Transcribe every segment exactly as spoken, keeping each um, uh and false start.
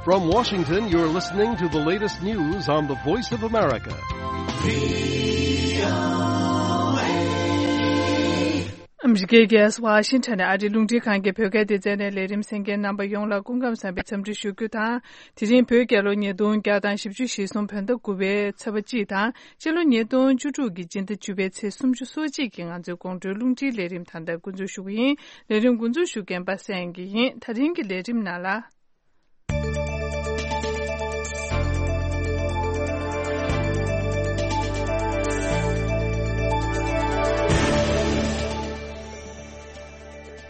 From Washington, you're listening to the latest news on the Voice of America. ཨ་མི་རི་ཀའི་རྒྱལ་ས་ཝ་ཤིང་ཊོན་ནས་ཨ་རིའི་རླུང་འཕྲིན་ཁང་གི་བོད་སྐད་སྡེ་ཚན་ནས་ལས་རིམ་གསན་མཁན་རྣམ་པ་ཡོངས་ལ་སྐུ་ཁམས་བཟང་བའི་འཚམས་འདྲི་ཞུ་རྒྱུ་དང་། དེ་རིང་བོད་རྒྱལ་ལོ་ཉིས་སྟོང་བརྒྱ་དང་བཞི་བཅུ་ཞེ་གསུམ་བོད་ཟླ་དགུ་པའི་ཚེས་པ་གཅིག་དང་། སྤྱི་ལོ་ཉིས་སྟོང་བཅུ་དྲུག་གི་སྤྱི་ཟླ་བཅུ་པའི་ཚེས་སུམ་ཅུ་སོ་གཅིག་གི་ང་ཚོའི་དགོང་དྲོའི་རླུང་འཕྲིན་ལས་རིམ་ད་ལྟ་འགོ་འཛུགས་ཞུ་གི་ཡིན། ལས་རིམ་འགོ་འཛུགས་ཞུ་མཁན་པ་སངས་སྐྱིད་ཡིན། ད་རིང་གི་ལས་རིམ་ནང་ལ།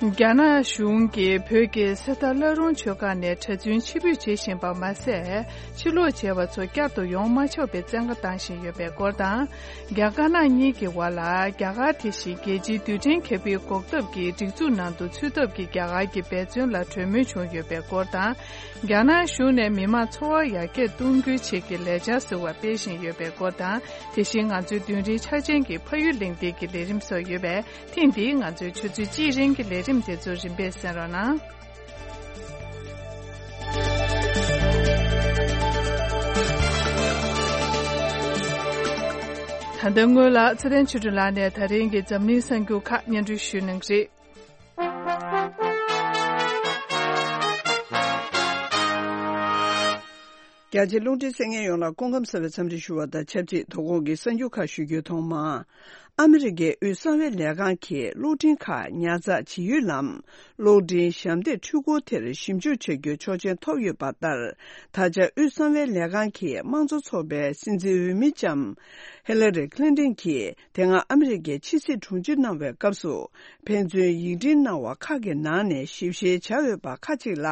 རྒྱ་ནག་གཞུང་གིས་བོད་ཀྱི་གསེར་རྟ་བླ་རུང་ཆོས་སྒར་ནས་གྲྭ་བཙུན་ཕྱིར་འབུད་བྱེད་བཞིན་པ་མ་ཟད། ཕྱིར་ལོག་བྱས་པ་ཚོ་བསྐྱར་དུ་ཡོང་མ་ཆོག་པའི་བཙན་བཀའ་བཏང་བཞིན་ཡོད་པའི་སྐོར་དང་། རྒྱ་དཀར་ནག་གཉིས་ཀྱི་བར་ལ་རྒྱ་གར་དེ་བཞིན་རྒྱལ་སྤྱིའི་རྡུལ་ཕྲན་མཁས་པའི་འགོག་ཐབས་ཀྱི་སྒྲིག་འཛུགས་ནང་དུ་ཚུད་ཐབས་ཀྱི་རྒྱ་གར་གྱི་འབད་བརྩོན་ལ་གྲོས་མོལ་བྱུང་ཡོད་པའི་སྐོར་དང་། རྒྱ་ནག་གཞུང་ནས་མི་མང་འཚོ་བ་ཡར་རྒྱས་གཏོང་རྒྱུའི་ཆེད་ཀྱི་ལས་འཆར་ཟེར་བ་སྤེལ་བཞིན་ཡོད་པའི་སྐོར་དང་། དེ་བཞིན་ང་ཚོའི་མདུན་རིའི་འཆར་ཅན་གྱི་ཕ་ཡུལ་གླེང་སྟེགས་ཀྱི་ལས་རིམ་སོགས་ཡོད་པས། ཐེངས་འདིའི་ང་ཚོའི་ཆུ་ཚོད་གཅིག་རིང་གི་ལས་རིམ་དེ་ཚོ་རིམ་པས་གསན་རོགས་གནང་། ད་ལྟ་སྔོན་ལ་ཚེ་བརྟན་ཆོས་སྒྲོན་ལགས་ནས་ད་རིང་གི་འཛམ་གླིང་གསར་འགྱུར་ཁག་སྙན་སྒྲོན་ཞུ་གནང་གི་རེད། རྒྱ་ཆེ་རླུང་འཕྲིན་གསན་མཁན་ཡོངས་ལ་སྐུ་ཁམས་བཟང་བའི་འཚམས་འདྲི་ཞུ་བ་དང་ཆབས་ཅིག་དོ་དགོང་གི་གསར་འགྱུར་ཁག་ཞུ་རྒྱུའི་ཐོག་མར། ཨ་མི་རི་ཀའི་དབུས་གསང་བའི་ལས་ཁང་གིས་གློག་འཕྲིན་ཁག་ཉར་ཚགས་བྱེད་ཡུལ་ལམ། གློག་འཕྲིན་ཞབས་འདེགས་འཕྲུལ་འཁོར་དེར་ཞིབ་འཇུག་བྱ་རྒྱུའི་ཆོག་མཆན་ཐོབ་ཡོད་པ་ལྟར། ད་ཆ་དབུས་གསང་བའི་ལས་ཁང་གིས་དམངས་གཙོ་ཚོགས་པའི་སྲིད་འཛིན་འོས་མི་ལྕམ་ཧི་ལ་རི་ཁི་ལིན་ཏིན་གྱིས་དེ་སྔ་ཨ་མི་རི་ཀའི་ཕྱི་སྲིད་དྲུང་ཆེ་གནང་བའི་སྐབས་སུ། ཕན་ཚུན་ཡིག་འཕྲིན་གནང་བ་ཁག་གི་ནང་ནས་ཞིབ་བཤེར་བྱ་འོས་པ་ཁག་ཅིག་ལ་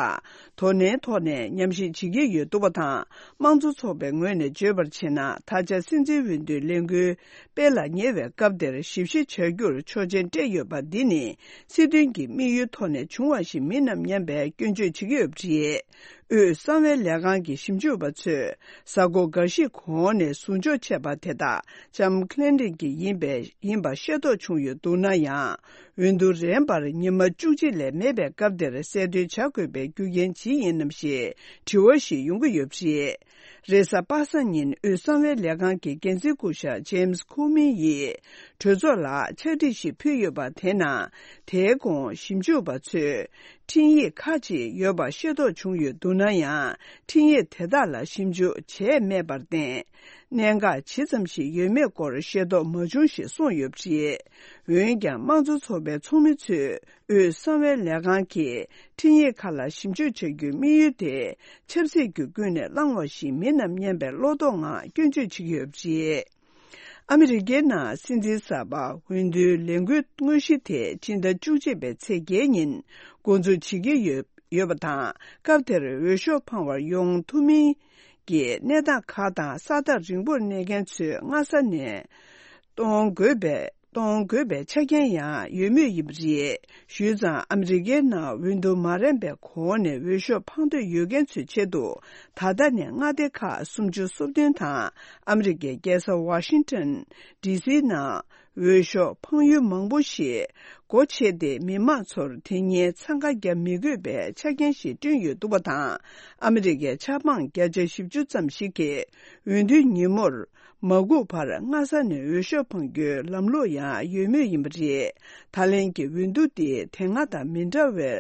དོ་ནན་ཐོག་ནས་ཉམས་ཞིབ་བྱེད་ཀྱི་ཡོད་འདུག་པ་དང་། དམངས་གཙོ་ཚོགས་པའི་ངོས་ནས་བརྗོད་པར་བྱས་ན། ད་ཆ་སྲིད་འཛིན་འོས་བསྡུའི་ལས་འགུལ་སྤེལ་ལ་ཉེ་བའི་སྐབས་དེར་ཞིབ་བཤེར་བྱ་རྒྱུར་ཆོག་མཆན་སྤྲད་ཡོད་པ་འདི་ནི། སྲིད་དོན་གྱི་དམིགས་ཡུལ་ཐོག་ནས་བྱུང་བ་ཞིག་མིན་ནམ་སྙམ་པའི་སྐྱོན་བརྗོད་བྱེད་ཀྱི་ཡོད་པ་རེད། དབུས་གསང་བའི་ལས་ཁང་གི་ཞིབ་འཇུག་པ་ཚོས་གཟའ་འཁོར་འགའ་ཞིག་གོང་ནས་ཟུར་འཇོག་བྱས་པ་དེ་དག་ལྕམ་ཁི་ལིན་ཏིན་གྱི་ཡིན་པའི་ཡིན་པ་ཤེས་རྟོགས་བྱུང་ཡོད་འདུག་ན་ཡང་། འོས་བསྡུ་རན་པར་ཉི་མ་བཅུ་གཅིག་ལས་མེད་པའི་སྐབས་དེར་གསལ་སྟོན་བྱ་དགོས་པའི་རྒྱུ་རྐྱེན་ཇི་ཡིན་ནམ་ཞེས་དྲི་བ་ཞིག་ཡོང་གི་ཡོད་པ་རེད། རེས་གཟའ་པ་སངས་ཉིན་དབུས་གསང་བའི་ལས་ཁང་གི་འགན་འཛིན་སྐུ་ཞབས་ཇེམ་སི་ཁོ་མིན་ཡིས་གྲོས་ཚོགས་ལ་ཕྱག་བྲིས་ཤིག་ཕུལ་ཡོད་པ་དེ་ནང་། དེའི་གོང་ཞིབ་འཇུག་པ་ཚོས་འཕྲིན་ཡིག་ཁག་ཅིག་ཡོད་པ་ཤེས་རྟོགས་བྱུང་ཡོད་འདུག་ན་ཡང་། འཕྲིན་ཡིག་དེ་དག་ལ་ཞིབ་འཇུག་བྱས་མེད་པར་བརྟེན། གནད་འགག་ཇི་ཙམ་ཞིག་ཡོད་མེད་སྐོར་ཤེས་རྟོགས་མ་བྱུང་ཞེས་གསུངས་ཡོད་པ་རེད། འོན་ཀྱང་། དམངས་གཙོ་ཚོགས་པའི་ཚོགས་མི་ཚོས་དབུས་གསང་བའི་ལས་ཁང་གིས་འཕྲིན་ཡིག་ཁག་ལ་ཞིབ་འཇུག་བྱ་རྒྱུའི་དམིགས་ཡུལ་དེ། ཆབ་སྲིད་ཀྱི་ཀུན་ནས་བསླངས་བ་ཞིག་མིན་ནམ་སྙམ་པའི་བློ་དོགས་ངང་སྐྱོན་བརྗོད་བྱེད་ཀྱི་ཡོད་པ་རེད། ཨ་མི་རི་ཀའི་ནང་སྲིད་འཛིན་གསར་པ་འོས་བསྡུའི་ལས་འགུལ་དངོས་གཞི་དེ་སྤྱི་ཟླ་བཅུ་གཅིག་པའི་ཚེས་བརྒྱད་ཉིན་འགོ་འཛུགས་བྱེད་ཀྱི་ཡོད་ཡོད་པ་དང་། སྐབས་དེར་འོས་ཤོག་འཕང་བར་ཡོང་ཐུབ་མིན་གྱི་གནས་སྟངས་ཁག་དང་། ས་ཐག་རིང་པོར་གནས་མཁན་ཚོས་སྔ་ས་ནས་གཏོང་དགོས་པའི་གཏོང་དགོས་པའི་ཆ་རྐྱེན་ཡང་ཡོད་མུས་ཡིན་པ་རེད། ཞུས་ཙང་། ཨ་མི་རི་ཀའི་ནང་འོས་བསྡུ་མ་རན་པའི་གོང་ནས་འོས་ཤོག་འཕང་འདོད་ཡོད་མཁན་ཚོའི་ཆེད་དུ། ད་ལྟ་ནས་མངའ་སྡེ་ཁག་སུམ་ཅུ་སོ་བདུན་དང་། ཨ་མི་རི་ཀའི་རྒྱལ་ས་ཝ་ཤིང་ཊོན་ཌི་སིའི་ནང་འོས་ཤོག་འཕང་ཡུལ་མང་པོ་ཞིག་སྒོ་ཕྱེ་སྟེ། མི་མང་ཚོར་དེ་ཉིན་འཚང་ཁ་རྒྱག་མི་དགོས་པའི་ཆ་རྐྱེན་ཞིག་བསྐྲུན་ཡོད་འདུག་པ་དང་། ཨ་མི་རི་ཀའི་ཆབ་འབངས་བརྒྱ་ཆ་བཞི་བཅུ་ཙམ་ཞིག་གིས་འོས་བསྡུའི་ཉིན་མོར་མ་སྒུག་པར་སྔ་ས་ནས་འོས་ཤོག་འཕང་རྒྱུའི་ལམ་ལུགས་ཡང་ཡོད་མུས་ཡིན་པ་རེད། ད་ལན་གྱི་འོས་བསྡུ་འདི་དེ་སྔ་དང་མི་འདྲ་བའི་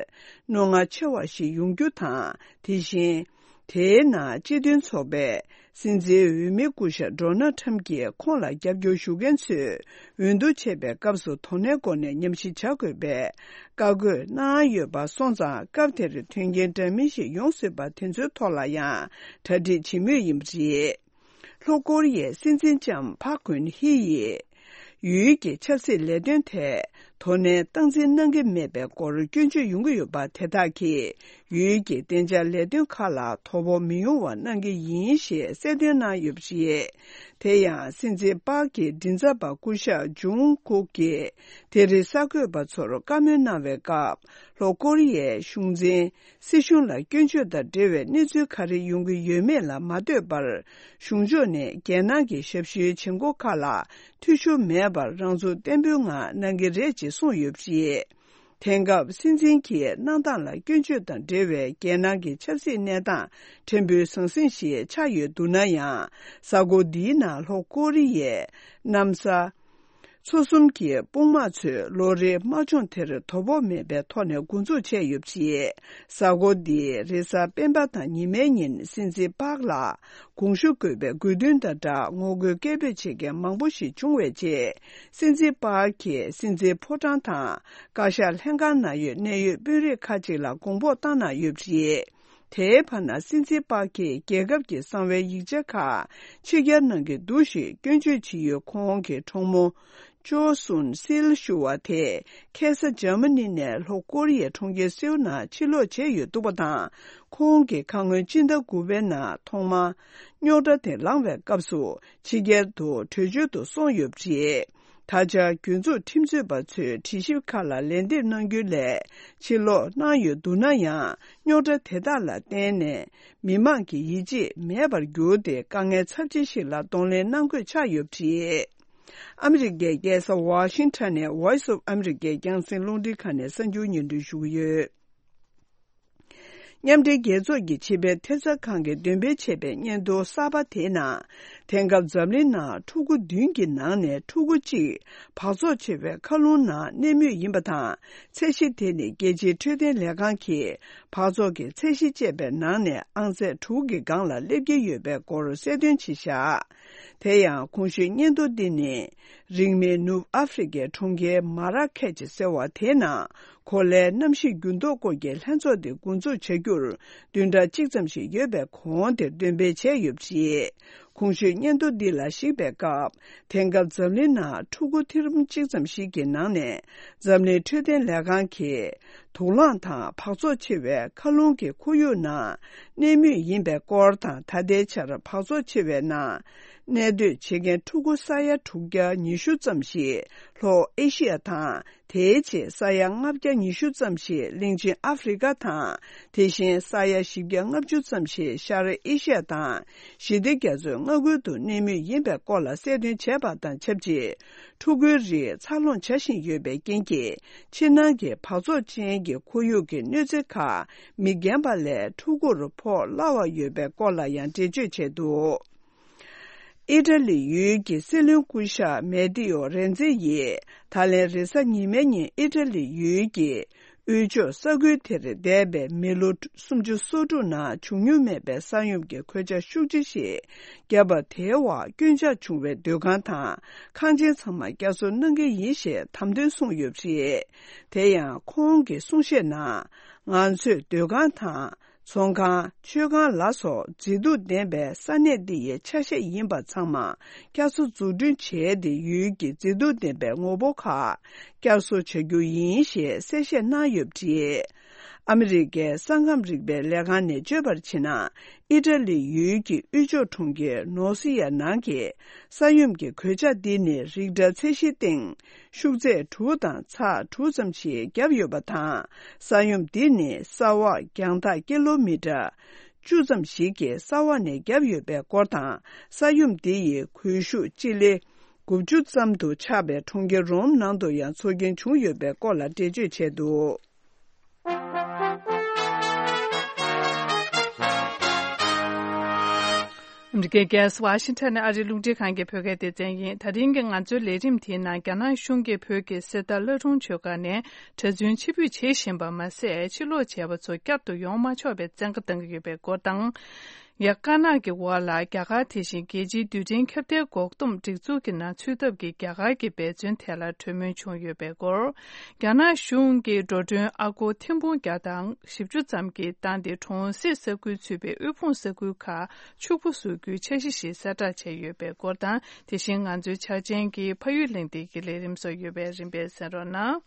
རྣོ་ངར་ཆེ་བ་ཞིག་ཡོང་རྒྱུ་དང་། དེ་བཞིན། དེའི་ནང་སྤྱི་མཐུན་ཚོགས་པའི་སྲིད་འཛིན་འོས་མི་སྐུ་ཞབས་ཌོ་ནལ་ཊམ་གྱིས་ཁོང་ལ་རྒྱབ་སྐྱོར་ཞུ་མཁན་ཚོས་འོས་བསྡུ་བྱེད་པའི་སྐབས་སུ་དོ་ནན་སྒོ་ནས་ཉམས་ཞིབ་བྱ་དགོས་པའི་བཀའ་བཀོད་གནང་ཡོད་པ་སོང་ཙང་། སྐབས་དེར་མཐུན་རྐྱེན་འདྲ་མིན་ཞིག་ཡོང་སྲིད་པ་དེ་ཚོའི་ཐོག་ལ་ཡང་གྲ་སྒྲིག་བྱེད་མུས་ཡིན་པ་རེད། ལྷོ་ཀོ་རི་ཡའི་སྲིད་འཛིན་ལྕམ་ཕག་གུན་ཧི་ཡིས། ཡུལ་གྱི་ཆབ་སྲིད་ལས་དོན་ཐད་དོ་ནན་སྟངས་འཛིན་གནང་གི་མེད་པའི་སྐོར་སྐྱོན་བརྗོད་ཡོང་གི་ཡོད་པ་དེ་དག་གིས། ཡུལ་གྱི་བདེ་འཇགས་ལས་དོན་ཁག་ལ་དོ་ཕོག་མི་ཡོང་བ་གནང་གི་ཡིན་ཞེས་གསལ་སྟོན་གནང་ཡོད་པ་རེད། དེ་ཡང་། སྲིད་འཛིན་པཱག་གི་མགྲིན་ཚབ་པ་སྐུ་ཞབས་ཇུང་ཀུག་གིས། དེ་རིང་གསར་འགོད་པ་ཚོར་བཀའ་མོལ་གནང་བའི་སྐབས། ལྷོ་ཀོ་རི་ཡའི་གཞུང་འཛིན། སྲིད་གཞུང་ལ་སྐྱོན་བརྗོད་དང་འབྲེལ་བའི་གནས་ཚུལ་ག་རེ་ཡོང་གི་ཡོད་མེད་ལ་མ་ལྟོས་པར། གཞུང་ཕྱོགས་ནས་རྒྱལ་ནང་གི་ཞབས་ཞུའི་བྱེད་སྒོ་ཁག་ལ་འཐུས་ཤོར་མེད་པར་རང་ཚུགས་བརྟན་པོའི་ངང་གནང་གི་རེད་ཅེས་གསུངས་ཡོད་པ་རེད། དེང་སྐབས་སྲིད་འཛིན་གྱི་གནང་སྟངས་ལ་སྐྱོན་བརྗོད་དང་འབྲེལ་བའི་རྒྱལ་ནང་གི་ཆབ་སྲིད་གནས་སྟངས་ཕྲན་བུ་ཟང་ཟིང་ཞིག་ཆགས་ཡོད་འདུག་ན་ཡང་། གཟའ་འཁོར་འདིའི་ནང་ལྷོ་ཀོ་རི་ཡའི་གནམ་ས་མཚོ་གསུམ་གྱི་དཔུང་དམག་ཚོས་ལོ་རེའི་དམག་སྦྱོང་དེར་དོ་ཕོག་མེད་པའི་ཐོག་ནས་འགོ་འཛུགས་བྱས་ཡོད་པ་རེད། གཟའ་འཁོར་འདིའི་རེས་གཟའ་སྤེན་པ་དང་ཉི་མའི་ཉིན་སྲིད་འཛིན་པཱག་ལ་དགོངས་ཞུ་དགོས་པའི་དགོས་འདུན་དང་སྦྲགས་ངོ་རྒོལ་སྐད་འབོད་བྱེད་མཁན་མང་པོ་ཞིག་བྱུང་བའི་རྗེས། སྲིད་འཛིན་པཱག་གིས་སྲིད་འཛིན་ཕོ་བྲང་དང་བཀའ་ཤག་ལྷན་ཁང་ནང་ཡོད་གནད་ཡོད་དཔོན་རིགས་ཁག་ཅིག་ལ་དགོངས་ཕོགས་བཏང་གནང་ཡོད་པ་རེད། དེའི་བར་ན་སྲིད་འཛིན་པཱག་གིས་རྒྱལ་ཁབ་ཀྱི་གསང་བའི་ཡིག་ཆ་ཁག་ཕྱི་གྱར་གནང་གི་འདུག་ཞེས་སྐྱོན་བརྗོད་བྱེད་ཡུལ་ཁོང་གི་གྲོགས་མོ་ཅོ་སུན་སིལ་ཞུ་བ་དེས་ཁ་སང་འཇར་མ་ནི་ནས་ལྷོ་ཀོ་རི་ཡའི་གྲོང་ཁྱེར་སེའུ་ནང་ཕྱིར་ལོག་བྱས་ཡོད་འདུག་པ་དང་། ཁོང་གི་ཁ་སྔོན་སྤྱི་ཟླ་དགུ་པའི་ནང་ཐོག་མར་རྙོག་དྲ་དེ་ལངས་པའི་སྐབས་སུ་ཕྱི་རྒྱལ་དུ་བྲོས་བྱོལ་དུ་སོང་ཡོད་པ་རེད། ད་ཆ་རྒྱུན་འཛུགས་ཁྲིམས་རྩོད་པ་ཚོས་དྲི་ཞིབ་ཁག་ལ་ལན་འདེབས་གནང་རྒྱུ་ལས་ཕྱིར་ལོག་གནང་ཡོད་འདུག་ན་ཡང་། རྙོག་དྲ་དེ་དག་ལ་བརྟེན་ནས་མི་མང་གི་ཡིད་ཆེས་མེད་པར་གྱུར་ཏེ། དཀའ་ངལ་ཚབས་ཆེ་ཞིག་ལ་གདོང་ལེན་གནང་དགོས་ཆགས་ཡོད་པ་རེད། ཨ་མི་རི་ཀའི་རྒྱལ་ས་ཝ་ཤིང་ཊོན་ནས་Voice of America་རྒྱང་སྲིང་རླུང་འཕྲིན་ཁང་ནས་གསར་འགྱུར་སྙན་སྒྲོན་ཞུ་གི་ཡོད། མཉམ་འབྲེལ་རྒྱལ་ཚོགས་ཀྱི་ཕྱི་པའི་ཐེབས་རྩ་ཁང་གིས་འདོན་སྤེལ་བྱས་པའི་སྙན་ཐོ་གསར་པ་དེའི་ནང་། དེང་སྐབས་འཛམ་གླིང་ནང་ཕྲུ་གུ་བདུན་གྱི་ནང་ནས་ཕྲུ་གུ་གཅིག་འབག་བཙོག་ཆེ་བའི་མཁའ་རླུང་ནང་གནས་མུས་ཡིན་པ་དང་། ཚད་གཞི་དེ་ནི་རྒྱལ་སྤྱིའི་འཕྲོད་བསྟེན་ལས་ཁང་གིས་འབག་བཙོག་གི་ཚད་གཞི་བཅས་པའི་ནང་ནས་ཨང་ཚད་དྲུག་གི་སྒང་ལ་སླེབས་ཀྱི་ཡོད་པའི་སྐོར་གསལ་སྟོན་བྱས་བཞག་དེ་ཡང་གོང་ཞུས་སྙན་ཐོ་འདི་ནི། རིང་མིན་ནུབ་ཨ་ཧྥེ་རི་ཀའི་གྲོང་ཁྱེར་མ་ར་ཁེ་ཆི་ཟེར་བ་དེའི་ནང་། གོ་ལའི་གནམ་གཤིས་འགྱུར་ལྡོག་སྐོར་གྱི་ལྷན་ཚོགས་དེ་འགོ་འཛུགས་བྱ་རྒྱུར་བདུན་ཕྲག་གཅིག་ཙམ་ཞིག་ཡོད་པའི་གོང་དེར་འདོན་སྤེལ་བྱས་ཡོད་པ་རེད། གོང་ཞུས་སྙན་ཐོ་འདི་ལ་གཞིགས་པའི་སྐབས། དེང་སྐབས་འཛམ་གླིང་ནང་ཕྲུ་གུ་ཐེར་འབུམ་གཅིག་ཙམ་ཞིག་གི་ནང་ནས། འཛམ་གླིང་འཕྲོད་བསྟེན་ལས་ཁང་གིས། དུག་རླངས་དང་འབག་བཙོག་ཆེ་བའི་མཁའ་རླུང་གི་ཁོར་ཡུག་ནང་གནས་མུས་ཡིན་པའི་སྐོར་དང་། ད་ལྟའི་ཆར་འབག་བཙོག་ཆེ་བའི་ནང་གནས་སྡོད་བྱེད་མཁན་ཕྲུ་གུ་ས་ཡ་དྲུག་བརྒྱ་ཉི་ཤུ་ཙམ་ཞིག་ལྷོ་ཨེ་ཤི་ཡ་དང་། དེའི་རྗེས་ས་ཡ་ལྔ་བརྒྱ་ཉི་ཤུ་ཙམ་ཞིག་གླིང་ཆེན་ཨ་ཧྥེ་རི་ཀ་དང་། དེ་བཞིན་ས་ཡ་བཞི་བརྒྱ་ལྔ་བཅུ་ཙམ་ཞིག་ཤར་ཨེ་ཤི་ཡ་དང་། ཞི་བདེ་རྒྱ་མཚོའི་མངའ་ཁུལ་དུ་གནས་མུས་ཡིན་པའི་སྐོར་ལ་གསལ་སྟོན་བྱས་པ་དང་ཆབས་ཅིག་ཕྲུ་གུའི་རིགས་འཚར་ལོངས་བྱ་བཞིན་ཡོད་པའི་རྐྱེན་གྱིས། ཕྱི་ནང་གི་འབག་བཙོག་ཅན་གྱི་ཁོར་ཡུག་གི་གནོད་འཚེ་ཁག་མི་རྒན་པ་ལས་ཕྲུ་གུར་ཕོག་སླ་བ་ཡོད་པའི་སྐོར་ལ་ཡང་འགྲེལ་བརྗོད་བྱས་འདུག་ཨི་ཊ་ལི་ཡུལ་གྱི་སྲིད་བློན་སྐུ་ཞབས་མེ་ཏི་ཨོ་རེན་ཛེ་ཡིས་ད་ལན་རེས་གཟའ་ཉི་མའི་ཉིན་ཨི་ཊ་ལི་ཡུལ་གྱི་དབུས་ཕྱོགས་ས་ཁུལ་དེར་འདས་པའི་མི་ལོ་སུམ་ཅུ་སོ་དྲུག་ནང་བྱུང་མྱོང་མེད་པའི་ས་ཡོམ་གྱི་གོད་ཆག་ཤུགས་ཆེ་ཞིག་བརྒྱབ་པ་དེའི་འོག་སྐྱོན་ཆག་བྱུང་བའི་སྡོད་ཁང་དང་ཁང་ཆེན་ཚང་མ་བསྐྱར་གསོ་གནང་གི་ཡིན་ཞེས་དམ་དོན་གསུངས་ཡོད་པ་རེད། དེ་ཡང་ཁོང་གིས་གསུང་བཤད་ནང་། ང་ཚོས་སྡོད་ཁང་དང་། ཚོང་ཁང་། མཆོད་ཁང་ལ་སོགས་མཛེས་སྡུག་ལྡན་པའི་ས་གནས་འདི་ཡི་ཆ་ཤས་ཡིན་པ་ཚང་མ་བསྐྱར་གསོ་འཛུགས་སྐྲུན་བྱས་ཏེ། ཡུལ་གྱི་མཛེས་སྡུག་ལྡན་པའི་ངོ་བོ་ཁག་བསྐྱར་གསོ་བྱ་རྒྱུ་ཡིན་ཞེས་གསལ་བཤད་གནང་ཡོད་པ་རེད། ཨ་མི་རི་ཀའི་ས་ཁམས་རིག་པའི་ལས་ཁང་ནས་བརྗོད་པར་བྱས་ན། ཨི་ཊ་ལི་ཡུལ་གྱི་དབུས་ཕྱོགས་གྲོང་ཁྱེར་ནོར་སི་ཡ་ནང་གི་ས་ཡོམ་གྱི་གོད་ཆག་འདི་ནི་རིག་ཊར་ཚད་གཞིའི་སྟེང་ཤུགས་ཚད་དྲུག་དང་ཚེག་དྲུག་ཙམ་ཞིག་བརྒྱབ་ཡོད་པ་དང་། ས་ཡོམ་འདི་ནི་ས་འོག་རྒྱང་ཐག་ཀི་ལོ་མི་ཊར་བཅུ་ཙམ་ཞིག་གི་ས་འོག་ནས་བརྒྱབ་ཡོད་པའི་སྐོར་དང་། ས་ཡོམ་འདི་ཡི་གུལ་ཤུགས་སྤྱི་ལེ་དགུ་བཅུ་ཙམ་དུ་ཆགས་པའི་གྲོང་ཁྱེར་རོམ་ནང་དུ་ཡང་ཚོར་སྐྱེན་བྱུང་ཡོད་པའི་སྐོར་ལ་འགྲེལ་བརྗོད་བྱས་འདུག་ཨ་མི་རི་ཀའི་རྒྱལ་ས་ཝ་ཤིང་ཊོན་ནས་ཨ་རིའི་རླུང་འཕྲིན་ཁང་གི་བོད་སྐད་སྡེ་ཚན་ཡིན། ད་རིང་གི་ང་ཚོའི་ལས་རིམ་དེའི་ནང་། རྒྱ་ནག་གཞུང་གིས་བོད་ཀྱི་གསེར་རྟ་བླ་སྒྲུང་ཆོས་སྒར་ནས་གྲྭ་བཙུན་ཕྱིར་འབུད་བྱེད་བཞིན་པ་མ་ཟད། ཕྱིར་ལོག་བྱས་པ་ཚོ་བསྐྱར་དུ་ཡོང་མ་ཆོག་པའི་བཙན་བཀའ་བཏང་གི་ཡོད་པའི་སྐོར་དང་། ཡ། དཀར་ནག་གི་འོག་ལ་རྒྱ་གར་དེ་བཞིན་རྒྱལ་སྤྱིའི་རྡུལ་ཕྲན་ཁྱབ་གདལ་འགོག་སྡོམ་སྒྲིག་འཛུགས་ཀྱི་ནང་ཚུད་ཐབས་ཀྱི་རྒྱ་གར་གྱི་འབད་བརྩོན་ཐད་ལ་གྲོས་མོལ་བྱུང་ཡོད་པའི་སྐོར། རྒྱ་ནག་གཞུང་གིས་འགྲོ་གྲོན་ཨ་སྒོར་ཐེར་འབུམ་བརྒྱ་དང་བཞི་བཅུ་ཙམ་གྱི་བཏང་སྟེ། གྲོང་གསེབ་ས་ཁུལ་ཚུད་པའི་དབུལ་ཕོངས་ས་ཁུལ་ཁག་ཕྱུག་པོ་བཟོ་རྒྱུའི་འཆར་གཞི་ཞིག་གསལ་བསྒྲགས་བྱས་ཡོད་པའི་སྐོར་དང་། དེ་བཞིན་ང་ཚོའི་འཆར་ཅན་གྱི་ཕ་ཡུལ་གླེང་སྟེགས་ཀྱི་ལས་རིམ་སོགས་ཡོད་པས། རིམ་པས་གསན་རོགས་གནང་།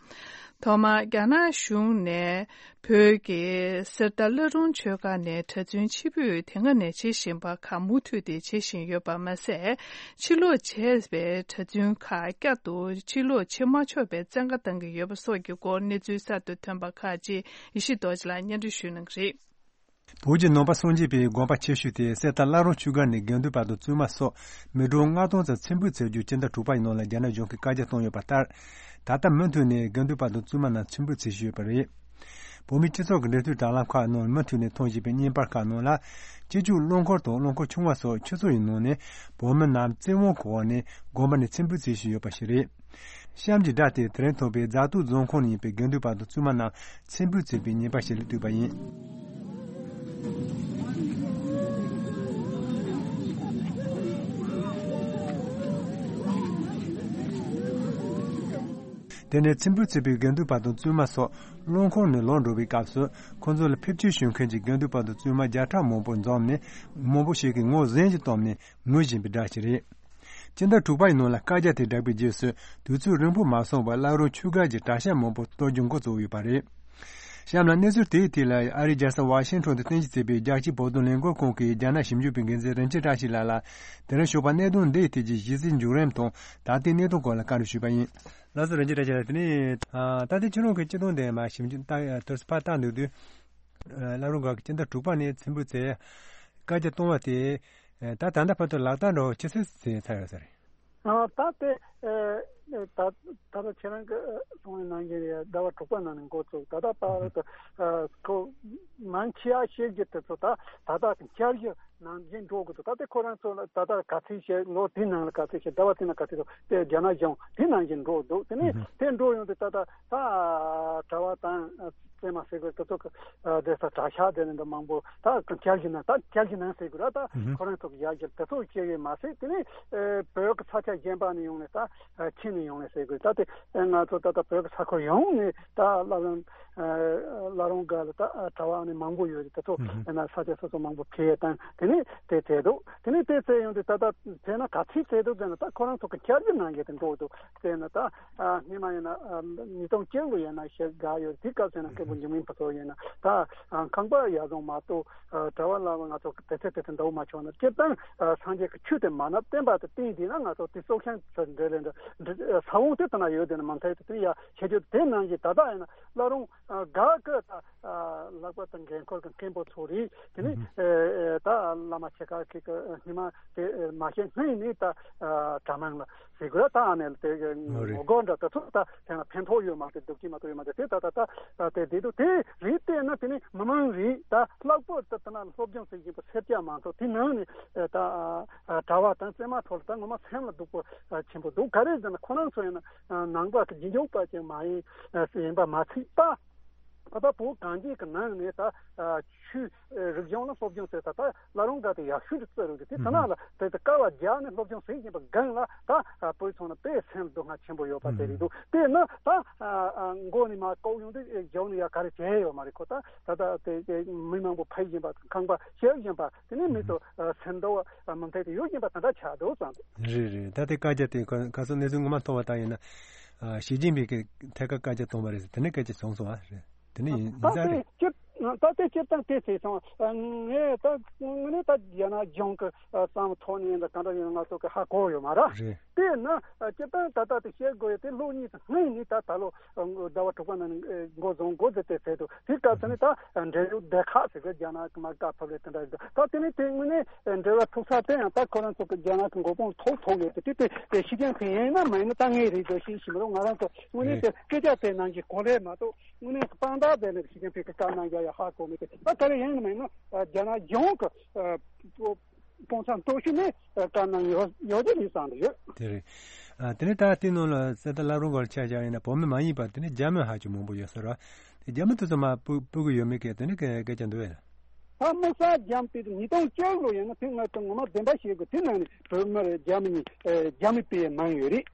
ཐོག་མར། རྒྱ་ནག་གཞུང་ནས་བོད་ཀྱི་གསེར་རྟ་བླ་སྒྲུང་ཆོས་སྒར་ནས་གྲྭ་བཙུན་ཕྱིར་འབུད་དེ་སྔ་ནས་བྱེད་བཞིན་པ་ཁག་མུ་མཐུད་དེ་བྱེད་བཞིན་ཡོད་པ་མ་ཟད། ཕྱིར་ལོག་བྱས་པའི་གྲྭ་བཙུན་ཁག་བསྐྱར་དུ་ཕྱིར་ལོག་བྱེད་མ་ཆོག་པའི་བཙན་བཀའ་བཏང་གི་ཡོད་པ་སོགས་ཀྱི་སྐོར་གནས་ཚུལ་གསར་དུ་ཐོན་པ་ཁག་ཅིག་ཡེ་ཤེས་རྡོ་རྗེ་ལགས་སྙན་སྒྲོན་ཞུ་གནང་གི་རེད། བོད་ཀྱི་ནང་པ་སངས་རྒྱས་པའི་དགོན་པ་ཆེ་ཤོས་དེ་གསེར་རྟ་བླ་སྒྲུང་ཆོས་སྒར་ནས་དགེ་འདུན་པ་དང་བཙུན་མ་སོགས་མི་གྲངས་ལྔ་སྟོང་ཙམ་ཕྱིར་འབུད་བྱ་རྒྱུ་སྤྱི་ཟླ་དྲུག་པ་ཡི་ནང་ལ་རྒྱ་ནག་གཞུང་གིས་བཀའ་རྒྱ་བཏང་ཡོད་པ་ལྟར། ད་ལྟ་མུ་མཐུད་ནས་དགེ་འདུན་པ་དང་བཙུན་མ་རྣམས་ཚེམ་བུ་འཚོལ་བཞིན་ཡོད་པ་རེད། བོད་མིའི་སྤྱི་ཚོགས་ཀྱི་འབྲེལ་མཐུད་དྲ་ལམ་ཁག་ནང་མུ་མཐུད་ནས་མཐོང་བཞིན་པའི་བརྙན་པར་ཁག་ནང་ལ། སྤྱི་སྤྱོད་རླངས་འཁོར་དང་རླངས་འཁོར་ཆུང་བ་སོགས་ཆུ་ཚོད་ཡི་ནང་ནས་བོད་མི་རྣམས་བཙན་དབང་གི་འོག་ནས་དགོན་པ་ནས་ཚེམ་བུ་འཚོལ་བཞིན་ཡོད་པ་ཞིག་རེད། གཤམ་གྱི་སྒྲ་དེ་དེ་རིང་ཐོན་པའི་རྫ་སྟོད་རྫོང་ཁོངས་ནས་ཡིན་པའི་དགེ་འདུན་པ་དང་བཙུན་མ་རྣམས་ཚེམ་བུ་འཚོལ་བའི་བརྙན་པར་ཞིག་ལ་བཏུས་པ་ཡིན། དེ་ནས་ཚེམ་བུ་འཚོལ་བའི་དགེ་འདུན་པ་དང་བཙུན་མ་སོགས་རླངས་འཁོར་ནས་ལངས་འགྲོ་བའི་སྐབས་སུ། ཁོང་ཚོ་ལ་ཕེབས་སྐྱེལ་ཞུ་མཁན་གྱི་དགེ་འདུན་པ་དང་བཙུན་མ་བརྒྱ་ཕྲག་མང་པོ་འཛོམས་ནས། མང་པོ་ཞིག་གིས་ངོ་གཟན་ཞིག་བཏོན་ནས་ངུ་བཞིན་པའི་སྒྲ་ཞིག་རེད། སྤྱི་ཟླ་དྲུག་པ་ཡི་ནང་ལ་བཀའ་རྒྱ་དེ་བསྒྲགས་པའི་རྗེས་སུ། དུས་ཚོད་རིང་པོ་མ་སོང་བར་བླ་རུང་ཆུ་སྒར་གྱི་གྲྭ་ཤག་མང་པོ་གཏོར་རྒྱུ་འགོ་བཙུགས་ཡོད་པ་རེད། གཤམ་ལ་གནས་ཚུལ་དེའི་ཐད་ལ་ཨ་རིའི་རྒྱལ་ས་ཝ་ཤིང་ཊོན་དུ་རྟེན་གཞི་བྱས་པའི་རྒྱལ་སྤྱིའི་བོད་དོན་ལས་འགུལ་ཁང་གི་རྒྱ་ནག་ཞིབ་འཇུག་པའི་འགན་འཛིན་རིན་ཆེན་བཀྲ་ཤིས་ལགས་ལ། དེ་རིང་ཞོགས་པ་གནད་དོན་འདིའི་ཐད་ཀྱི་གཞི་རྩའི་མཇུག་རིམ་དང་ད་ལྟའི་གནས་སྟངས་སྐོར་ལ་བཀའ་འདྲི་ཞུས་པ་ཡིན། ལགས་སོ། རིན་ཆེན་བཀྲ་ཤིས་ལགས། དེ་ནས་ད་ལྟའི་ཁྱེད་རང་གི་སྤྱི་དོན་དེ་མ་ཞིབ་འཇུག་ད་དུས་སུ་ཕར་བལྟ་འདུག་དུས། བླ་རུང་སྒར་གྱི་སྤྱི་ཟླ་དྲུག་པ་ནས་ཚེམ་བུ་འཚོལ་བཀའ་རྒྱ་གཏོང་བ་དེ། ད་ད་ལྟ་བར་དུ་ལག་བསྟར་འགྲོ་ཇི་སྲིད་ཚར་ཡོད་ས་རེད། ཨ། ད་དེ་ཨ་ད་ད་ལྟ་ཁྱེད་རང་གི་གསུང་བའི་ནང་བཞིན་རེད། ཟླ་བ་དྲུག་པ་ནང་ནས་འགོ་བཙུགས། ད་ལྟ་བར་དུ་ཨ་ཁོ་མང་ཆེ་བ་བཤད་རྒྱུ་དེ་ཚོ་ད་ད་ལྟ་བསྐྱར་ཞིབ་ནང་བཞིན་འགྲོ་དགོས་འདུག་ད་ལྟ་ཁོ་རང་ཚོ་ལ་ད་ལྟ་ག་ཚོད་བཤད། ལོ་དེའི་ནང་ལ་ག་ཚོད་བཤད། ཟླ་བ་དེ་ནང་ག་ཚོད་བཤད། དེ་རྒྱ་ནག་གཞུང་དེ་ནང་བཞིན་འགྲོ་འདུག་དེ་ནས་དེ་འགྲོ་ཡོང་དུས་ད་ལྟ་ད་གྲྭ་པ་དང་བཙུན་མ་ཟེར་དགོས། དེ་ཚོ་གི་ཨ་བསྡད་ས་གྲྭ་ཤག་དེ་ནས་འདི་མང་པོ་ད་བསྐྱར་ཞིབ་གནང་། ད་བསྐྱར་ཞིབ་གནང་ཟེར་དགོས་ར། ད་ཁོ་རང་ཚོ་གི་ཡར་རྒྱས་དེ་ཚོ་བྱེད་ཡོད་མ་ཟད། དེ་ནས་ཨ་བོད་ཀྱི་ས་ཆ་གཞན་པ་ནས་ཡོང་ནས་ད་ཨ་ཁྱེར་ནས་ཡོང་ནས་ཟེར་དགོས། ད་དེ་ཨ་ང་ཚོ་ད་ལྟ་བོད་ཀྱི་ས་ཁུལ་ཡོངས་ནས་ད་བླ་བྲང་ཨ་བླ་རུང་སྒར་ལ་ད་ཨ་གྲྭ་པ་ནས་མང་པོ་ཡོད་རེད། དེ་ཚོ་ཨ་ན་ས་ཆ་སོ་སོ་མང་པོ་ཕེབས་བཏང་། དེ་ནས་དེ་བྱས་འདུག་དེ་ནས་དེ་བྱས་ཡོང་དུས་ད་ལྟ་བྱས་ན་ག་ཚོད་བྱས་འདུག་ཟེར་ན། ད་ཁོ་རང་ཚོ་གི་བསྐྱར་ཞིབ་གནང་ཡས་དེ་འགྲོ་འདུག་དེ་ནས་ད་ཨ་སྔོན་མ་ཡིན་ན་ཨ་ཉིས་སྟོང་བཅུ་དགུ་ཡིན་ན་ཞེ་དགའ་ཡོད། དེ་སྐབས་སུ་ཡིན་ན་སྐད་འབོད་འབྱུང་མིན་པ་ཚོ་ཡིན་ན་ད་ཨ་ཁང་པ་ཡར་བཟུང་མ་གཏོགས་ཨ་གྲྭ་པ་བླ་མ་ང་ཚོ་དེ་ཚོ་དེ་ཚོ་འདྲ་བོ་མ་བྱུང་ན། སྤྱིར་བཏང་ཨ་སངས་རྒྱས་ཀྱི་ཆོས་དེ་མ་ནབ་བསྟན་པ་དེ་བསྟན་བསྡད་ན། ང་ཚོ་དེ་སྲོག་ཤིང་ཚོ་འདྲ་ལས་འདྲ་འདྲ་ས་བོན་དེ་ལྟ་ན་ཡོད་དེ་ནི་མ་མཐའ་དེ་དེ་ཡ་བྱེད་རྒྱུ་དེ་ནང་བཞིན་ད་ལྟ་ཡིན་ན་བླ་རུང་ཨ་སྒར་གྱི་ད་ཨ་ལྷག་པར་དུ་འགན་ཁུར་གྱི་མཁན་པོ་ཚོ་རེད། དེ་ནས་ཨ་ད་བླ་མ་ཆེ་ཁག་ཅིག་གི་ཉི་མ་དེ་མ་ཤེས་སྔོན་ནས་ད་ཨ་གྲྭ་མང་ལ་ཟེར་དགོས་ར། ད་ཨ་ནེ་ལ་དེ་ངོ་རྒོལ་འདྲ་དེ་ཚོ་ད་དེ་ན་ཕན་ཐོགས་ཡོད་མ་རེད། སྡུག་གི་མ་གཏོགས་ཡོད་མ་རེད། དེ་ད་ད་ད་དེ་དེ་དུ་དེ་རེད། དེ་ན་དེ་ནས་མི་མང་རེད། ད་ལྷག་པར་དུ་དེ་ན་སློབ་སྦྱོང་བྱེད་བཞིན་པ་སེར་སྐྱ་མང་ཚོགས་དེ་ནང་ནས་ད་གྲྭ་པ་དང་བཙུན་མ་ཚོ་ལ་ད་ངོ་མ་སེམས་ལ་སྡུག་པོ་ཆེན་པོ་འདུག་ག་རེ་ཟེར་ན་ཁོ་རང་ཚོ་ཡིན་ན་ནང་པ་གི་རྗེས་འཇུག་པ་ཅིག་མ་ཡིན་ཡིན་པ་མ་ཚད་ད། ད་ལྟ་བོད་གངས་ཅན་གྱི་ནང་ནས་ད་ཆོས་རིག་གཞུང་ལ་སློབ་སྦྱོང་བྱས། ད་ལྟ་བླ་རུང་སྒར་དེ་ཡག་ཤོས་དུ་བརྩི་རུང་དེ་དེ་ན་ལ་དེ་དེ་དཀའ་བ་རྒྱག་ནས་སློབ་སྦྱོང་བྱེད་བཞིན་པ་སྒང་ལ་ད་བོད་ཚོ་ན་དཔེ་སེམས་སྡུག་བསྔལ་ཆེན་པོ་ཡོད་པ་དེ་རེད་འདུག་དེ་ན་ད་མགོ་ནས་མར་ལྐོག་ཡོང་དུས་གཞུང་ནས་ཡ་ག་རེ་བྱས་ཡོད་མ་རེད། ཁོ་ད་ད་ལྟ་དེ་མི་མང་པོ་ཕེབས་བཞིན་པ། ཁང་པ་བཤིག་བཞིན་པ། དེ་ནས་མི་ཚོ་སེམས་སྡུག་མུ་མཐུད་དུ་ཡོད་བཞིན་པ་དེ་འདྲ་ཆགས་འདུག་བསམ་འདུག་རེད་རེད། ད་ལྟའི་བཀའ་རྒྱ་དེ་ག་ག་ཚོད་གནས་ཚུལ་ངོ་མ་མཐོང་བ་ལྟར་ཡིན་ན། ཨ་ཞི་ཅིན་ཕིང་གིས་ཐད་ཀར་བཀའ་རྒྱ་གཏོང་བ་རེད་ཟེར། དེ་ནས་སྐད་ཆ་བྱུང་སོང་བ་རེད། དེ་ནས་ཡིན་ད་ཡིན་ས་དེ་རེད། སྤྱིར་ད་ལྟའི་སྤྱིར་བཏང་དེ་ཟེར་སོང་། ངས་ད་དངོས་གནས་ད་རྒྱ་ནག་གཞུང་གི་བསམ་ཐོག་ནས་ཡིན་ད་གང་འདྲ་ཡིན་ང་ཚོ་གི་ཧ་གོ་ཡོད་མ་རེད། རེད། དེས་ན་སྤྱིར་བཏང་ད་ལྟ་དེ་བཤད་དགོས་ཡོད་དེ། ལོ་གཉིས་ཙམ་སྔོན་ནས་ད་ད་ལོ་ཟླ་བ་དྲུག་པ་ནང་ནས་འགོ་བཟུང་འགོ་བཙུགས་ཏེ་ཟེར་འདུག་དེ་སྐབས་སུ་ནས་ད་འབྲེལ་ཡོད་སྡེ་ཁག་ཟེར་གི་རྒྱ་ནག་གི་མ་དགའ་ཕབ་ལས་དེ་འདྲ་ཡོད་འདུག་ད་དེ་ནས་དེ་དངོས་གནས་འབྲེལ་བ་ཐུག་ས་དེ་ཡང་ད་ཁོ་རང་ཚོ་གི་རྒྱ་ནག་གི་མགོ་དཔུང་ཐོག་ཐོག་ཡོད་དེ། དེ་དེ་ཞི་ཅིན་ཕིང་ཡིན་ན་མ་ཡིན་ན་ད་ངས་རེད་འདོད་ཤེས་ཤིག་མི་རུང་། ང་རང་ཚོ་དངོས་གནས་དེ་སྐད་ཆ་དེ་ནང་གི་གོ་ལས་མ་གཏོགས་དངོས་གནས་དཔང་རྟགས་དེ་ནས་ཞི་ཅིན་ཕིང་གི་བཀའ་གནང་རྒྱ་ཡ་ཧ་གོ་མེད་དེ། ད་ག་རེ་ཡིན་ན་མ་ཡིན་ན་རྒྱ་ནག་གཞུང་གི་གོང་ས་མཆོག་ནས་བཀའ་གནང་ཡོད་ཡོད་ཀྱི་རེད་བསམ་གྱི་ཡོད། དེ་རེད། ཨ་དེ་ནས་ད་ལྟའི་ནང་ལ་གསེར་རྟ་བླ་རུང་སྒར་ཆ་བཞག་ཡིན་ན་བོད་མི་མ་ཡིན་པ་དེ་ནས་རྒྱ་མི་ཧ་ཅང་མང་པོ་ཡོད་ས་རེད། དེ་རྒྱ་མི་དེ་ཚོ་མར་སྤོ་སྤོ་གི་ཡོད་མེད་གི་དེ་ནས་སྐད་སྐད་ཆ་འདུག་བས། ད་དམིགས་བསལ་རྒྱ་མི་དེ་ཉིས་སྟོང་བཅུ་ལོ་ཡིན་ན་དེ་ང་ཚོ་ངོ་མ་བདེན་པ་ཞིག་གི་དེ་ནང་ནས་བོད་མི་རེད་རྒྱ་མི་གཉིས་རྒྱ་མི་སྤེལ་མང་ཡོད་རེད།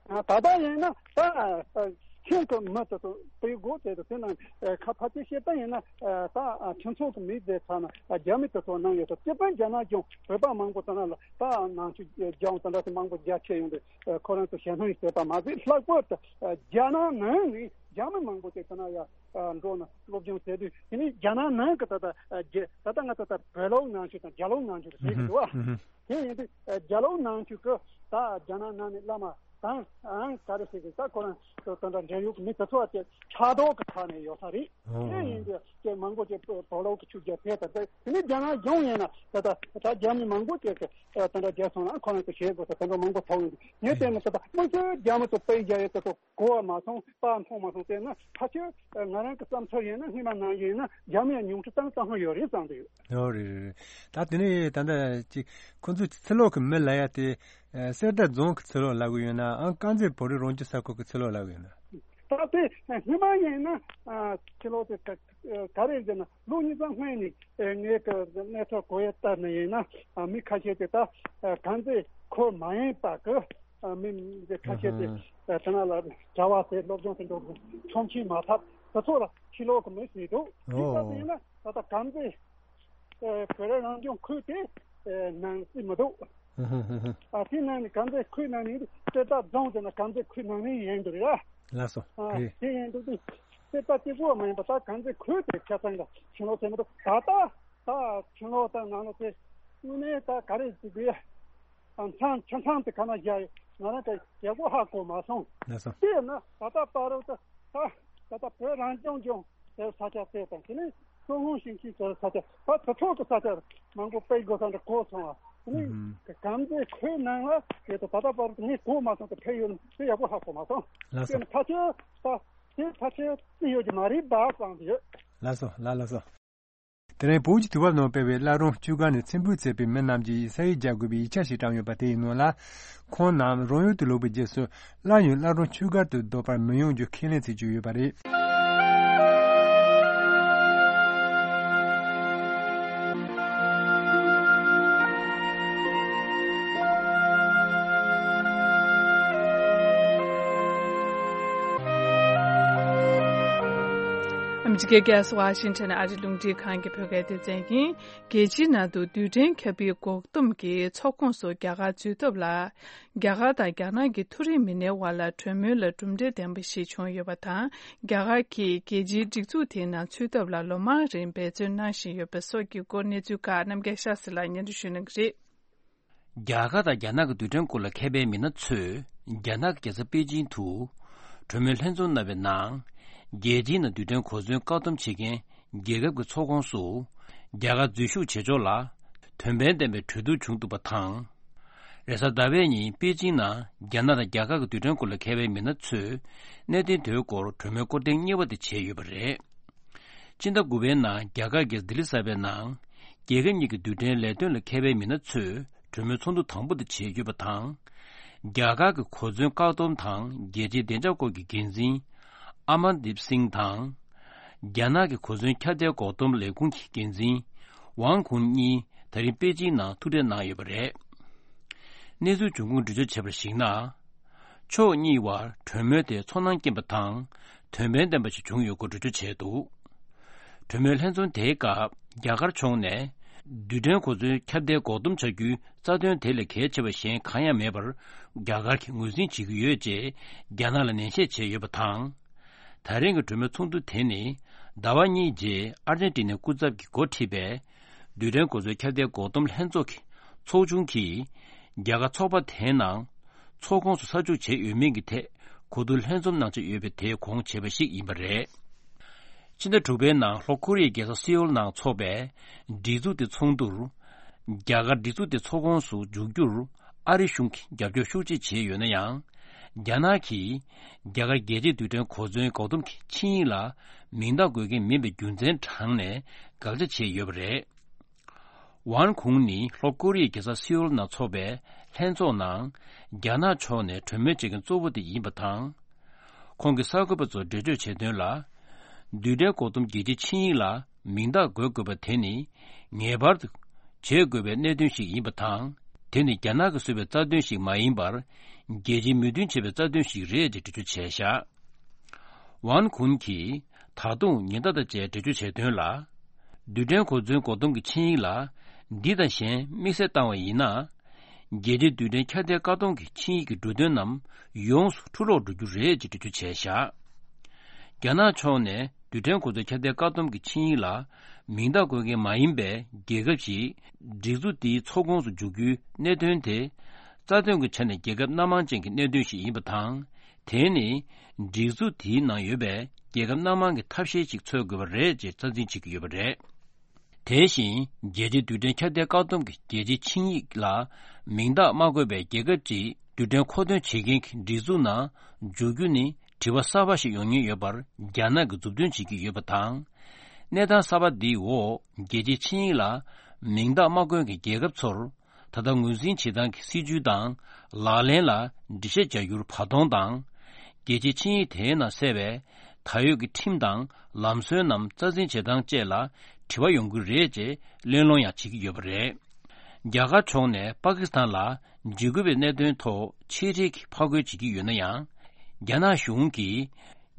ཨ་ད་ལྟ་ཡིན་ན་ད་ཁྱེད་ཀྱི་མི་དེ་ཚོ་སྤེལ་སྒོ་དེ་ཚོ་དེ་ནང་ཁ་ཕལ་ཆེར་བཤད་པ་ཡིན་ན་ད་ཁྱིམ་ཚང་གི་མི་དེ་ཚོ་ན་རྒྱ་མི་དེ་ཚོ་ནང་ཡོད་དོ། སྤྱི་དཔོན་རྒྱ་ནག་གཞུང་བོད་པ་མང་པོ་དེ་ནང་ལ་ད་ནང་ཆོས་སྦྱོང་དེ་འདྲ་དེ་མང་པོ་རྒྱ་ཆེ་ཡོང་དུས་ཁོ་རང་ཚོ་ཞེད་སྣང་ཡོད་པ་མ་ཟད། ལྷག་པར་དུ་རྒྱ་ནག་ནང་ནས་རྒྱ་མི་མང་པོ་དེ་དེ་ན་ཡ་འགྲོ་ན་སློབ་སྦྱོང་བྱས་དུས་དེ་ནས་རྒྱ་ནག་ནང་གི་ད་ལྟ་རྒྱ་ད་ལྟ་ང་ཚོ་ད་བོད་ལོག་ནང་ཆོས་དང་རྒྱ་ལོག་ནང་ཆོས་དེ་ཟེར་གི་འདུག་བ། དེ་ཡིན་དུས་རྒྱ་ལོག་ནང་ཆོས་ཀྱི་ད་རྒྱ་ནག་ནང་ནས་བླ་མ་ དང་ཨང་ག་རེ་ཟེར་གི་ད་ཁོ་རང་དེ་འདྲ་འབྲེལ་ཡོད་ཀྱི་མི་དེ་ཚོ་བ་དེ་ཕྲག་དོག་གི་ཐོག་ནས་ཡོད་ས་རེད། ཨོ། དེ་ཡིན་དུས་ཀྱི་མང་པོ་ཅིག་བོད་ལོག་གི་ཆུ་རྒྱལ་ཕེབས་དང་དེ་དེ་ནས་རྒྱ་ནག་གཞུང་ཡིན་ན་ད་ད་ད་རྒྱ་མི་མང་པོ་ཅིག་གི་དེ་འདྲ་རྒྱལ་སོང་ན་ཁོ་རང་ཚོ་བྱེད་དགོས་ས་དེ་འདྲ་མང་པོ་ཐོག་ཡིན་དུས་ངས་བལྟས་ན་ད་ད་དམིགས་བསལ་རྒྱ་མི་ཚོ་དཔེ་རྒྱག་ཡས་དེ་ཚོ་གོ་བ་མ་སོང་། པ་མཐོང་མ་སོང་། དེ་ན་ཕལ་ཆེར་ང་རང་གི་བསམ་ཚུལ་ཡིན་ན་སྔོན་མ་ནང་བཞིན་ཡིན་ན་རྒྱ་མི་ཡང་ཉུང་འཕྲི་བཏང་བཏང་ཧང་ཡོད་རེད་བསམ་གྱི་ཡོད། ཡོད་རེད་རེད། ད་དེ་ནས་ད་ལྟ་ཅིག་ཁོ་ཚོ་ཕྱི་ལོགས་ཀྱི་མི་ལབ་ཡ་དེ་གསེར་རྟ་རྫོང་གི་ཕྱི་ལོགས་ལབ་གི་ཡོད་ན་ཨང་དཀར་མཛེས་བོད་རིགས་རང་སྐྱོང་ས་ཁུལ་གྱི་ཕྱི་ལོགས་ལབ་གི་ཡོད་ན། ད་དེ་སྔོན་མ་ཡིན་ན་ཕྱི་ལོགས་དེ་ག་ག་རེ་ཟེར་ན་ལོ་གཉིས་ཙམ་སྔོན་ནས་ངས་ཀྱི་གནས་ཚུལ་གོ་ཡ་ལྟར་ནས་ཡིན་ན་མི་ཁ་ཤས་དེ་ད་དཀར་མཛེས་ཁུལ་མ་ཡིན་པ་གི་མི་འདི་ཁ་ཤས་དེ་ཨ་དེ་ན་ལ་གྲྭ་བ་དེ་སློབ་སྦྱོང་དེ་འགྲོ་དགོས་ཆོག་མཆན་མ་ཐོབ་དེ་ཚོ་ལ་ཕྱི་ལོགས་ཀྱི་མི་ཟེར་འདུག་དེ་ལྟ་ཨོ། དུས་ན་ད་ལྟ་དཀར་མཛེས་ཨ་བོད་རང་སྐྱོང་ཁུལ་དེ་ཨ་ནང་སྲིད་མི་འདུག་ཨ་དེ་ནང་ནས་དཀར་མཛེས་ཁུལ་ནང་ནས་གསེར་རྟ་རྫོང་དེ་ན་དཀར་མཛེས་ཁུལ་ནང་ནས་ཡིན་འདུག་རེད། ལགས་སོ། ཨ་རེད། དེ་ཡིན་འདུག་དེ་གསེར་རྟ་གཅིག་པོ་མ་ཡིན་པ་ད་དཀར་མཛེས་ཁུལ་དེ་ཆ་ཚང་ལ་ཕྱི་ལོགས་ཟེར་མི་འདུག་ད་ལྟ་ད་ཕྱི་ལོགས་ད་ནང་ལོགས་དེ་དངོས་གནས་ད་ག་རེ་ཟེར་དགོས། མཚམས་ཆ་ཚང་དེ་ག་ན་བཞག་ཡོད། ང་རང་ག་ཡག་པོ་ཧ་གོ་མ་སོང་། ལགས་སོ། དེས་ན་ད་ལྟ་བར་དུ་ད་ད་ལྟ་བོད་རང་སྐྱོང་ལྗོངས་ཟེར་ས་ཆ་དེ་དང་དེ་ནས་མཚོ་སྔོན་ཞིང་ཆེན་ཟེར་ས་ཆ་ད་དེ་ཚོ་གི་ས་ཆ་མང་པོ་སྤེལ་དགོས་ས་འདྲ་གོ་སོང་བ། དེ་ནས་ཨུ་ཧུམ། དཀར་མཛེས་ཁུལ་ནང་ལ་དེ་ད་ད་ལྟ་བར་དུ་ངས་གོ་མ་སོང་དེ་ཕེབས་ཡོད་ན་དེ་ཡག་པོ་ཧ་གོ་མ་སོང་། ལགས་སོ། དེ་ནས་ཕལ་ཆེར་ད་དེ་ཕལ་ཆེར་བརྩི་ཡོད་ཀྱི་མ་རེད་པ་བསམ་གྱི་ཡོད། ལགས་སོ་ལགས་ལགས་སོ། དེ་རིང་བོད་ཀྱི་དུས་བབ་ནང་སྤེལ་བའི་བླ་རུང་བཅུ་དཀར་ནས་མཆན་བུས་བརྩིས་པའི་མི་རྣམས་ཀྱིས་ས་ཡིག་རྒྱག་དགོས་པའི་ཡིག་ཆ་ཞིག་བཀྲམ་ཡོད་པ་དེའི་ནང་ལ། ཁོང་རྣམས་རང་ཡུལ་དུ་ལོག་པའི་རྗེས་སུ་སླར་ཡང་བླ་རུང་བཅུ་དཀར་དུ་ལྡོག་པར་མི་ཡོང་རྒྱུ་ཁས་ལེན་བྱེད་ཀྱི་ཡོད་པ་རེད། ཨ་མི་རི་ཀའི་རྒྱལ་ས་ཝ་ཤིང་ཊོན་ཨ་རིའི་རླུང་འཕྲིན་ཁང་གི་བོད་སྐད་སྡེ་ཚན་ཡིན། རྒྱལ་སྤྱིའི་ནང་དུ་རྡུལ་ཕྲན་ཁྱབ་སྤེལ་འགོག་སྡོམ་གྱི་ཚོགས་ཁོངས་སུ་རྒྱ་གར་འཛུལ་ཐབས་ལ། རྒྱ་གར་དང་རྒྱ་ནག་གི་མཐོ་རིམ་མི་སྣའི་དབར་ལ་གྲོས་མོལ་ལ་གྲུབ་འབྲས་ལྡན་པ་ཞིག་བྱུང་ཡོད་པ་དང་། རྒྱ་གར་གྱིས་རྒྱལ་སྤྱིའི་སྒྲིག་འཛུགས་དེའི་ནང་ཚུད་ཐབས་ལ་ལོ་མང་རིང་འབད་བརྩོན་གནང་བཞིན་ཡོད་པ་སོགས་ཀྱི་སྐོར་གནས་ཚུལ་ཁག་རྣམ་རྒྱལ་ཤཱ་སི་ལགས་སྙན་སྒྲོན་ཞུ་གནང་གི་རེད། རྒྱ་གར་དང་རྒྱ་ནག་གི་རྡུལ་ཕྲན་སྐོར་ལ་མཁས་པའི་མི་སྣ་ཚོས་རྒྱ་ནག་གི་རྒྱལ་ས་པེ་ཅིང་དུ་གྲོས་མོལ་ལྷན་འཛོམས་གནང་བའི་ནང་། རྒྱལ་སྤྱིའི་ནང་རྡུལ་ཕྲན་གོ་མཚོན་བཀག་སྡོམ་བྱེད་མཁན་རྒྱལ་ཁབ་ཀྱི་ཚོགས་ཁོངས་སུ་རྒྱ་གར་འཛུལ་ཞུགས་བྱེད་ཕྱོགས་ལ་དོན་ཕན་ལྡན་པའི་གྲོས་བསྡུར་བྱུང་འདུག་པ་དང་། རེས་གཟའ་ཟླ་བའི་ཉིན་པེ་ཅིང་ནང་རྒྱ་ནག་དང་རྒྱ་གར་གྱི་རྡུལ་ཕྲན་སྐོར་ལ་མཁས་པའི་མི་སྣ་ཚོས་གནད་དོན་དེའི་སྐོར་གྲོས་མོལ་སྐོར་ཐེངས་གཉིས་པ་དེ་བྱས་ཡོད་པ་རེད། ཕྱི་ཟླ་དགུ་པའི་ནང་རྒྱ་གར་གྱི་ལྡི་ལི་གསར་པའི་ནང་། རྒྱལ་ཁབ་གཉིས་ཀྱི་རྡུལ་ཕྲན་ལས་དོན་ལ་མཁས་པའི་མི་སྣ་ཚོས་གྲོས་མོལ་ཚོགས་འདུ་དང་པོ་དེ་བྱས་ཡོད་པ་དང་། རྒྱ་གར་གྱི་གོ་མཚོན་བཀག་སྡོམ་དང་རྒྱལ་སྤྱིའི་བདེ་འཇགས་སྐོར་གྱི་འགན་འཛིན། ཨ་མན་དིབ་སིང་དང་། རྒྱ་ནག་གི་གོ་མཚོན་ཁྱབ་གདལ་འགོག་སྡོམ་ལས་ཁུངས་ཀྱི་འགན་འཛིན། ཝང་ཁུན་གཉིས་ད་རིང་པེ་ཅིང་ནང་ཐུག་འཕྲད་གནང་ཡོད་པ་རེད། གནས་ཚུལ་འབྱུང་ཁུངས་འགྲེལ་བརྗོད་བྱས་པར་གཞིགས་ན། ཕྱོགས་གཉིས་བར་གྲོས་མོལ་དེ་ཚོར་སྣང་སྐྱེན་པ་དང་། དོན་ཕན་ལྡན་པ་ཞིག་བྱུང་ཡོད་སྐོར་འགྲེལ་བརྗོད་བྱས་འདུག་གྲོས་མོལ་ལྷན་འཛོམས་དེའི་སྐབས་རྒྱ་གར་ཕྱོགས་ནས། རྡུལ་ཕྲན་གོ་མཚོན་ཁྱབ་གདལ་འགོག་སྡོམ་བྱ་རྒྱུའི་རྩ་དོན་དེ་ལས་གལ་ཆེ་བ་གཞན་གང་ཡང་མེད་པར། རྒྱ་གར་གྱིས་ངོས་འཛིན་བྱེད་ཀྱི་ཡོད་ཅེས་རྒྱ་ནག་ལ་ནན་བཤད་བྱས་ཡོད་པ་དང་། ད་རིང་གི་གྲོས་མོལ་ཚོགས་འདུ་དེ་ནི། ཟླ་བ་གཉིས་རྗེས་ཨར་ཇེན་ཏི་ནའི་སྐུ་ཚབ་ཀྱིས་འགོ་ཁྲིད་པའི། རྡུལ་ཕྲན་གོ་མཚོན་ཁྱབ་གདལ་འགོག་སྡོམ་ལྷན་ཚོགས་ཀྱི་ཚོགས་ཆུང་གིས། རྒྱ་གར་ཚོགས་པ་དེའི་ནང་། ཚོགས་ཁོངས་སུ་ས་འཇུག་བྱས་ཡོད་མིན་གྱི་ཐད། གོ་བསྡུར་ལྷན་འཛོམས་གནང་འཆར་ཡོད་པའི་དེའི་གོང་བྱས་པ་ཞིག་ཡིན་པ་རེད། ཕྱི་ཟླ་དྲུག་པའི་ནང་ལྷོ་ཀོ་རི་ཡའི་རྒྱལ་ས་སེའུལ་ནང་འཚོགས་པའི། སྒྲིག་འཛུགས་དེ་ཚོགས་འདུར། རྒྱ་གར་སྒྲིག་འཛུགས་དེ་ཚོགས་ཁོངས་སུ་འཇུག་རྒྱུར། ཨ་རི་གཞུང་གིས་རྒྱབ་སྐྱོར་ཤུགས་ཆེ་བྱས་ཡོད་ན་ཡང་། རྒྱ་ནག་གིས། རྒྱ་གར་རྒྱལ་སྤྱིའི་རྡུལ་ཕྲན་གོ་མཚོན་འགོག་སྡོམ་གྱི་ཆིངས་ཡིག་ལ། མིང་རྟགས་འགོད་མཁན་མིན་པའི་རྒྱུ་མཚན་དྲངས་ནས། དགག་བྱ་བྱས་ཡོད་པ་རེད། ཝན་ཁུང་ནི་ལྷོ་ཀོ་རི་ཡའི་རྒྱལ་ས་སེའུལ་ནང་འཚོགས་པའི་ལྷན་ཚོགས་ནང་། རྒྱ་ནག་ཕྱོགས་ནས་གྲོས་མོལ་བྱེད་མཁན་གཙོ་བོ་དེ་ཡིན་པ་དང་། ཁོང་གིས་གསར་འགོད་པ་ཚོར་འགྲེལ་བརྗོད་བྱས་དོན་ལ། རྡུལ་ཕྲན་འགོག་སྡོམ་རྒྱལ་སྤྱིའི་ཆིངས་ཡིག་ལ་མིང་རྟགས་འགོད་དགོས་པ་དེ་ནི། ངེས་པར་དུ་བྱེད་དགོས་པའི་གནད་དོན་ཞིག་ཡིན་པ་དང་། དེ་ནི་རྒྱ་ནག་གིས་བཟོས་པའི་རྩ་དོན་ཞིག་མ་ཡིན་པར། རྒྱལ་སྤྱིའི་མོས་མཐུན་བྱས་པའི་རྩ་དོན་ཞིག་རེད་ཅེས་འགྲེལ་བརྗོད་བྱས་བཞག་ཝན་ཁུན་གྱིས་ད་དུང་ཉེན་བརྡ་དང་བཅས་འགྲེལ་བརྗོད་བྱས་དོན་ལ། རྡུལ་ཕྲན་གོ་མཚོན་འགོག་སྡོམ་གྱི་ཆིངས་ཡིག་ལ། འདི་དང་གཞན་དམིགས་བསལ་བཏང་བ་ཡིན་ན། རྒྱལ་སྤྱིའི་རྡུལ་ཕྲན་ཁྱབ་གདལ་བཀག་སྡོམ་གྱི་ཆིངས་ཡིག་གི་འབྲུ་དོན་རྣམས་ཡོངས་སུ་འཁྲུ་སློག་འགྲོ་རྒྱུ་རེད་ཅེས་འགྲེལ་བརྗོད་བྱས་བཞག་རྒྱ་ནག་ཕྱོགས་ནས་རྡུལ་ཕྲན་གོ་མཚོན་ཁྱབ་གདལ་བཀག་སྡོམ་གྱི་ཆིངས་ཡིག་ལ་མིང་རྟགས་འགོད་མཁན་མ་ཡིན་པའི་རྒྱལ་ཁབ་ཞིག་སྒྲིག་འཛུགས་འདིའི་ཚོགས་ཁོངས་སུ་འཇུག་རྒྱུའི་གནད་དོན་དེ། རྩ་དོན་གྱི་ཆ་ནས་རྒྱལ་ཁབ་སྣ་མང་ཅན་གྱི་གནད་དོན་ཞིག་ཡིན་པ་དང་། དེ་ནི་སྒྲིག་འཛུགས་དེའི་ནང་ཡོད་པའི་རྒྱལ་ཁབ་སྣ་མང་གི་ཐབས་ཤེས་ཤིག་འཚོལ་དགོས་པ་རེད་ཅེས་རྩ་འཛིན་བྱེད་ཀྱི་ཡོད་པ་རེད། དེ་བཞིན་རྒྱལ་སྤྱིའི་རྡུལ་ཕྲན་ཁྱབ་གདལ་བཀག་སྡོམ་གྱི་རྒྱལ་སྤྱིའི་ཆིངས་ཡིག་ལ་མིང་རྟགས་མ་བཀོད་པའི་རྒྱལ་ཁབ་ཅིག་རྡུལ་ཕྲན་མཁོ་འདོན་བྱེད་མཁན་གྱི་སྒྲིག་འཛུགས་ནང་འཇུག་རྒྱུ་ནི་དྲི་བ་གསར་པ་ཞིག་ཡོང་ཉེན་ཡོད་པར་རྒྱ་ནག་གིས་མཛུབ་སྟོན་བྱེད་ཀྱི་ཡོད་པ་དང་། གནས་སྟངས་གསར་པ་འདིའི་འོག་རྒྱལ་སྤྱིའི་ཆིངས་ཡིག་ལ་མིང་རྟགས་མ་བཀོད་མཁན་རྒྱལ་ཁབ་ཚོར་ད་ལྟ་ངོས་འཛིན་བྱེད་སྟངས་ཀྱི་སྲིད་ཇུས་དང་ལག་ལེན་ལ་འགྲེལ་བཤད་བྱ་རྒྱུར་བར་སྟོང་དང་། རྒྱལ་སྤྱིའི་ཆིངས་ཡིག་དེའི་ནང་གསལ་བའི་ད་ཡོད་ཀྱི་ཁྲིམས་དང་ལམ་སྲོལ་རྣམས་རྩ་འཛིན་བྱེད་སྟངས་བཅས་ལ་དྲི་བ་ཡོང་གི་རེད་ཅེས་གླེང་སློང་ཡང་བྱེད་ཀྱི་ཡོད་པ་རེད། རྒྱ་གར་ཕྱོགས་ནས་པ་ཀི་སི་ཐན་ལ་འཇིགས་སྐུལ་བའི་གནད་དོན་ཐོག་ཆེད་ཁྲིད་ཀྱིས་ཕར་རྒོལ་བྱེད་ཀྱི་ཡོད་ན་ཡང་། རྒྱ་ནག་གཞུང་གིས་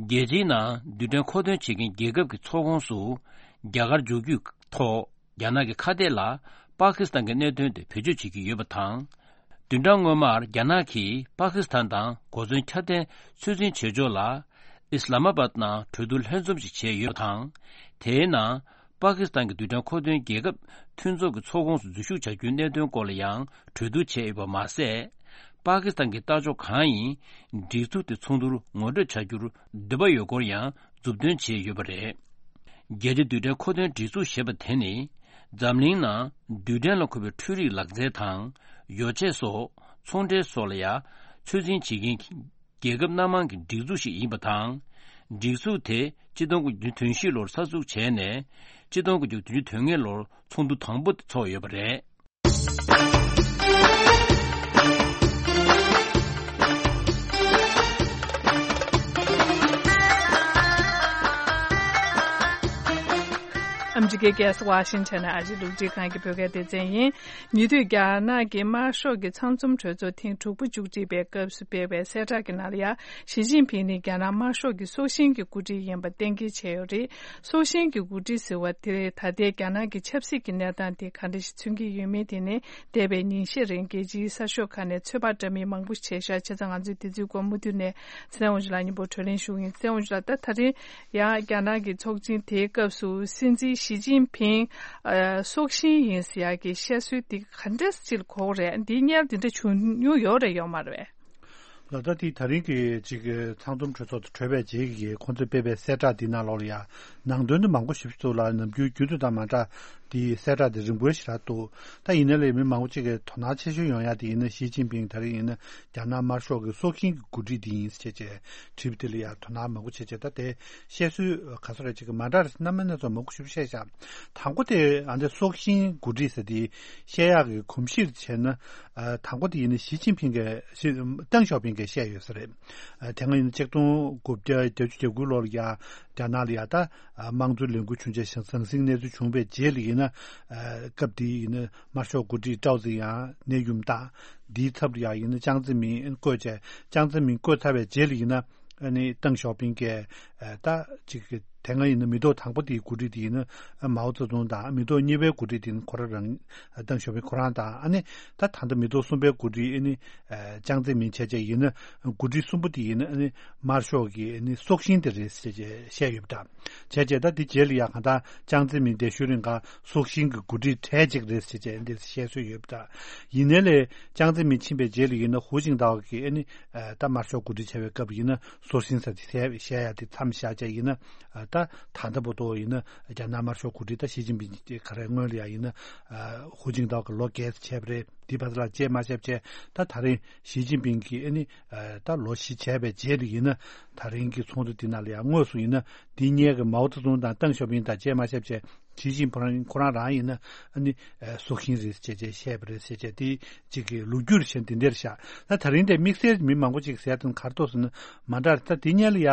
རྒྱལ་སྤྱིའི་ནང་རྡུལ་ཕྲན་མཁོ་འདོན་བྱེད་མཁན་རྒྱལ་ཁབ་ཀྱི་ཚོགས་ཁོངས་སུ་རྒྱ་གར་འཇུག་རྒྱུའི་ཐོག་རྒྱ་ནག་གི་ཁ་གཏད་ལ་པ་ཀི་སི་ཐན་གྱི་གནད་དོན་དེ་བེད་སྤྱོད་བྱེད་ཀྱི་ཡོད་པ་དང་། བདུན་ཕྲག་སྔོན་མར་རྒྱ་ནག་གིས་པ་ཀི་སི་ཐན་དང་གོ་མཚོན་ཁྱབ་གདལ་ཚོད་འཛིན་བྱེད་ཕྱོགས་ལ་ཨི་སི་ལ་མ་བཱད་ནང་གྲོས་བསྡུར་ལྷན་འཛོམས་ཤིག་བྱས་ཡོད་པ་དང་། དེའི་ནང་པ་ཀི་སི་ཐན་གྱི་རྡུལ་ཕྲན་མཁོ་འདོན་རྒྱལ་ཁབ་མཐུན་ཚོགས་ཀྱི་ཚོགས་ཁོངས་སུ་འཛུལ་ཞུགས་བྱ་རྒྱུའི་གནད་དོན་སྐོར་ལ་ཡང་གྲོས་བསྡུར་བྱས་ཡོད་པ་མ་ཟད། པ་ཀི་སི་ཐན་གྱི་ལྟ་ཕྱོགས་གང་ཡིན་སྒྲིག་འཛུགས་དེ་ཚོགས་འདུར་ངོ་སྤྲོད་བྱ་རྒྱུར་འདོད་པ་ཡོད་སྐོར་ཡང་མཛུབ་སྟོན་བྱས་ཡོད་པ་རེད། རྒྱལ་སྤྱིའི་རྡུལ་ཕྲན་མཁོ་འདོན་སྒྲིག་འཛུགས་ཞེས་པ་དེ་ནི། འཛམ་གླིང་ནང་རྡུལ་ཕྲན་ལ་མཁོ་བའི་འཕྲུལ་རིག་ལག་རྩལ་དང་། ཡོ་བྱད་སོགས་ཚོང་འབྲེལ་སོགས་ལ་ཡང་ཚོད་འཛིན་བྱེད་མཁན་རྒྱལ་ཁབ་སྣ་མང་གི་སྒྲིག་འཛུགས་ཤིག་ཡིན་པ་དང་། སྒྲིག་འཛུགས་དེ་ཆིག་སྟོང་དགུ་བརྒྱ་དོན་བཞི་ལོར་གསར་འཛུགས་བྱས་ནས། ཆིག་སྟོང་དགུ་བརྒྱ་དོན་བདུན་དོན་ལྔ་ལོར་ཚོགས་འདུ་དང་པོ་དེ་ཚོགས་ཡོད་པ་རེད། ཨ་མི་རི་ཀའི་རྒྱལ་ས་ཝ་ཤིང་ཊོན་ནས་ཨ་རིའི་རླུང་འཕྲིན་ཁང་གི་བོད་སྐད་སྡེ་ཚན་ཡིན། ཉེ་དུས་རྒྱ་ནག་གི་དམར་ཤོག་གི་ཚང་འཛོམས་གྲོས་ཚོགས་ཐེངས་དྲུག་པ་མཇུག་སྒྲིལ་བའི་སྐབས་སུ་སྤེལ་བའི་གསལ་བསྒྲགས་ཀྱི་ནང་ལ་ཡང་། ཞི་ཅིན་ཕིང་ནི་རྒྱ་ནག་དམར་ཤོག་གི་སྲོག་ཤིང་གི་འགོ་ཁྲིད་ཡིན་པ་གཏན་འཁེལ་བྱས་ཡོད་རེད། སྲོག་ཤིང་གི་འགོ་ཁྲིད་ཟེར་བ་དེ་ད་ལྟའི་རྒྱ་ནག་གི་ཆབ་སྲིད་ཀྱི་གནས་སྟངས་དེ་ག་འདྲ་ཞིག་མཚོན་གྱི་ཡོད་མེད་དེ་ནི་འདས་པའི་ཉིན་ཤས་རིང་རྒྱལ་སྤྱིའི་གསར་ཤོག་ཁག་ནས་ཚོད་དཔག་འདྲ་མིན་མང་པོ་ཞིག་བྱས་ཤག་བྱས་ཙང་ང་ཚོས་དེ་ཚོའི་སྐོར་མུ་མཐུད་ནས་ཚེ་བརྟན་དབང་ཕྱུག་ལགས་མཉམ་པོ་བགྲོ་གླེང་ཞུ་གི་ཡིན། ཚེ་བརྟན་དབང་ཕྱུག་ལགས། ད་ད་རིང་ཡང་རྒྱ་ནག་གི་ཚོགས་ཆེན་དེའི་སྐབས་སུ་སྲིད་འཛིན་ཞི་ཅིན་ཕིང་ཨ་སྲོག་ཤིང་ཡིན་ཟེར་ཡག་གི་བཤད་སྲོལ་དེ་ག་འདྲ་ཅིག་གོ་གི་རེད། འདིའི་བསྙལ་དེ་འདྲ་བྱུང་མྱོང་ཡོད་རེད་ཡོད་མ་རེད་པས། ལགས། ད་དེ་ད་རིང་གི་ཅིག་ཚང་འཛོམས་གྲོས་ཚོགས་དེ་གྲོལ་བའི་རྗེས་ཀྱི་ཁོང་ཚོས་སྤེལ་བའི་གསལ་བསྒྲགས་འདི་ནང་ལོགས་ལ་ཡང་ནང་དོན་དུ་མང་པོ་ཞིག་ཚུར་ལ་ནམ་རྒྱུན་རྒྱུན་དུ་དང་མ་འདྲ་དེའི་གསལ་བསྒྲགས་དེ་རིང་པོའི་ཞེ་དྲག་འདུག་ད་ཡིན་ན་ལས་མི་མང་པོ་ཅིག་གིས་དོ་སྣང་ཆེ་ཤོས་ཡོང་ཡ་དེ་ཡིན་ན་ཞི་ཅིན་ཕིང་ད་རིང་ཡིན་ན་རྒྱ་ནག་དམར་ཤོག་གི་སྲོག་ཤིང་གི་འགོ་ཁྲིད་དེ་ཡིན་ཟེར་བྱས་བྱས་དྲིས་པ་དེ་ལ་ཡང་དོ་སྣང་མང་པོ་བྱས་བྱས། ད་དེ་བཤད་སྲོལ་ག་ཚོད་རེད་ཅིག་གི་མ་འདྲ་རེད། རྣམ་པ་སྣ་ཚོགས་མང་པོ་ཞིག་བཤད་བཞག་དང་པོ་དེ་ཨ་འདི་སྲོག་ཤིང་འགོ་ཁྲིད་ཟེར་དེ་བཤད་ཡག་གི་གོམས་གཤིས་བྱས་ན། ཨ་དང་པོ་དེ་ཡིན་ན་ཞི་ཅིན་ཕིང་གིས་ཞི་ཏེང་ཞའོ་ཕིང་གིས་བཤད་ཡོད་ས་རེད། ཨ་དེ་སྔ་ཡིན་ན་ཆིག་སྟོང་དགུ་བརྒྱ་བརྒྱད་ཅུ་གྱ་དགུ་ལོར་ཡ་རྒྱ་ནག་ལ་ཡ་ད་ཨ་དམངས་གཙོའི་ལས་འགུལ་བྱུང་རྗེས་ཞང་ཟང་ཟིང་གནས་ཚུལ་བྱུང་བའི་རྗེས་ལ་ཡིན་ན། ཨ་སྐབས་དེ་ཡིན་ན་དམར་ཤོག་འགོ་ཁྲིད་ཀྲའོ་ཙེ་ཡང་གནས་ཡུམ་བཏང་། དེའི་ཚབ་ལ་ཡ་ཡིན་ན་ཅང་ཙེ་མིན་བསྐོས་བྱས། ཅང་ཙེ་མིན་བསྐོས་ཚར་བའི་རྗེས་ལ་ཡིན་ན། ཨ་ནི་ཏེང་ཞའོ་ཕིང་གིས་ཨ་ད་ཅིག་དེ་སྔ་ཡིན་ན་མི་ཐོག་དང་པོ་དེའི་འགོ་ཁྲིད་དེ་ཡིན་ན་མའོ་ཙེ་ཏུང་དང་། མི་ཐོག་གཉིས་པའི་འགོ་ཁྲིད་དེ་ཡིན་ན་ཁོ་རང་རང་ཏེང་ཞའོ་ཕིང་ཁོ་རང་དང་། ཨ་ནི་ད་ད་ལྟ་མི་ཐོག་གསུམ་པའི་འགོ་ཁྲིད་ཨ་ནི་ཨ་ཅང་ཙེ་མིན་བྱས་བྱས་ཡིན་ན། འགོ་ཁྲིད་གསུམ་པོ་དེ་ཡིན་ན་ཨ་ནི་དམར་ཤོག་གི་ཨ་ནི་སྲོག་ཤིང་དེ་རེད་ཟེར་བྱས་བཤད་ཡོད་པ་འདྲ། བྱས་བྱས་ད་དེ་རྗེས་ལ་ཡ་གང་ལྟར་ཅང་ཙེ་མིན་འདས་ཤུལ་རིང་ག་སྲོག་ཤིང་གི་འགོ་ཁྲིད་གྲས་གཅིག་རེད་ཟེར་བྱས་འདི་བཤད་སྲོལ་ཡོད་པ་འདྲ། ཡིན་ནའི་ལས་ཅང་ཙེ་མིན་ཕྱིན་པའི་རྗེས་ལ་ཡིན་ན་ཧུའུ་ཅིང་ཏའོ་གིས་ཨ་ནི། ཨ་ད་དམར་ཤོག་འགོ་ཁྲིད་བྱས་པའི་སྐབས་ཡིན་ན་སྲོག་ཤིང་ཟེར་དེ་བཤད་ཡ་དེ་མཚམས་བཞག་བྱས་ཡིན་ན། ཨ་ད་ད་ལྟ་བར་དུ་ཡིན་ན་རྒྱ་ནག་དམར་ཤོག་འགོ་ཁྲིད་ད་ཞི་ཅིན་ཕིང་ག་རེ་སྔོན་ལ་ཡ་ཡིན་ན། ཨ་ཧུའུ་ཅིང་ཏའོ་གིས་ལོ་བརྒྱད་ཙམ་བྱས་པ་རེད། དེ་བར་ལ་བཅད་མ་བྱས་བྱས་ད་ད་རིང་ཞི་ཅིན་ཕིང་གིས་ཨ་ནི་ཨ་ད་ལོ་བཞི་བྱས་པའི་རྗེས་ལ་ཡིན་ན། ད་རིང་གི་ཚོགས་འདུ་འདི་ནང་ལ་ཡ་དངོས་སུ་ཡིན་ན་འདི་སྔོན་གྱི་མའོ་ཙེ་ཏུང་དང་ཏེང་ཞའོ་ཕིང་དང་བཅད་མ་བྱས་བྱས། ཞི་ཅིན་ཕིང་ཁོ་རང་རང་ཡིན་ན་ཨ་ནི་ཨ་སྲོག་ཤིང་རེད་ཅེས་བྱས་བཤད་པ་རེད་ཟེར་བྱས་དེ་གཅིག་གི་ལོ་རྒྱུས་བཤད་འདི་འདྲར་བཞག་ད་ད་རིང་དེ་དམིགས་བསལ་མི་མང་པོ་ཅིག་ཟེར་དོན་ག་རེ་འདུག་ཟེར་ན་མ་འདྲ་ད་དེ་སྔོན་ལ་ཡ་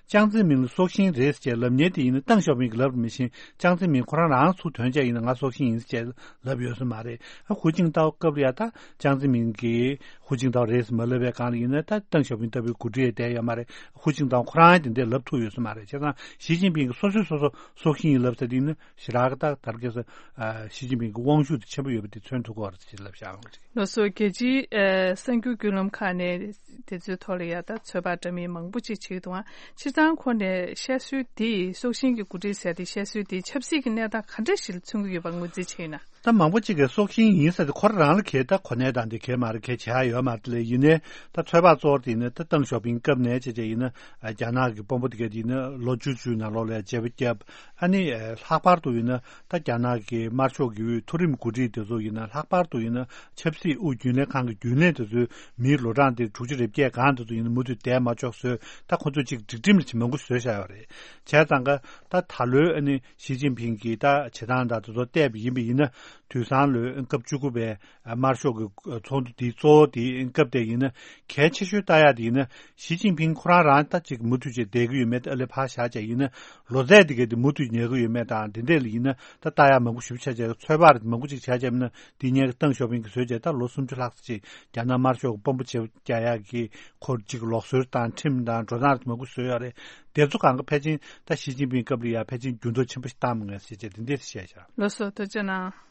ཅང་ཙེ་མིན་ལ་སྲོག་ཤིང་རེད་ཟེར་བྱས་ལབ་མཁན་དེ་ཡིན་ན་ཏེང་ཞའོ་ཕིང་གིས་ལབ་རེད། མི་ཤེས། ཅང་ཙེ་མིན་ཁོ་རང་རང་ཚུར་ཐོན་བྱས་ཡིན་ན་ང་སྲོག་ཤིང་ཡིན་ཟེར་བྱས་ལབ་ཡོད་ས་མ་རེད། ཨ་ཧུའུ་ཅིང་ཏའོ་སྐབས་ལ་ཡ་ད་ཅང་ཙེ་མིན་གིས་ཧུའུ་ཅིང་ཏའོ་རེད་ཟེར་མ་ལབ་པའི་སྒང་ལ་ཡིན་ན་ད་ཏེང་ཞའོ་ཕིང་ལྟ་བུའི་འགོ་ཁྲིད་བསྡད་ཡོད་མ་རེད། ཧུའུ་ཅིང་ཏའོ་ཁོ་རང་དེ་འདྲས་ལབ་ཐུབ་ཡོད་ས་མ་རེད། བྱས་ཙང་ཞི་ཅིན་ཕིང་གིས་སོ་སོས་སོ་སོ་སྲོག་ཤིང་ཡིན་ལབ་ས་དེ་ཡིན་ན། ཞེ་དྲག་གི་ད་དར་རྒྱས་སུ་ཨ་ཞི་ཅིན་ཕིང་གི་དབང་ཤུགས་དེ་ཆེན་པོ་ཡོད་པ་དེ་མཚོན་ཐུབ་ཀྱི་ཡོད་རེད་ཅེས་ལབ་བཞག་ཡོད་རེད། ལགས་སོ། རྒྱལ་སྤྱིའི་ཨ་གསར་འགྱུར་བརྒྱུད་ལམ་ཁག་ནས་དེ་ཚོའི་ཐོག་ལ་ཡ་ད་ཚོད་དཔག་འདྲ་མིན་མང་པོ་ཅིག་བྱེད་ཀྱི་འདུག་ཨང་། སྤྱིར་བཏང་ཁོ་ནས་བཤད་སྲོལ་དེ་སྲོག་ཤིང་གི་འགོ་ཁྲིད་ཟེར་དེ་བཤད་སྲོལ་དེ་ཆབ་སྲིད་ཀྱི་གནས་སྟངས་ག་འདྲ་ཞིག་ལ་མཚོན་གྱི་ཡོད་པ་ངོས་འཛིན་བྱས་ཡོད་ན། ད་མང་པོ་ཅིག་གིས་སྲོག་ཤིང་ཡིན་ཟེར་དེ་ཁོ་རང་རང་ལ་གལ་ དེ་ད་གོ་གནས་དང་དེ་གས་མ་རེད། གས་བྱ་ཡ་ཡོད་མ་རེད། ལས་ཡིན་ནའི་ད་ཚོད་དཔག་གཙོ་བོ་དེ་ཡིན་ན་ད་ཏེང་ཞའོ་ཕིང་སྐབས་ནས་བྱས་བྱས་ཡིན་ན་རྒྱ་ནག་གི་དཔོན་པོ་དེ་གས་དེ་ཡིན་ན་ལོ་བཅུ་བཅུའི་ནང་ལོགས་ལ་བརྗེ་པོ་བརྒྱབ། ཨ་ནི་ལྷག་པར་དུ་ཡིན་ན་ད་རྒྱ་ནག་གི་དམར་ཤོག་གི་དབུས་མཐོ་རིམ་འགོ་ཁྲིད་དེ་ཚོ་ཡིན་ན་ལྷག་པར་དུ་ཡིན་ན་ཆབ་སྲིད་དབུས་རྒྱུན་ལས་ཁང་གི་རྒྱུན་ལས་དེ་ཚོའི་མིའི་ལོ་གྲངས་དེ་དྲུག་ཅུ་རེ་བརྒྱད་སྒང་དེ་ཚོ་ཡིན་ན་མུ་མཐུད་བསྡད་མ་ཆོག་བཟོས། ད་ཁོ་ཚོས་ཅིག་སྒྲིག་ཁྲིམས་ལ་ཅིག་མང་པོ་བཟོས་བཞག་ཡོད་རེད། བྱས་ཙང་ཀ་ད་ད་ལོའི་ཨ་ནི་ཞི་ཅིན་ཕིང་གིས་ད་བྱེད་སྟངས་དང་དེ་ཚོ་བལྟས་པ་ཡིན་པ་ཡིན་ན་དུས་སང་ལོའི་སྐབས་བཅུ་དགུ་པའི་དམར་ཤོག་གི་ཚོགས་འདུ་དེའི་གཙོ་བོ་དེའི་སྐབས་དེ་ཡིན་ན་གལ་ཆེ་ཤོས་ལྟ་ཡ་དེ་ཡིན་ན་ཞི་ཅིན་ཕིང་ཁོ་རང་རང་ད་ཅིག་མུ་མཐུད་བྱས་བསྡད་ཀྱི་ཡོད་མེད་དེ་ཨ་ལས་ཕར་བཞག་བྱས་ཡིན་ན་ལོ་ཚད་དེ་གས་དེ་མུ་མཐུད་ཉར་གྱི་ཡོད་མེད་དང་དེ་འདྲས་ལ་ཡིན་ན་ད་ལྟ་ཡ་མང་པོ་ཞིབ་ཆ་བྱས་ཚོད་དཔག་མང་པོ་ཅིག་བྱས་བྱས་ན་དེ་ཉན་གྱི་ཏེང་ཞའོ་ཕིང་གིས་བཟོས་བྱས་ད་ལོ་སུམ་ཅུ་ལྷག་ཙམ་ཅིག་རྒྱ་ནག་དམར་ཤོག་གི་དཔོན་པོ་བྱེད་རྒྱག་ཡག་གི་ཁོར་ཅིག་ལུགས་སྲོལ་དང་ཁྲིམས་དང་འགྲོ་སྟངས་མང་པོ་བཟོས་ཡོད་རེད། དེ་ཚོ་གང་ག་ཕལ་ཆེར་ད་ཞི་ཅིན་ཕིང་སྐབས་ལ་ཡ་ཕལ་ཆེར་འགྱུར་ལྡོག་ཆེན་པོ་ཞིག་བཏང་མི་ངེས་ཟེར་བྱས་དེ་འདྲས་བཤད་བཞག་ལགས་སོ། ཐུགས་རྗེ་གནང་།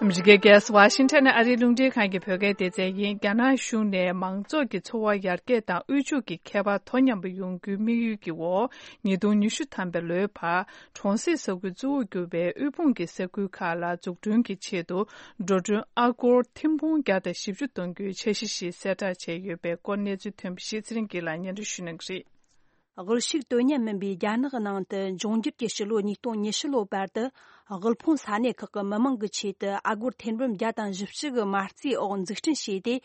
ཨ་མི་རི་ཀའི་རྒྱལ་ས་ཝ་ཤིང་ཊོན་ནས་ཨ་རིའི་རླུང་འཕྲིན་ཁང་གི་བོད་སྐད་སྡེ་ཚན་ཡིན། རྒྱ་ནག་གཞུང་ནས་མང་ཚོགས་ཀྱི་འཚོ་བ་ཡར་རྒྱས་དང་དབུལ་ཕྱུག་གི་ཁྱད་པར་དོ་མཉམ་པ་ཡོང་རྒྱུའི་དམིགས་ཡུལ་གྱི་འོག་ཉིས་སྟོང་ཉི་ཤུ་ཐམ་པའི་ལོའི་བར་གྲོང་གསེབ་ས་ཁུལ་གཙོ་བོར་གྱུར་པའི་དབུལ་ཕོངས་ཀྱི་ས་ཁུལ་ཁག་ལ་འཛུགས་སྐྲུན་གྱི་ཆེད་དུ་འགྲོ་གྲོན་ཨ་སྒོར་ཐེར་འབུམ་བརྒྱ་དང་བཞི་བཅུ་གཏོང་རྒྱུའི་འཆར་གཞི་ཞིག་གསལ་བསྒྲགས་བྱས་ཡོད་པའི་སྐོར་གནས་ཚུལ་ཐོན་པ་ཞིག་ཚེ་རིང་སྐྱིད་ལ་སྙན་སྒྲོན་ཞུ་གནང་གི་རེད། དབུལ་ཕྱུག་དོན་གཉེར་མིན་པའི་རྒྱ་ནག་གི་ནང་དུ་འབྱུང་འགྱུར་གྱི་ཕྱི་ལོ་ཉིས་སྟོང་ཉི་ཤུ་ལོའི་བར་དུ་དབུལ་ཕོངས་ས་གནས་ཁག་གི་མི་མང་གི་ཆེད་དུ་ཨ་སྒོར་ཐེར་འབུམ་བརྒྱ་དང་བཞི་བཅུ་གི་མ་རྩའི་འོག་འཛུགས་སྐྲུན་བྱས་ཏེ།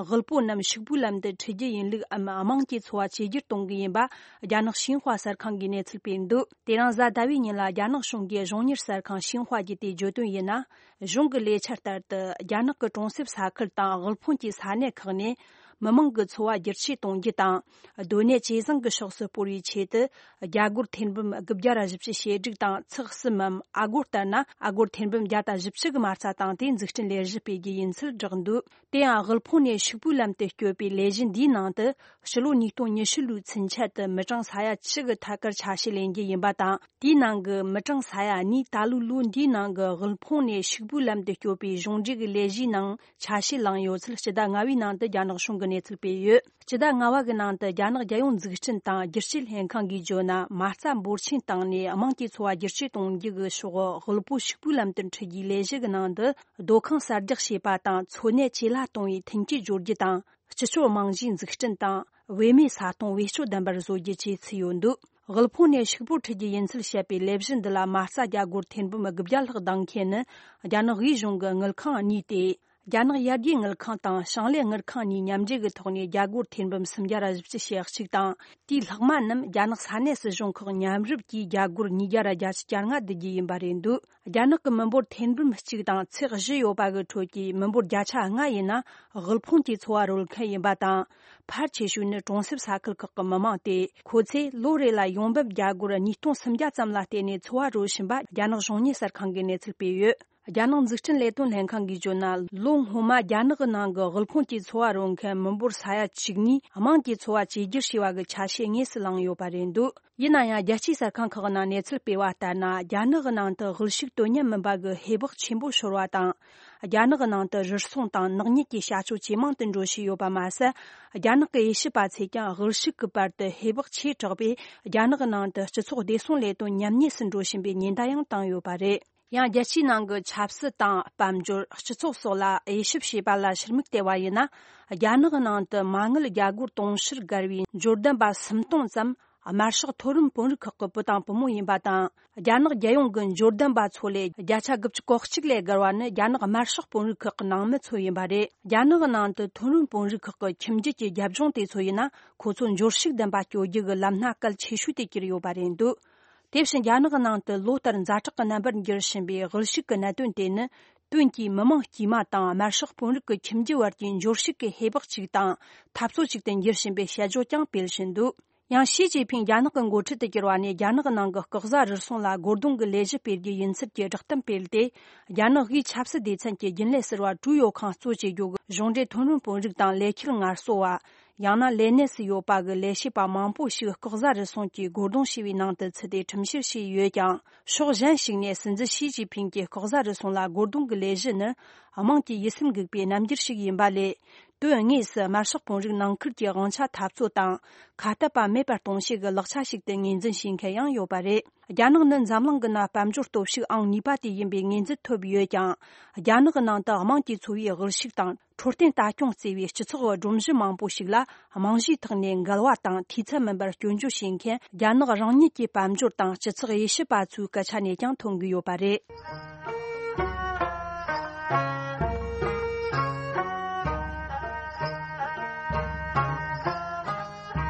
དབུལ་པོ་རྣམས་ཕྱུག་པོའི་ལམ་དུ་ཁྲིད་རྒྱུ་ཡིན་ལུགས་འམ་དམངས་ཀྱི་འཚོ་བ་བཅོས་བསྒྱུར་གཏོང་གི་ཡིན་པ་རྒྱ་ནག་ཤིན་ཧྭ་གསར་ཁང་གིས་གནས་ཚུལ་སྤེལ་འདུག་དེ་རིང་གཟའ་ཟླ་བའི་ཉིན་ལ་རྒྱ་ནག་གཞུང་གིས་གཞུང་གཉེར་གསར་ཁང་ཤིན་ཧྭ་གིས་དེ་བརྗོད་དོན་ཡིན་ན། གཞུང་གི་ལས་འཆར་ལྟར་དུ་རྒྱ་ནག་གི་གྲོང་གསེབ་ས་ཁུལ་དང་དབུལ་ཕོངས་ཀྱི་ས་གནས་ཁག་ནས་མི་མང་གི་འཚོ་བ་བསྒྱུར་བཅོས་གཏོང་རྒྱུ་དང་། སྡོད་གནས་ཇེ་བཟང་གི་ཕྱོགས་སུ་སྤོར་བའི་ཆེད་དུ་རྒྱ་སྒོར་ཐེར་འབུམ་དགུ་བརྒྱ་ར་བཞི་བཅུ་ཞེ་དྲུག་དང་ཚེག་གསུམ་མམ་ཨ་སྒོར་ལྟར་ན་ཨ་སྒོར་ཐེར་འབུམ་བརྒྱ་དང་བཞི་བཅུ་གི་མ་རྩ་བཏང་སྟེ་འཛུགས་སྐྲུན་ལས་གཞི་སྤེལ་རྒྱུ་ཡིན་ཚུལ་བསྒྲགས་འདུག་དེ་ཡང་དབུལ་ཕོངས་ནས་ཕྱུག་པོའི་ལམ་དུ་བསྐྱོད་པའི་ལས་གཞི་འདིའི་ནང་དུ་ཕྱི་ལོ་ཉིས་སྟོང་ཉི་ཤུ་ལོའི་ཚུན་ཆད་དུ་མི་གྲངས་ས་ཡ་བཅུ་གི་ཐད་ཀར་ཆ་ཤས་ལེན་རྒྱུ་ཡིན་པ་དང་། དེའི་ནང་གི་མི་གྲངས་ས་ཡ་གཉིས་ད་ལོའི་ལོ་འདིའི་ནང་གི་དབུལ་ཕོངས་ནས་ཕྱུག་པོའི་ལམ་དུ་བསྐྱོད་པའི་གཞུང་འབྲེལ་གྱི་ལས་གཞིའི་ནང་ཆ་ཤས་བླངས་ཡོད་ཚུལ་སྤྱི་ཟླ་ལྔ་པའི་ནང་དུ་རྒྱ་ནག་གཞུང་གིས་གནས་ཚུལ་སྤེལ་ཡོད། སྤྱི་ཟླ་ལྔ་པ་གི་ནང་དུ་རྒྱ་ནག་རྒྱལ་ཡོངས་འཛུགས་སྐྲུན་དང་བསྒྱུར་བཅོས་ལྷན་ཁང་གིས་བརྗོད་ན། མ་རྩ་འབོར་ཆེན་བཏང་ནས་དམངས་ཀྱི་འཚོ་བ་བསྒྱུར་བཅོས་གཏོང་རྒྱུ་གི་ཕྱོགས་དབུལ་པོ་ཕྱུག་པོའི་ལམ་དུ་འཁྲིད་རྒྱུའི་ལས་གཞི་གི་ནང་དུ། སྡོད་ཁང་གསར་རྒྱག་བྱེད་པ་དང་འཚོ་གནས་ཇེ་སླ་གཏོང་བའི་མཐུན་རྐྱེན་སྦྱོར་རྒྱུ་དང་། སྤྱི་ཚོགས་རྨང་གཞིའི་འཛུགས་སྐྲུན་དང་། བེད་མེད་ས་སྟོང་བེད་སྤྱོད་ལྡན་པར་བཟོ་རྒྱུ་བཅས་ཚུད་ཡོད་འདུག་དབུལ་ཕོངས་ནས་ཕྱུག་པོར་འཁྲིད་རྒྱུ་ཡིན་ཚུལ་བཤད་པའི་ལས་གཞི་འདི་ལ་མ་རྩ་རྒྱ་སྒོར་ཐེར་འབུམ་དགུ་བརྒྱ་ལྷག་གདམ་མཁན་ནི་རྒྱ་ནག་དབུས་གཞུང་གི་དངུལ་ཁང་གཉིས་ཏེ། རྒྱ་ནག་ཡར་རྒྱས་དངུལ་ཁང་དང་ཞིང་ལས་དངུལ་ཁང་གཉིས་མཉམ་འབྲེལ་གྱི་ཐོག་ནས་རྒྱ་སྒོར་ཐེར་འབུམ་སུམ་བརྒྱ་ར་བཞི་བཅུ་ཞེ་གཅིག་དང་། དེའི་ལྷག་མ་རྣམས་རྒྱ་ནག་ས་གནས་སྲིད་གཞུང་ཁག་མཉམ་རུབ་ཀྱིས་རྒྱ་སྒོར་ཉིས་བརྒྱ་ར་བརྒྱད་ཅུ་གྱ་ལྔ་བསྡུ་རྒྱུ་ཡིན་པ་རེད་འདུག་རྒྱ་ནག་གི་མི་འབོར་ཐེར་འབུམ་གཅིག་དང་ཚེག་བཞི་ཡོད་པ་གི་ཁྲོད་ཀྱི་མི་འབོར་བརྒྱ་ཆ་ལྔ་ཡིན་ན་དབུལ་ཕོངས་ཀྱི་འཚོ་བ་རོལ་མཁན་ཡིན་པ་དང་། ཕལ་ཆེ་ཤོས་ནི་གྲོང་གསེབ་ས་ཁུལ་ཁག་གི་མི་མང་སྟེ། ཁོ་ཚོས་ལོ་རེ་ལ་ཡོང་འབབ་རྒྱ་སྒོར་ཉིས་སྟོང་སུམ་བརྒྱ་ཙམ་ལ་བརྟེན་ནས་འཚོ་བ་རོལ་བཞིན་པ་རྒྱ་ནག་གཞུང་གཉེར་གསར་ཁང་གིས་གནས་ཚུལ་སྤེལ་ཡོད། རྒྱ་ནག་འཛུགས་སྐྲུན་ལས་དོན་ལྷན་ཁང་གིས་བརྗོད་ན། ལོ་སྔོན་མ་རྒྱ་ནག་གི་ནང་གི་དབུལ་ཕོངས་ཀྱི་འཚོ་བ་རོལ་མཁན་མི་འབོར་ས་ཡ་བཅུ་གཉིས་དམངས་ཀྱི་འཚོ་བ་བཅོས་བསྒྱུར་བྱས་པ་གི་ཆ་ཤས་དངོས་སུ་བླངས་ཡོད་པ་རེད་འདུག་ཡིན་ན་ཡང་། རྒྱལ་སྤྱིའི་གསར་ཁང་ཁག་ནང་གནས་ཚུལ་སྤེལ་བ་ལྟར་ན། རྒྱ་ནག་གི་ནང་དུ་དབུལ་ཕྱུག་དོན་གཉེར་མིན་པ་གི་ཧེ་བག་ཆེན་པོ་ཤོར་བ་དང་། རྒྱ་ནག་གི་ནང་དུ་རུལ་སུངས་དང་ནག་ཉེས་ཀྱི་བྱ་སྤྱོད་ཇེ་མང་དུ་འགྲོ་བཞིན་ཡོད་པ་མ་ཟད། རྒྱ་ནག་གི་དབྱེ་ཞིབ་པ་ཚོས་ཀྱང་དབུལ་ཕྱུག་གི་བར་དུ་ཧེ་བག་ཆེ་དྲགས་པས། རྒྱ་ནག་གི་ནང་དུ་སྤྱི་ཚོགས་བདེ་སྲུང་ལས་དོན་ཉམས་ཉེས་སུ་འགྲོ་བཞིན་པའི་ཉེན་བརྡ་ཡང་བཏང་ཡོད་པ་རེད། ཡང་། རྒྱལ་སྤྱིའི་ནང་གི་ཆབ་སྲིད་དང་། དཔལ་འབྱོར། སྤྱི་ཚོགས་སོགས་ལ་དབྱེ་ཞིབ་བྱས་པ་ལ་ཕྱིར་མིག་བལྟས་པ་ཡིན་ན། རྒྱ་ནག་གི་ནང་དུ་མ་དངུལ་རྒྱ་སྒོར་དུང་ཕྱུར་བརྒལ་བའི་འབྱོར་ལྡན་པ་སུམ་སྟོང་ཙམ་དམར་ཤོག་མཐོ་རིམ་དཔོན་རིགས་ཁག་གི་བུ་དང་བུ་མོ་ཡིན་པ་དང་། རྒྱ་ནག་རྒྱལ་ཡོངས་ཀྱི་འབྱོར་ལྡན་པ་ཚོ་ལས་བརྒྱ་ཆ་དགུ་བཅུ་གོ་གཅིག་ལས་བརྒལ་བ་ནི་རྒྱ་ནག་དམར་ཤོག་དཔོན་རིགས་ཁག་གི་ནང་མི་ཚོ་ཡིན་པ་རེད། རྒྱ་ནག་གི་ནང་དུ་མཐོ་རིམ་དཔོན་རིགས་ཁག་གི་ཁྱིམ་རྒྱུད་ཀྱི་རྒྱབ་ལྗོངས་དེ་ཚོ་ཡིན་ན། ཁོ་ཚོ་འབྱོར་ཕྱུག་ལྡན་པ་སྐྱོད་རྒྱུ་གི་ལམ་སྣ་གལ་ཆེ་ཤོས་དེ་གྱུར་ཡོད་པ་རེད་འདུག་དེ་བཞིན། རྒྱ་ནག་གི་ནང་དུ་ལོ་ལྟར་ཛ་དྲག་གི་རྣམ་པར་འགྱུར་བཞིན་པའི་དབུལ་ཕྱུག་གི་གནད་དོན་དེ་ནི། དོན་གྱིས་མི་དམངས་དཀྱུས་མ་དང་དམར་ཤོག་དཔོན་རིགས་ཀྱི་ཁྱིམ་རྒྱུད་བར་གྱི་འབྱོར་ཕྱུག་གི་ཧེ་བག་ཅིག་དང་འཐབ་རྩོད་ཅིག་ཏུ་འགྱུར་བཞིན་པའི་དཔྱད་བརྗོད་ཀྱང་སྤེལ་བཞིན་འདུག་ཡང་། ཞི་ཅིན་ཕིང་རྒྱ་ནག་གི་འགོ་ཁྲིད་དུ་གྱུར་བ་ནས། རྒྱ་ནག་གི་ནང་གི་སྐུ་གཟུགས་རུལ་སུངས་ལ་རྒོལ་རྡུང་གི་ལས་གཞི་སྤེལ་རྒྱུ་ཡིན་ཚུལ་གྱི་བསྒྲགས་གཏམ་སྤེལ་ཏེ། རྒྱ་ནག་དབུས་ཆབ་སྲིད་སྡེ་ཚན་གྱི་རྒྱུན་ལས་ཟུར་པ་ཀྲུའུ་ཡོ་ཁང་གཙོ་བྱེད་རྒྱུ་གི་གཞུང་འབྲེལ་མཐོ་རིམ་དཔོན་རིགས་དང་ལས་འཁྱུར་ངལ་གསོ་བ། ཡང་ན་ལས་གནས་སུ་ཡོད་པ་གི་ལས་བྱེད་པ་མང་པོ་ཞིག་ལྐོག་ཟ་རུལ་སུངས་ཀྱི་རྒོལ་རྡུང་བྱས་པའི་ནང་དུ་ཚུད་དེ་ཁྲིམས་བཤེར་བྱས་ཡོད་ཀྱང་། ཕྱོགས་གཞན་ཞིག་ནས་སྲིད་འཛིན་ཞི་ཅིན་ཕིང་གིས་ལྐོག་ཟ་རུལ་སུངས་ལ་རྒོལ་རྡུང་གི་ལས་གཞི་ནི་དམངས་ཀྱི་ཡིད་སེམས་འགུག་པའི་རྣམ་འགྱུར་ཞིག་ཡིན་པ་ལས། དོན་དངོས་སུ་དམར་ཤོག་དཔོན་རིགས་ནང་ཁུལ་གྱི་དབང་ཆ་འཐབ་རྩོད་དང་ཁ་གཏད་པ་མེད་པར་གཏོང་བྱེད་ཀྱི་ལག་ཆ་ཞིག་ཏུ་ངོས་འཛིན་བྱེད་མཁན་ཡང་ཡོད་པ་རེད། རྒྱ་ནག་ནི་འཛམ་གླིང་གི་ནང་དཔལ་འབྱོར་སྟོབས་ཤུགས་ཨང་གཉིས་པ་དེ་ཡིན་པའི་ངོས་འཛིན་ཐོབ་ཡོད་ཀྱང་། རྒྱ་ནག་གི་ནང་དུ་དམངས་ཀྱི་འཚོ་བའི་དབུལ་ཕྱུག་དང་འཕྲོད་བསྟེན་ལྟ་སྐྱོང་བརྩེ་བའི་སྤྱི་ཚོགས་སྒྲོམ་གཞི་མང་པོ་ཞིག་ལ་རྨང་གཞིའི་ཐོག་ནས་འགལ་བ་དང་འཐུས་ཚད་མིན་པར་སྐྱོན་བརྗོད་བྱེད་མཁན་རྒྱ་ནག་རང་ཉིད་ཀྱི་དཔལ་འབྱོར་དང་སྤྱི་ཚོགས་དབྱེ་ཞིབ་པ་ཚོའི་སྐད་ཆ་ནས་ཀྱང་ཐོན་གྱི་ཡོད་པ་རེད།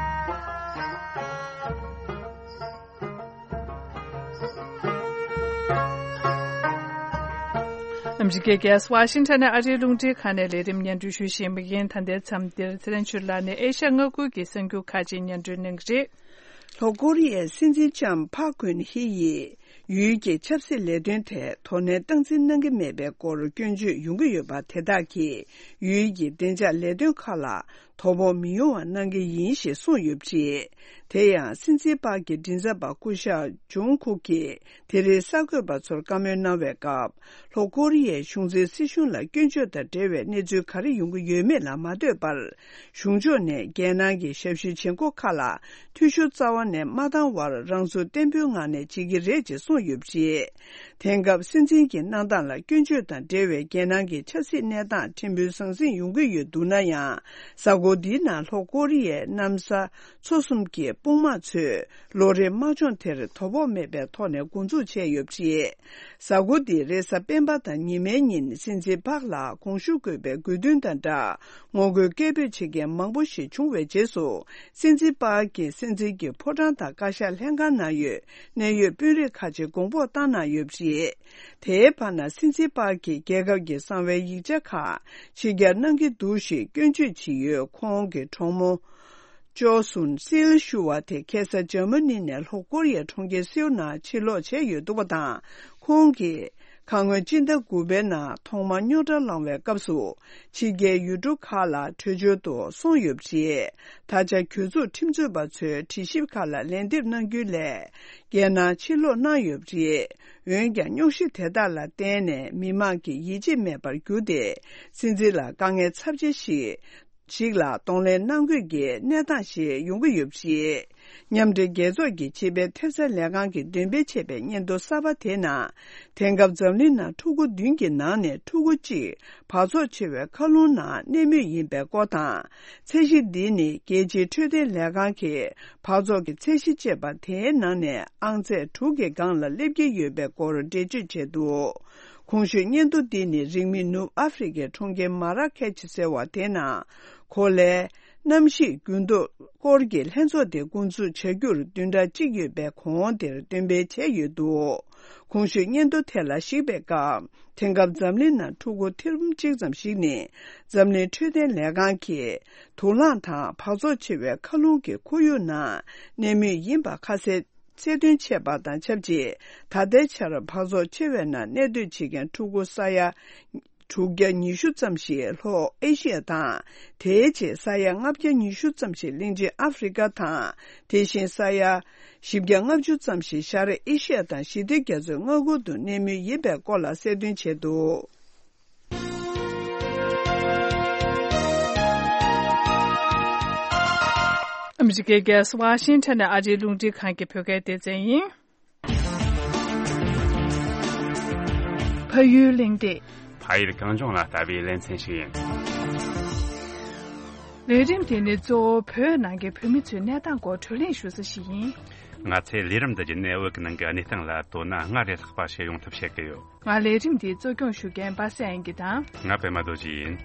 ཨ་མི་རི་ཀའི་རྒྱལ་ས་ཝ་ཤིང་ཊོན་ནས་ཨ་རིའི་རླུང་འཕྲིན་ཁང་ནས་ལས་རིམ་སྙན་སྒྲོན་ཞུ་བཞིན་པ་ཡིན། ད་ལྟའི་མཚམས་འདིར་ཚེ་རིང་ཆོས་ལགས་ནས་ཨེ་ཤ་ཡ་མངའ་ཁུལ་གྱི་གསར་འགྱུར་ཁག་ཅིག་སྙན་སྒྲོན་གནང་གི་རེད། ལྷོ་ཀོ་རི་ཡའི་སྲིད་འཛིན་ལྕམ་ཕག་གུན་ཧི་ཡིས་ཡུལ་གྱི་ཆབ་སྲིད་ལས་དོན་ཐད་དོ་ནན་སྟངས་འཛིན་གནང་གི་མེད་པའི་སྐོར་སྐྱོན་བརྗོད་ཡོང་གི་ཡོད་པ་དེ་དག་གིས་ཡུལ་གྱི་བདེ་འཇགས་ལས་དོན་ཁག་ལ་དོ་ཕོག་མི་ཡོང་བ་གནང་གི་ཡིན་ཞེས་གསུངས་ཡོད་པ་རེད། དེ་ཡང་སྲིད་འཛིན་པཱག་གི་མགྲིན་ཚབ་པ་སྐུ་ཞབས་ཇུང་ཁུག་གིས་དེ་རིང་གསར་འགོད་པ་ཚོར་བཀའ་མོལ་གནང་བའི་སྐབས། ལྷོ་ཀོ་རི་ཡའི་གཞུང་འཛིན་སྲིད་གཞུང་ལ་སྐྱོན་བརྗོད་དང་འབྲེལ་བའི་གནས་ཚུལ་ག་རེ་ཡོང་གི་ཡོད་མེད་ལ་མ་ལྟོས་པར། གཞུང་ཕྱོགས་ནས་རྒྱལ་ནང་གི་ཞབས་ཞུའི་བྱེད་སྒོ་ཁག་ལ་འཐུས་ཤོར་རྩ་བ་ནས་མ་བཏང་བར་རང་ཚུགས་བརྟན་པོའི་ངང་ནས་བྱེད་ཀྱི་རེད་ཅེས་གསུངས་ཡོད་པ་རེད། དེང་སྐབས་སྲིད་འཛིན་གྱི་གནང་སྟངས་ལ་སྐྱོན་བརྗོད་དང་འབྲེལ་བའི་རྒྱལ་ནང་གི་ཆབ་སྲིད་གནས་སྟངས་ཕྲན་བུ་ཟང་ཟིང་ཡོང་གི་ཡོད་འདུག་ན་ཡང་། གཟའ་འཁོར་འདིའི་ནང་ལྷོ་ཀོ་རི་ཡའི་གནམ་ས་མཚོ་གསུམ་གྱི་དཔུང་དམག་ཚོས་ལོ་རེའི་དམག་སྦྱོང་དེར་དོ་ཕོག་མེད་པའི་ཐོག་ནས་འགོ་འཛུགས་བྱས་ཡོད་པ་རེད། གཟའ་འཁོར་འདིའི་རེས་གཟའ་སྤེན་པ་དང་ཉི་མའི་ཉིན་སྲིད་འཛིན་པཱག་ལ་དགོངས་ཞུ་དགོས་པའི་དགོས་འདུན་དང་སྦྲགས་ངོ་རྒོལ་སྐད་འབོད་བྱེད་མཁན་མང་པོ་ཞིག་བྱུང་བའི་རྗེས་སུ། སྲིད་འཛིན་པཱག་གིས་སྲིད་འཛིན་གྱི་ཕོ་བྲང་དང་བཀའ་ཤག་ལྷན་ཁང་ནང་ཡོད་གནད་ཡོད་དཔོན་རིགས་ཁག་ཅིག་དགོངས་པ་བཏང་གནང་ཡོད་པ་རེད། དེའི་བར་ན་སྲིད་འཛིན་པཱག་གིས་རྒྱལ་ཁབ་ཀྱི་གསང་བའི་ཡིག་ཆ་ཁག་ཕྱི་གྱར་གནང་གི་འདུག་ཞེས་སྐྱོན་བརྗོད་བྱས་ཡོད། ཁོང་གི་གྲོགས་མོ་ཅོ་སུན་སིལ་ཞུ་བ་དེ་ཁ་སང་འཇར་མ་ནི་ནས་ལྷོ་ཀོ་རི་ཡའི་གྲོང་ཁྱེར་སེའུ་ནང་ཕྱིར་ལོག་བྱས་ཡོད་འདུག་པ་དང་། ཁོང་གིས་ཁ་སྔོན་སྤྱི་ཟླ་དགུ་པའི་ནང་ཐོག་མར་རྙོག་དྲ་ལངས་པའི་སྐབས་སུ། ཕྱི་རྒྱལ་ཡུལ་གྲུ་ཁག་ལ་བྲོས་བྱོལ་དུ་སོང་ཡོད་པ་རེད། ད་ཆ་གྱོད་འཛུགས་ཁྲིམས་རྩོད་པ་ཚོས་དྲི་ཞིབ་ཁག་ལ་ལན་འདེབས་གནང་རྒྱུའི་སླད། རྒྱལ་ནང་ཕྱིར་ལོག་གནང་ཡོད་པ་རེད། འོན་ཀྱང་རྙོག་གཞི་དེ་དག་ལ་བརྟེན་ནས་མི་མང་གིས་ཡིད་ཆེས་མེད་པར་གྱུར་ཏེ། སྲིད་འཛིན་ལ་དཀའ་ངལ་ཚབས་ཆེ་ཞིག་ཞིག་ལ་གདོང་ལེན་གནང་དགོས་ཀྱི་གནས་སྟངས་ཤིག་ཡོང་གི་ཡོད་པ་རེད། མཉམ་འབྲེལ་རྒྱལ་ཚོགས་ཀྱི་ཕྱི་པའི་ཐེབས་རྩ་ལས་ཁང་གིས་འདོན་སྤེལ་བྱས་པའི་སྙན་ཐོ་གསར་པ་དེའི་ནང་། དེང་སྐབས་འཛམ་གླིང་ནང་ཕྲུ་གུ་བདུན་གྱི་ནང་ནས་ཕྲུ་གུ་གཅིག་འབག་བཙོག་ཆེ་བའི་མཁའ་རླུང་ནང་གནས་མུས་ཡིན་པའི་སྐོར་དང་། ཚད་གཞི་འདི་ནི་རྒྱལ་སྤྱིའི་འཕྲོད་བསྟེན་ལས་ཁང་གིས་འབག་བཙོག་གི་ཚད་གཞི་ཅེས་པ་དེའི་ནང་ནས་ཨང་ཚད་དྲུག་གི་སྒང་ལ་སླེབས་ཀྱི་ཡོད་པའི་སྐོར་འགྲེལ་བརྗོད་བྱས་འདུག་གོང་ཞུས་སྙན་ཐོ་འདི་ནི་རིང་མིན་ནུབ་ཨ་ཧྥེ་རི་ཁའི་གྲོང་ཁྱེར་མ་ར་ཁེ་ཆི་ཟེར་བ་དེའི་ནང་གོ་ལའི་གནམ་གཤིས་འགྱུར་ལྡོག་སྐོར་གྱི་ལྷན་ཚོགས་དེ་འགོ་འཛུགས་བྱ་རྒྱུར་བདུན་ཕྲག་གཅིག་ཡོད་པའི་གོང་དེར་འདོན་སྤེལ་བྱས་ཡོད་འདུག་གོང་ཞུས་སྙན་ཐོ་དེ་ལ་གཞིགས་པའི་སྐབས། དེང་སྐབས་འཛམ་གླིང་ནང་ཕྲུ་གུ་ཐེར་འབུམ་གཅིག་ཙམ་ཞིག་ནི་འཛམ་གླིང་འཕྲོད་བསྟེན་ལས་ཁང་གིས་དུག་རླངས་དང་འབག་བཙོག་ཆེ་བའི་མཁའ་རླུང་གི་ཁོར་ཡུག་ནང་གནས་མུས་ཡིན་པ་ཁ་གསལ་གསལ་སྟོན་བྱས་པ་དང་ཆབས་ཅིག་ད་ལྟའི་ཆར་འབག་བཙོག་ཆེ་བའི་ནང་གནས་སྡོད་བྱེད་མཁན་ཕྲུ་གུ་ས་ཡ་དྲུག་བརྒྱ་ཉི་ཤུ་ཙམ་ཞིག་ལྷོ་ཨེ་ཤི་ཡ་དང་། དེའི་རྗེས་ས་ཡ་ལྔ་བརྒྱ་ཉི་ཤུ་ཙམ་ཞིག་གླིང་ཆེན་ཨ་ཧྥེ་རི་ཁ་དང་། དེ་བཞིན་ས་ཡ་བཞི་བརྒྱ་ལྔ་བཅུ་ཙམ་ཞིག་ཤར་ཨེ་ཤི་ཡ་དང་ཞི་བདེ་རྒྱ་མཚོའི་མངའ་ཁུལ་དུ་གནས་མུས་ཡིན་པའི་སྐོར་ལ་གསལ་སྟོན་བྱས་འདུག་ཨ་མི་རི་ཀའི་རྒྱལ་ས་ཝ་ཤིང་ཊོན་ནས་ཨ་རིའི་རླུང་འཕྲིན་ཁང་གི་བོད་སྐད་སྡེ་ཚན་ཡིན། ཕ་ཡུལ་གླེང་སྟེགས། ཕ་ཡུལ་གངས་ལྗོངས་ལ་ལྟ་བའི་ལེ་ཚན་ཞིག་ཡིན། ལས་རིམ་དེ་ནི་གཙོ་བོ་བོད་ནང་གི་བོད་མི་ཚོའི་གནས་སྟངས་སྐོར་བགྲོ་གླེང་ཞུ་ས་ཞིག་ཡིན། ང་ཚོས་ལས་རིམ་འདི་བརྒྱུད་ནས་བོད་ཀྱི་ནང་གི་གནས་སྟངས་ལ་དོ་སྣང་སྔར་ལས་ལྷག་པ་བྱེད་ཡོང་ཐབས་བྱེད་ཀྱི་ཡོད། ང་ལས་རིམ་འདི་གཙོ་སྐྱོང་ཞུ་མཁན་པ་སངས་དབྱངས་སྐྱིད་དང་། ང་པད་མ་རྡོ་རྗེ་ཡིན།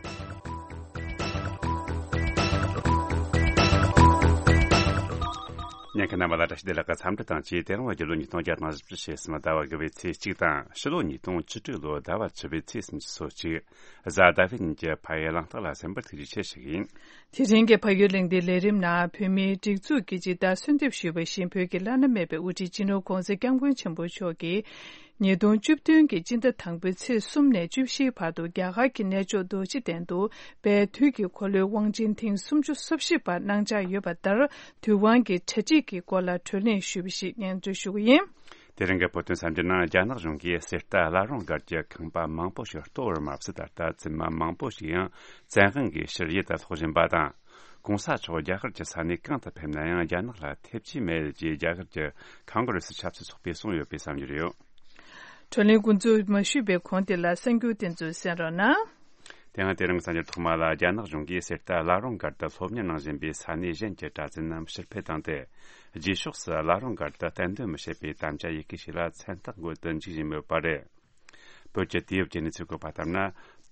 ཉན་མཁན་རྣམ་པ་ལ་བཀྲ་ཤིས་བདེ་ལེགས་ཀྱི་འཚམས་འདྲི་དང་བཅས། དེ་རིང་བརྒྱད་ལོ་ཉིས་སྟོང་བརྒྱ་དང་བཞི་བཅུ་ཞེ་གསུམ་ཟླ་བ་དགུ་པའི་ཚེས་གཅིག་དང་། ཕྱི་ལོ་ཉིས་སྟོང་བཅུ་དྲུག་ལོའི་ཟླ་བ་བཅུ་པའི་ཚེས་སུམ་ཅུ་སོ་གཅིག་གཟའ་ཟླ་བའི་ཉིན་གྱི་ཕ་ཡུལ་གླེང་སྟེགས་ལ་གསན་པར་ཐུགས་རྗེ་ཆེ་ཞུ་གི་ཡིན། དེ་རིང་གི་ཕ་ཡུལ་གླེང་སྟེགས་ལས་རིམ་ནང་བོད་མིའི་སྒྲིག་འཛུགས་ཀྱིས་ཇི་ལྟར་གསོལ་འདེབས་ཞུས་པ་བཞིན་བོད་ཀྱི་བླ་ན་མེད་པའི་དབུ་ཁྲིད་སྤྱི་ནོར་༧གོང་ས་༧སྐྱབས་མགོན་ཆེན་པོ་མཆོག་གིས། ཉིས་སྟོང་བཅུ་བདུན་གྱི་སྤྱི་ཟླ་དང་པོའི་ཚེས་གསུམ་ནས་བཅུ་བཞིའི་བར་དུ་རྒྱ་གར་གྱི་གནས་མཆོག་རྡོ་རྗེ་གདན་དུ་བལ་དུས་ཀྱི་འཁོར་ལོའི་དབང་ཆེན་ཐེངས་སུམ་ཅུ་སོ་བཞི་པ་གནང་འཆར་ཡོད་པ་ལྟར། དུས་དབང་གི་གྲ་སྒྲིག་གི་སྐོར་ལ་གྲོས་གླེང་ཞུས་པ་ཞིག་སྙན་སྒྲོན་ཞུ་གི་ཡིན། དེ་རིང་གི་བོད་དོན་གསར་འགྱུར་ནང་རྒྱ་ནག་གཞུང་གིས་གསེར་རྟ་བླ་རུང་སྒར་གྱི་ཁང་པ་མང་པོ་ཞིག་གཏོར་བར་མ་ཟད། ད་ལྟ་བཙུན་མ་མང་པོ་ཞིག་ཡང་བཙན་དབང་གིས་ཕྱིར་ཡུལ་དུ་སློག་བཞིན་པ་དང་། གོང་ས་མཆོག་རྒྱ་གར་གྱི་ས་གནས་གང་དུ་ཕེབས་ན་ཡང་རྒྱ་ནག་ལ་ཐེབས་ཀྱི་མེད་ཅེས་རྒྱ་གར་གྱི་ཁོང་གྷི་རེ་སི་ཆབ་སྲིད་ཚོགས་པས་གསུངས་ཡོད་པའི་བསམ་འཆར་ཡོད། བགྲོ་གླེང་འགོ་འཛུགས་མ་ཞུས་པའི་གོང་དེ་ལ་གསར་འགྱུར་དེ་ཚོ་གསན་རོགས་གནང་། དེ་ཡང་དེ་རིང་གསར་འགྱུར་ཐོག་མ་ལ། རྒྱ་ནག་གཞུང་གིས་གསེར་རྟ་བླ་རུང་སྒར་དུ་སློབ་གཉེར་གནང་བཞིན་པའི་ས་གནས་གཞན་གྱི་གྲྭ་བཙུན་རྣམས་ཕྱིར་འཕུད་བཏང་སྟེ། རྗེས་ཕྱོགས་སུ་བླ་རུང་སྒར་དུ་གཏན་འདོན་མི་བྱེད་པའི་དམ་བཅའ་ཡི་གེ་ཞིག་ལ་མཚན་རྟགས་འགོད་དུ་འཇུག་བཞིན་ཡོད་པ་རེད། བོད་ཀྱི་དུས་བབ་ཀྱི་གནས་ཚུལ་བཀོད་པ་ལྟར་ན།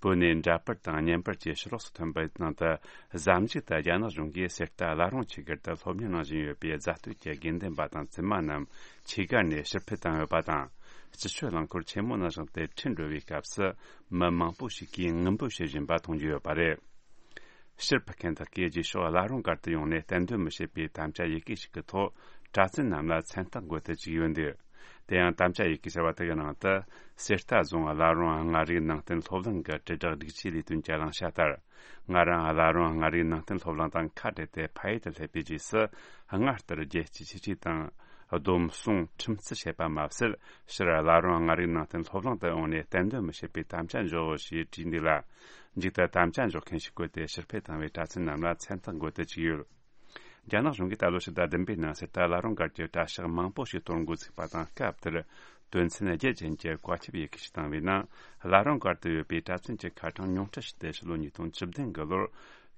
བོད་ནས་འདྲ་པར་དང་བརྙན་པར་བཅས་ཕྱི་ལོགས་སུ་ཐོན་པའི་ནང་དུ། གཟའ་མཇུག་ཏུ་རྒྱ་ནག་གཞུང་གིས་གསེར་རྟ་བླ་རུང་ཆོས་སྒར་དུ་སློབ་གཉེར་གནང་བཞིན་ཡོད་པའི་རྫ་སྟོད་ཀྱི་དགེ་འདུན་པ་དང་བཙུན་མ་རྣམས་ཆོས་སྒར་ནས་ཕྱིར་འཕུད་བཏང་ཡོད་པ་དང་། སྤྱི་སྤྱོད་རླངས་འཁོར་ཆེན་མོ་ནང་བཞིན་དུ་ཁྲིད་འགྲོ་བའི་སྐབས་སུ། མི་མང་པོ་ཞིག་གིས་ངུ་འབོད་བྱེད་བཞིན་པ་མཐོང་རྒྱུ་ཡོད་པ་རེད། ཕྱིར་འཕུད་མཁན་དག་གིས་རྗེས་ཕྱོགས་བླ་རུང་སྒར་དུ་ཡོང་ནས་གཏན་འདོན་མི་བྱེད་པའི་དམ་བཅའ་ཡི་གེ་ཞིག་གི་ཐོག་གྲྭ་བཙུན་རྣམས་ལ་མཚན་རྟགས་འགོད་དུ་བཅུག་ཡོད་འདུག་དེ་ཡང་དམ་བཅའ་ཡི་གེ་ཟེར་བ་དེ་གི་ནང་དུ། གསེར་རྟ་རྫོང་བླ་རུང་མངའ་རིས་ནང་བསྟན་སློབ་གླིང་གི་དྲིལ་བསྒྲགས་སྒྲིག་ཆས་ལས་དོན་གྱི་བླང་བྱ་ལྟར། ང་རང་བླ་རུང་མངའ་རིས་ནང་བསྟན་སློབ་གླིང་དང་ཁ་བྲལ་ཏེ་ཕ་ཡུལ་དུ་སླེབས་པའི་རྗེས་སུ། སྔར་ལྟར་རྒྱལ་གཅེས་ཆོས་གཅེས་དང་། སྡོམ་བཟུང་ཁྲིམས་བརྩི་བྱེད་པ་མ་ཟད། ཕྱིར་བླ་རུང་མངའ་རིས་ནང་བསྟན་སློབ་གླིང་དུ་ཡོང་ནས་གཏན་འདོན་མི་བྱེད་པའི་དམ་བཅའ་འཇོག་ཞེས་བྲིས་འདུག་ལ། མཇུག་ཏུ་དམ་བཅའ་འཇོག་མཁན་ཞིག་བཀོད་དེ་ཕྱིར་འཕུད་བཏང་བའི་གྲྭ་བཙུན་རྣམས་ལ་མཚན་རྟགས་འགོད་དུ་བཅུག་ཡོད། རྒྱ་ནག་གཞུང་གིས་ད་ལོ་ཕྱི་ཟླ་བདུན་པའི་ནང་གསེར་རྟ་བླ་རུང་སྒར་གྱི་གྲྭ་ཤག་མང་པོ་ཞིག་གཏོར་འགོ་ཚུགས་པ་དང་སྐབས་དེར། དོན་ཚན་བརྒྱད་ཅན་གྱི་བཀའ་ཁྱབ་ཡི་གེ་ཞིག་བཏང་བའི་ནང་། བླ་རུང་སྒར་དུ་ཡོད་པའི་གྲྭ་བཙུན་གྱི་ཁ་གྲངས་ཉུང་འཕྲི་ཞིག་སྟེ་ཕྱི་ལོ་ཉིས་སྟོང་བཅུ་བདུན་གྱི་ལོར་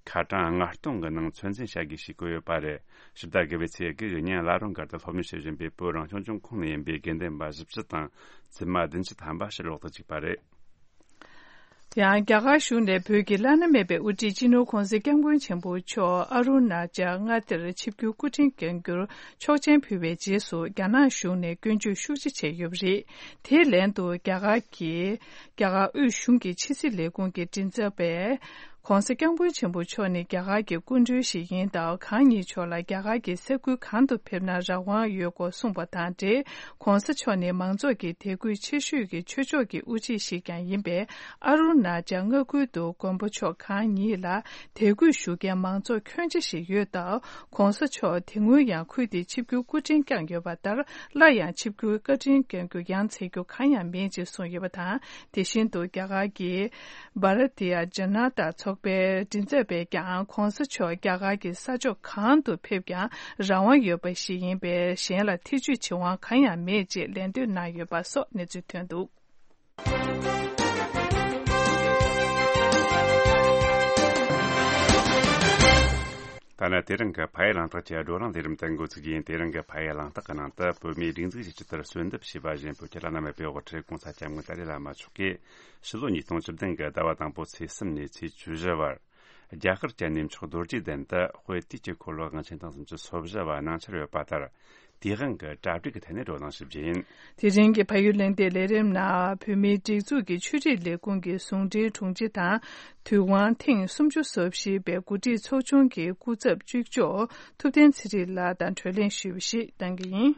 ཁ་གྲངས་ལྔ་སྟོང་གི་ནང་ཚོད་འཛིན་བྱ་དགོས་ཞེས་བཀོད་ཡོད་པ་རེད། ཕྱི་ཟླ་དགུ་པའི་ཚེས་དགུ་གི་ཉིན་བླ་རུང་སྒར་དུ་སློབ་གཉེར་བྱེད་བཞིན་པའི་བོད་རང་སྐྱོང་ལྗོངས་ཁོངས་ནས་ཡིན་པའི་དགེ་འདུན་པ་བཞི་བཅུ་དང་བཙུན་མ་བདུན་ཅུ་ཐམ་པ་ཕྱིར་ལོག་ཏུ་བཅུག་པ་རེད། ཡང་རྒྱ་གར་གཞུང་ནས་བོད་ཀྱི་བླ་ན་མེད་པའི་དབུ་ཁྲིད་སྤྱི་ནོར་༧གོང་ས་༧སྐྱབས་མགོན་ཆེན་པོ་མཆོག་ཨ་རུ་ན་ཅལ་མངའ་སྡེར་ཆིབས་བསྒྱུར་སྐུ་ཕྲེང་འགན་འཁུར་ཆོག་མཆན་ཕུལ་བའི་རྗེས་སུ། རྒྱ་ནག་གཞུང་ནས་སྐྱོན་བརྗོད་ཤུགས་ཆེ་བྱས་ཡོད་པ་རེད། དེའི་ལན་དུ་རྒྱ་གར་གྱི་རྒྱ་གར་དབུས་གཞུང་གི་ཕྱི་སྲིད་ལས་ཁུངས་ཀྱི་མགྲིན་ཚབ་པས། ༧གོང་ས་༧སྐྱབས་མགོན་ཆེན་པོ་མཆོག་ནི་རྒྱ་གར་གྱི་སྐུ་མགྲོན་ཞིག་ཡིན་སྟབས། གང་ཉིད་མཆོག་ལ་རྒྱ་གར་གྱི་ས་ཁུལ་གང་དུ་ཕེབས་ན་རང་དབང་ཡོད་སྐོར་གསུངས་པ་དང་འབྲེལ། ༧གོང་ས་མཆོག་ནི་མང་ཚོགས་ཀྱི་དད་གུས་ཆེ་ཤོས་ཀྱི་ཆོས་ཕྱོགས་ཀྱི་དབུ་ཁྲིད་ཞིག་ཀྱང་ཡིན་པས། ཨ་རུ་ན་ཅལ་མངའ་ཁུལ་དུ་མགོན་པོ་མཆོག་གང་ཉིད་ལ་དད་གུས་ཞུ་མཁན་མང་ཚོགས་ཁྱོན་ཆེ་ཞིག་ཡོད་སྟབས། ༧གོང་ས་མཆོག་དེ་སྔོན་ཡང་ཁུལ་དེའི་ཆིབས་བསྒྱུར་སྐུ་ཕྲེང་བསྐྱངས་ཡོད་པ་ལྟར། སླར་ཡང་ཆིབས་བསྒྱུར་བཀའ་དྲིན་བསྐྱང་རྒྱུ་ཡང་འཚལ་རྒྱུ་གང་ཡང་མེད་ཅེས་གསུངས་ཡོད་པ་དང་། དེ་བཞིན་དུ་རྒྱ་གར་གྱི་བྷ་ར་ཏི་ཡ་ཇ་ན་ཏ་ཚོགས་པའི་མགྲིན་ཚབ་པས་ཀྱང་། ༧གོང་ས་མཆོག་རྒྱ་གར་གྱི་ས་ཕྱོགས་གང་དུ་ཕེབས་ཀྱང་རང་དབང་ཡོད་པ་ཞིག་ཡིན་པས། གཞན་ལ་ཐེ་ཇུས་བྱེད་དབང་གང་ཡང་མེད་ཅེས་ལན་འདེབས་གནང་ཡོད་པ་སོགས་གནས་ཚུལ་ཐོན་འདུག་ད་ལྟ་དེ་རིང་གི་ཕ་ཡུལ་གླེང་སྟེགས་ཀྱི་བགྲོ་གླེང་ལས་རིམ་དེ་འགོ་ཚུགས་ཡིན། དེ་རིང་གི་ཕ་ཡུལ་གླེང་སྟེགས་ཀྱི་ནང་དུ། བོད་མིའི་སྒྲིག་འཛུགས་ཀྱི་ཆེད་དུ་གསོལ་འདེབས་ཞུས་པ་བཞིན། བོད་ཀྱི་བླ་ན་མེད་པའི་དབུ་ཁྲིད་༧གོང་ས་༧སྐྱབས་མགོན་ཏཱ་ལའི་བླ་མ་མཆོག་གིས་ཕྱི་ལོ་ཉིས་སྟོང་བཅུ་བདུན་གྱི་ཟླ་བ་དང་པོ་ཚེས་གསུམ་ནས་ཚེས་བཅུ་བཞི་བར། རྒྱ་གར་གྱི་གནས་མཆོག་རྡོ་རྗེ་གདན་དུ་དཔལ་དུས་ཀྱི་འཁོར་ལོ་དབང་ཆེན་ཐེངས་སུམ་ཅུ་སོ་བཞི་བ་གནང་འཆར་ཡོད་པ་ལྟར། དེའི་དབང་གིས་གྲ་སྒྲིག་གི་ཐད་ནས་བགྲོ་གླེང་ཞུ་རྒྱུ་ཡིན། དེ་རིང་གི་ཕ་ཡུལ་གླེང་སྟེགས་ལས་རིམ་ནང་། བོད་མིའི་སྒྲིག་འཛུགས་ཀྱི་ཆོས་རིག་ལས་ཁུངས་ཀྱི་ཟུང་འབྲེལ་དྲུང་ཆེ་དང་། དུས་དབང་ཐེངས་སུམ་ཅུ་སོ་བཞི་པའི་འགོ་ཁྲིད་ཚོགས་ཆུང་གི་སྐུ་ཚབ་གཅིག་ལྕོགས་ཐུབ་བསྟན་ཚེ་རིང་ལགས་དང་བགྲོ་གླེང་ཞུས་པ་ཞིག་གནང་གི་ཡིན།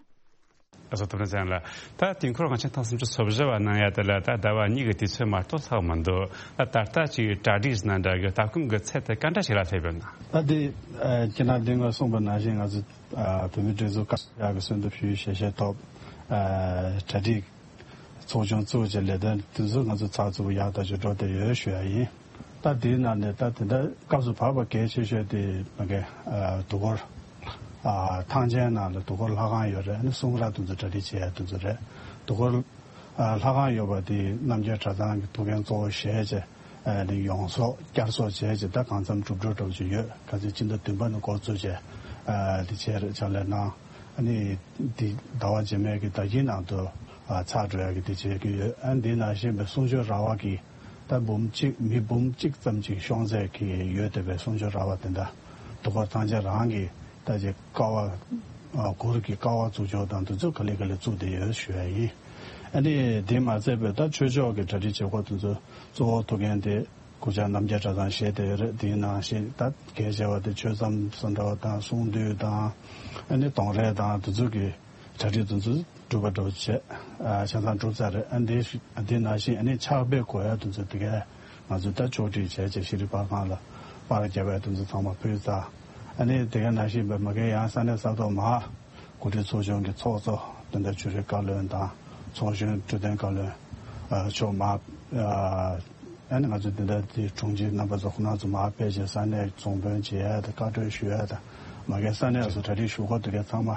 ཨ་ཚོགས་ཐུབ་བསྟན་ཚེ་རིང་ལགས། ད་དུས་འཁོར་དབང་ཆེན་ཐེངས་སུམ་ཅུ་སོ་བཞི་བ་གནང་ཡ་དེ་ལ་ད་ཟླ་བ་གཉིས་ཀྱི་དུས་ཚོད་མ་གཏོགས་ལྷག་མི་འདུག་ད་ད་ལྟ་ཅིག་གྲ་སྒྲིག་ཟེར་ན་འདྲ་གི་ད་གུང་གི་ཚད་དེ་ག་འདྲ་ཞིག་ལ་སླེབས་ཡོད་ན། ད་དེ་ཁྱེད་རང་དེ་སྔ་གསུངས་པ་ནང་བཞིན། ང་ཚོ་བོད་མིའི་སྒྲིག་འཛུགས་ཀྱི་གསོལ་འདེབས་ཞུས་ཞལ་བཞེས་ཐོབ། གྲ་སྒྲིག་ཚོགས་ཆུང་བཙུགས་བྱས་ལས་དོན་དེ་ཚོ་ང་ཚོ་ཚགས་ཚུད་པོ་ཡག་ཐག་ཆོད་འགྲོ་བསྡད་ཡོད་ཞུ་ཡ་ཡིན། ད་དེའི་ནང་ནས་ད་དེ་འདྲ་སྐབས་སུ་བབས་པ་གལ་ཆེ་ཤོས་དེ་མ་གི་དུས་འཁོར་ཐང་ཆེན་ནང་ལ་དུས་འཁོར་ལྷ་ཁང་ཡོད་རེད། ཨ་ནི་གསུང་རབ་དེ་ཚོ་གྲ་སྒྲིག་བྱེད་ཡ་དེ་ཚོ་རེད། དུས་འཁོར་ལྷ་ཁང་ཡོད་པ་དེ་རྣམ་རྒྱལ་གྲྭ་ཚང་གི་ཐུགས་འགན་གཙོ་བོ་བཞེས་བྱས། ཨ་ནི་ཡོངས་རྫོགས་བསྐྱར་གསོ་བྱས་བྱས་ད་གང་འཚམ་གྲུབ་འགྲོ་འགྲོ་བཞིན་ཡོད། ཁ་སང་སྤྱི་ཟླ་བདུན་པ་ནས་འགོ་བཙུགས་བྱས་དེ་བྱས་རེད། ཕྱག་ལས་གནང་། ཨ་ནི་དེ་ཟླ་བ་རྗེས་མའི་གི་ཟླ་དཀྱིལ་ནང་དུ་ཚར་འགྲོ་ཡ་གི་དེ་བྱེད་ཀྱི་ཡོད། ཨ་ནི་དེ་ནང་བཞིན་པའི་གསུང་ཆོས་ར་བ་གི་ད་འབུམ་གཅིག་མི་འབུམ་གཅིག་ཙམ་ཅིག་ཤོང་ཚད་ཀྱི་ཡོད་བསྡད་པའི་གསུང་ཆོས་ར་བ་དེ་འདྲ་དུས་འཁོར་ཐང་ཆེན་རང་གི་ད་ཅིག་ཀ་བ་གུར་གྱི་ཀ་བ་བཙུགས་ཕྱོགས་དང་དེ་ཚོ་ག་ལེ་ག་ལེ་བཙུགས་བསྡད་ཡོད་ཞུ་ཡ་ཡིན། ཨ་ནི་དེ་མ་ཚད་པའི་ད་ཆོས་ཕྱོགས་ཀྱི་གྲ་སྒྲིག་བྱེད་སྒོ་དེ་ཚོ་གཙོ་བོ་ཐུགས་འགན་དེ་གུ་ཅག་རྣམ་རྒྱལ་གྲྭ་ཚང་བཞེས་བསྡད་ཡོད་རེད། དེའི་ནང་བཞིན་ད་གལ་ཆེ་བ་དེ་ཆོས་མཚམས་སུ་འདྲ་བ་དང་གསུང་འདུས་དང་ཨ་ནི་གདོང་རས་དང་དེ་ཚོ་གི་ གྲ་སྒྲིག་དེ་ཚོ་གྲུབ་པ་འདྲ་བོ་བྱས། ཨ་ཆ་ཚང་གྲུབ་ཚར་རེད། ཨ་འདི་འདི་ནང་བཞིན་ཨ་ནི་ཕྱག་དཔེ་དགོས་ཡ་དེ་ཚོ་དེ་གས་ང་ཚོས་ད་ཕྱོགས་སྒྲིག་བྱས་བྱས་ཤེས་རིག་པར་ཁང་ལ་པར་རྒྱབ་ཡ་དེ་ཚོ་ཚང་མ་ཕུལ་ཚར། ཨ་ནི་དེ་གས་ནང་བཞིན་པའི་མ་གི་ཡང་ས་གནས་ས་ཐོག་མར་གོ་སྒྲིག་ཚོགས་ཆུང་གི་ཚོགས་གཙོ་དེ་འདྲ་ཆོས་རིག་བཀའ་བློན་དང་ཚོགས་གཞོན་འཕྲོད་བསྟེན་བཀའ་བློན་ཨ་མཆོག་མར་ཨ་ཨ་ནི་ང་ཚོ་འདི་འདྲ་དེ་དྲུང་ཆེ་རྣམ་པ་ཚོ་ཁོ་ན་ཚོ་མར་ཕེབས་བྱས་ས་གནས་རྫོང་དཔོན་བྱེད་ཡ་དང་བཀའ་འཁྲོལ་ཞུ་ཡ་དང་མ་གི་ས་གནས་སུ་གྲ་སྒྲིག་ཞུ་སྒོ་དེ་གས་ཚང་མ་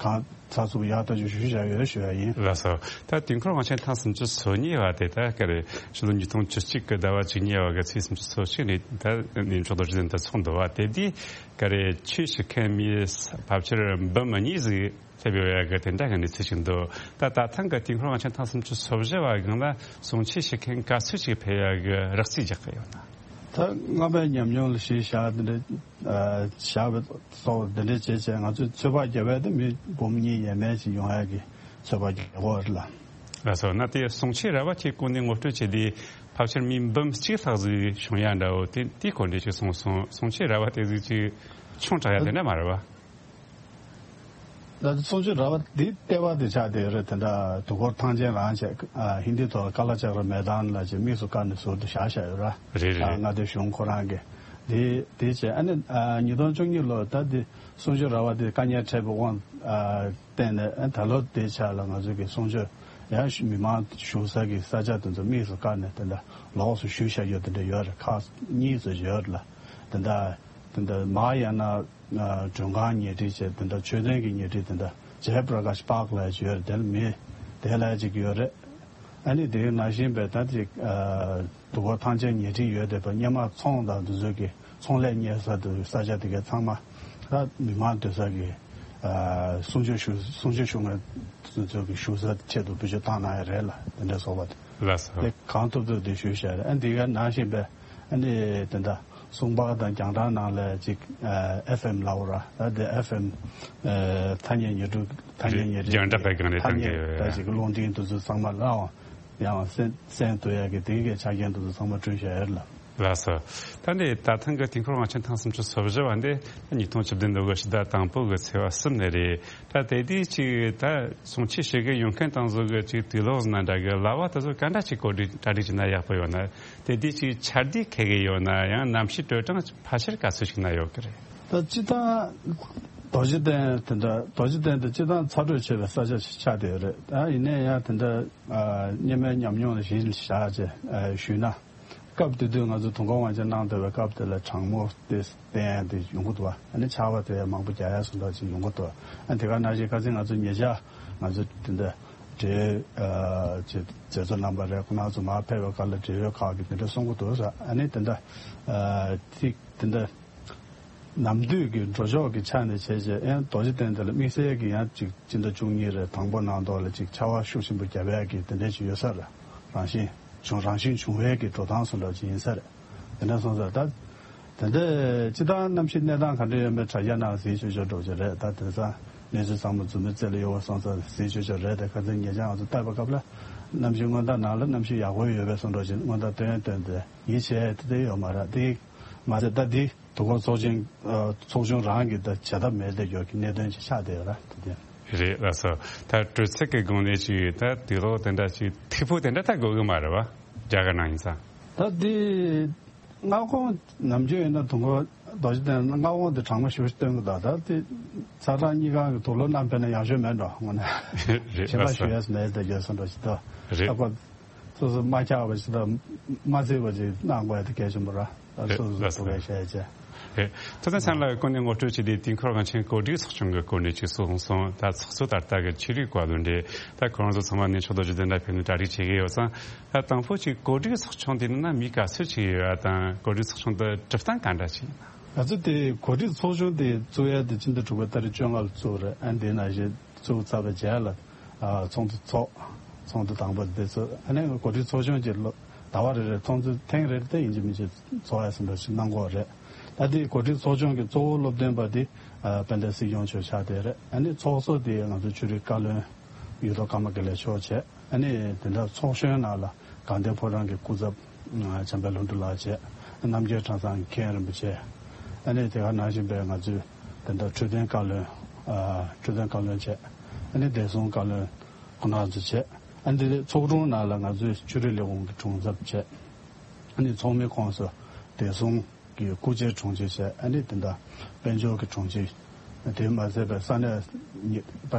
གང་ཚགས་ཚུད་ཡག་ཐག་ཆོད་ཞུ་བཞག་ཡོད་ཞུ་ཡ་ཡིན། ལགས་སོ། ད་དུས་འཁོར་དབང་ཆེན་ཐེངས་སུམ་ཅུ་སོ་གཉིས་པ་དེ་ད་ག་རེ་ཕྱི་ལོ་ཉིས་སྟོང་བཅུ་གཅིག་གི་ཟླ་བ་བཅུ་གཉིས་པ་གི་ཚེས་སུམ་ཅུ་སོ་གཅིག་ནས་ད་གནས་མཆོག་རྡོ་རྗེ་གདན་དུ་ཚོགས་འདུག་པ། དེ་དུས་ག་རེ་ཆོས་ཞུ་མཁན་མི་ཕལ་ཆེར་འབུམ་གཉིས་ཟིག་སླེབས་ཡོད་ཡ་གི་དེ་འདྲ་གི་གནས་ཚུལ་ཞིག་འདུག། ད་ད་ཐེངས་ཀྱི་དུས་འཁོར་དབང་ཆེན་ཐེངས་སུམ་ཅུ་སོ་བཞི་པ་སྒང་ལ་གསུང་ཆོས་ཞུ་མཁན་ག་ཚོད་ཅིག་ཕེབས་ཡ་གི་རགས་རྩིས་རྒྱག་གི་ཡོད་ན། ད་སྔ་མའི་ཉམས་མྱོང་ལ་གཞི་བཞག་འདི་འདྲ་བཞག་པའི་སོགས་འདི་འདྲ་བྱས་བྱས་ང་ཚོས་ཚོད་དཔག་བརྒྱབ་པ་དེ་མི་འབུམ་གཉིས་ཡས་མས་ཅིག་ཡོང་ཡ་གི་ཚོད་དཔག་བརྒྱབ་ཡོད་རེད་ལ། ལགས་སོ། ན་དེ་གསུང་ཆོས་ར་བ་ཁྱེད་སྐུ་མདུན་ངོ་སྤྲོད་བྱས་དུས་ཕལ་ཆེར་མི་འབུམ་གཅིག་ལྷག་ཟིག་བྱུང་ཡ་འདྲ་བོ་དེ་དེའི་སྐོར་འདྲ་ཅིག་གསུངས་སོང་། གསུང་ཆོས་ར་བ་དེ་ཟིག་ཅིག་ཆུང་དྲགས་ཡ་དེ་འདྲ་མ་རེད་བ། ད་གསུང་ཆོས་ར་བ་འདི་ལྟེ་བ་དེ་ཆགས་བསྡད་ཡོད་རེད། དེ་འདྲ་དུས་འཁོར་ཐང་ཆེན་རང་བྱས། ཨ་ཧིན་དིའི་ཐོག་ལ་ཀ་ལ་ཅག་ར་མེ་དཱན་ལ་ཅིག་དམིགས་སུ་བཀར་ནས་ཟུར་དུ་བཞག་བཞག་ཡོད་ར། རེད་རེད། ཨ་མངའ་སྡེ་གཞུང་ཁོ་རང་གིས་དེ་དེ་བྱས། ཨ་ནི་ཨ་ཉིས་སྟོང་བཅུ་གཉིས་ལོ་ད་དེ་གསུང་ཆོས་ར་བ་དེ་དཀའ་ངལ་འཕྲད་པའི་དབང་ཨ་བརྟེན་ནས་ཨ་ད་ལོ་དེ་ཆ་ལ་ང་ཚོ་གི་གསུང་ཆོས་ཡང་མི་མང་བཞུགས་ས་གི་ས་ཆ་དེ་ཚོ་དམིགས་སུ་བཀར་ནས་དེ་འདྲ་ལོགས་སུ་ཞུས་བཞག་ཡོད་དེ་འདྲ་ཡོད་རེད། ཁག་གཉིས་ཙམ་ཡོད་རེད་ལ། དེ་འདྲ་དེ་འདྲ་མ་ཡང་ན། ཨ་མགྲོན་ཁང་ཉལ་ཁྲི་བྱས། དེ་འདྲ་མཆོད་རྟེན་གྱི་ཉལ་ཁྲི་དེ་འདྲ་ཇའི་པྲ་ཀ་ཤ་པཱརྐ་ལབ་ཡ་ཅིག་ཡོད་རེད། དེ་ལ་མི་དེ་ལ་ཅིག་ཡོད་རེད། ཨ་ནི་དེའི་ནང་བཞིན་པའི་ད་ཅིག་ཨ་དུས་འཁོར་ཐང་ཆེན་ཉལ་ཁྲི་ཡོད་བསྡད་པ་སྔོན་མ་ཚོང་དང་དེ་ཚོ་གི་ཚོང་ལས་གཉེར་ས་དེ་ས་ཆ་དེ་གའི་ཚང་མ་ད་མི་མང་སྡོད་ས་གི་ཨ་གསུང་ཆོས་ཞུ་གསུང་ཆོས་ཞུ་མཁན་དེ་ཚོ་གི་བཞུགས་ས་ཆེད་དུ་བེད་སྤྱོད་བཏང་གནང་ཡ་རེད་ལ། དེ་འདྲ་སོགས་པ་དེ་ལགས་སོ། དེ་གང་ཐུབ་ཐུབ་དེ་ཞུས་བཞག་རེད། ཨ་འདི་གའི་ནང་བཞིན་པའི་ཨ་ནི་དེ་འདྲ། གསུང་པར་དང་རྒྱང་བསྒྲགས་ནང་ལ་ཅིག་ཨེ་ཧྥེམ་ལབ་ར། ད་དེ་ཨེ་ཧྥེམ་ཐ་སྙད་ཉན་སྒྲུག་ཐ་སྙད་ཉན་རྒྱང་བསྒྲགས་པའི་སྒང་ནས་ཐ་སྙད་བཏང་གི་ད་ཅིག་རླུང་འཕྲིན་དེ་ཚོ་ཚང་མ་ལའང་ཡང་གསན་གསན་ཐུབ་ཡ་གི་དེ་གའི་ཆ་རྐྱེན་དེ་ཚོ་ཚང་མ་བསྐྲུན་བཞག་ཡོད་ལ། ལགས་སོ། ད་འདི་ད་ཐེངས་ཀྱི་དུས་འཁོར་དབང་ཆེན་ཐེངས་སུམ་ཅུ་སོ་བཞི་པ་འདི་ཉིས་སྟོང་བཅུ་བདུན་ལོ་གི་ཕྱི་ཟླ་དང་པོ་གི་ཚེས་པ་གསུམ་ནས་རེད། ད་དེ་དུས་ཅིག་ད་གསུང་ཆོས་ཞུ་གི་ཡོང་མཁན་དང་བཟོ་གི་ཅིག་དུས་ལོག་ཟིན་ན་འདྲ་གི་ལྭ་བ་དེ་ཚོ་ག་འདྲ་ཅིག་གོ་སྒྲིག་གྲ་སྒྲིག་བྱས་ན་ཡག་པོ་ཡོད་ན། དེ་དུས་ཅིག་ཆ་རྒྱུས་ཁེལ་གི་ཡོད་ན་ཡང་གནམ་གཤིས་དྲོ་གྲང་ཕལ་ཆེར་ག་ཚོད་ཞིག་ན་ཡོད་ཀྱི་རེད། ད་སྤྱིར་བཏང་རྡོ་རྗེ་གདན་དེ་འདྲ་རྡོ་རྗེ་གདན་དེ་སྤྱིར་བཏང་ཚ་དྲོད་ཆེ་བའི་ས་ཆ་ཞིག་ཆགས་བསྡད་ཡོད་རེད། ད་ཡིན་ནའི་ཡང་དེ་འདྲ་ཨ་སྔོན་མའི་ཉམས་མྱོང་ལ་གཞི་བཞག་བྱས་ཨ་ཞུས་ན། སྐབས་དེ་དུས་ང་ཚོ་དུས་འཁོར་དབང་ཆེན་གནང་བསྡད་པའི་སྐབས་དེ་ལ་གྲང་མོ་དེ་བསྟན་དེ་ཡོང་གི་འདུག་བ། ཨ་ནི་ཆར་པ་དེ་མང་པོ་རྒྱག་ཡ་སོགས་འདྲ་ཅིག་ཡོང་གི་འདུག་ཨ་དེ་ག་ནང་བཞིན་ཁ་སང་ང་ཚོ་ཉེ་ཆར་ང་ཚོ་དེ་འདྲ་འབྲེལ་ཡོད་ཨ་ཅིག་མཛད་གཙོ་རྣམ་པ་རེད། ཁོང་རྣམ་ཚོ་མར་ཕེབས་པའི་སྐབས་ལ་འབྲེལ་ཡོད་ཁག་གིས་དེ་འདྲ་གསུང་གི་འདུག་ཟེར། ཨ་ནི་དེ་འདྲ་ཨ་ཐིག་དེ་འདྲ་ནམ་དུས་ཀྱི་འགྲོ་ཕྱོགས་ཀྱི་ཆ་ནས་བྱས་རྗེས་ཨེ་རྡོ་རྗེ་གདན་དེ་ལ་དམིགས་བསལ་གྱི་ཡང་ཅིག་སྤྱི་ཟླ་བཅུ་གཉིས་རེ་དང་པོ་ནང་ཐོག་ལ་ཅིག་ཆར་པ་ཤུགས་ཆེན་པོ་བརྒྱབ་ཡག་གི་དེ་འདྲ་ཅིག་ཡོད་ས་རེད། རང་བཞིན་བྱུང་རང་བཞིན་བྱུང་བའི་གི་འགྲོ་སྟངས་སུ་འདྲ་ཅིག་ཡིན་ས་རེད། དེ་འདྲ་སོང་ཙང་ད་དེ་འདྲ་སྤྱི་བཏང་གནམ་གཤིས་གནས་སྟངས་ག་འདྲ་ཡོད་མེད་དྲ་རྒྱ་ནང་གཟིགས་ཆོག་ཆོག་འགྲོ་གི་རེད། ད་དེང་སང་གནས་ཚུལ་ཚང་མ་མཛུབ་མོའི་རྩེ་ལ་ཡོད་པ་སོང་ཙང་གཟིགས་ཆོག་ཆོག་རེད། དེ་ཁ་སང་ཉེ་ཆར་ང་ཚོ་བལྟས་པའི་སྐབས་ལ་གནམ་གཤིས་སྔོན་བརྡ་ནང་ལ་གནམ་གཤིས་ཡག་པོ་ཡོད་པའི་སོང་འགྲོ་ཅིག་སྔོན་བརྡ་བཏོན་བཏོན་ཏེ་ཡིད་ཆེས་དེ་འདྲ་ཡོད་མ་རེད། དེ་མ་ཟད་ད་འདི། དུས་འཁོར་ཚོགས་ཆེན་ཨ་ཚོགས་ཆུང་རང་གི་ད་བྱེད་ཐབས་མེད་དེ་ཡོད་ཀྱི་གནད་དོན་ཅིག་ཆགས་བསྡད་ཡོད་ར་དེ་དེ། རེད་ལགས་སོ། ད་དྲོད་ཚད་ཀྱི་སྒང་ནས་ཅིག་ད་དུས་ལོག་དེ་འདྲ་ཅིག་ཐིག་ཕུག་དེ་འདྲ་ད་དགོས་ཀྱི་མ་རེད་བ། རྒྱ་གར་ནང་ཡིན་ཙང་། ད་དེ་མངའ་ཁོངས་ནམ་རྒྱུན་ཡིན་ན་དུས་འཁོར་རྡོ་རྗེ་གདན་མངའ་ཁོངས་དེ་གྲང་མོ་ཞེ་པོ་ཞིག་སྟོན་གྱི་འདུག་ད་དེ་ཚ་གྲང་གཉིས་ཀ་གི་དུག་ལོག་བསྣམས་ཕེབས་ན་ཡག་ཤོས་མེད་འགྲོ་དངོས་གནས། རེད་ཞེ་དྲག་ལགས་སོ། ཞུ་ཡས་མེད་དེ་ཡོད་སོང་འགྲོ་ཞིག་འདུག་རེད། ད་ཁོ། སོ་སོ་མ་ཆགས་པ་ཞིག་དང་མ་བརྩི་བ་ཞིག་གནང་དགོས་ཡ་དེ་གལ་ཆེན་པོ་ར། ད་རེད་སོ་སོ་ལགས་སོ། སོ་སོ་བྱས་བྱས། རེད། ཐུབ་བསྟན་ཚང་ལ་སྐུ་མདུན་ངོ་སྤྲོད་བྱས་ཏེ་དུས་འཁོར་དབང་ཆེན་གོ་སྒྲིག་ཚོགས་ཆུང་གི་སྐོར་ནས་ཅིག་གསུངས་སོང་། ད་ཚོགས་གཙོ་ད་ལྟ་གི་ཆོས་རིག་བཀའ་བློན་རེད། ད་ཁོ་རང་ཚོ་ཚང་མ་གནས་མཆོག་རྡོ་རྗེ་གདན་ལ་ཕེབས་ནས་གྲ་སྒྲིག་བྱེད་ཀྱི་ཡོད་ཙང་། ད་དང་པོ་ཅིག་གོ་སྒྲིག་ཚོགས་ཆུང་དེ་ནང་ན་མི་ག་ཚོད་ཅིག་ཡོད་ཡ་དང་གོ་སྒྲིག་ཚོགས་ཆུང་དེ་གྲུབ་སྟངས་ག་འདྲ་ཅིག་ཡིན་ན། ང་ཚོ་དེ་གོ་སྒྲིག་ཚོགས་ཆུང་དེ་བཙུགས་ཡ་དེ་ཕྱི་ཟླ་དྲུག་པའི་ཏ་རིག་བཅོ་ལྔ་ལ་བཙུགས་རེད། ཨ་དེ་ནང་བཞིན་བཙུགས་ཚར་བའི་རྗེས་ལ། ཨ་ཚོགས་འདུ་ཚོགས། ཚོགས་འདུ་དང་པོ་དེ་ཚོ་ཨ་ནི་གོ་སྒྲིག་ཚོགས་ཆུང་གི་ལོ་ཟླ་བ་རེ་རེ་ཚོགས་འདུ་ཐེངས་རེ་རེ་དེ་ཡིན་གཅིག་མིན་གཅིག་ཚོགས་ཡ་ཟིན་འགྲོ་ཞིག་གནང་གི་ཡོད་རེད། ད་དེ་གོ་སྒྲིག་ཚོགས་ཆུང་གི་གཙོ་བོ་སློབ་སྟོན་པ་དེ་ཨ་དཔལ་ལྡན་སྲིད་སྐྱོང་མཆོག་ཆགས་བསྡད་རེད། ཨ་ནི་ཚོགས་གཙོ་དེ་ང་ཚོ་ཆོས་རིག་བཀའ་བློན་གཡུ་ཐོག་ཀརྨ་དགེ་ལེགས་མཆོག་བྱས། ཨ་ནི་དེ་འདྲ་ཚོགས་གཞོན་ནང་ལ་དགའ་ལྡན་ཕོ་བྲང་གི་སྐུ་ཚབ་བྱམས་པ་ལྷུན་གྲུབ་ལགས་བྱས། རྣམ་རྒྱལ་ཁྲང་ཚང་མཁན་རིན་པོ་ཆེ། ཨ་ནི་དེ་ག་ནང་བཞིན་པའི་ང་ཚོའི་དེ་འདྲ་འཕྲོད་བསྟེན་བཀའ་བློན། ཨ་འཕྲོད་བསྟེན་བཀའ་བློན་བྱས། ཨ་ནི་བདེ་སྲུང་བཀའ་བློན་ཁོང་རྣམ་ཚོ་བྱས། ཨ་ནི་དེ་ཚོགས་དྲུང་ནང་ལ་ང་ཚོའི་ཆོས་རིག་ལས་ཁུངས་ཀྱི་དྲུང་ཚབ་བྱས། ཨ་ནི་ཚོགས་མི་ཁོངས་སུ་བདེ་སྲུང་གི་སྐུ་མཆེད་དྲུང་ཆེ་བྱས། ཨ་ནི་དེ་འདྲ་དཔལ་འབྱོར་གྱི་དྲུང་ཆེ། དེ་མ་ཟད་པའི་ས་གནས་ཉི་པ་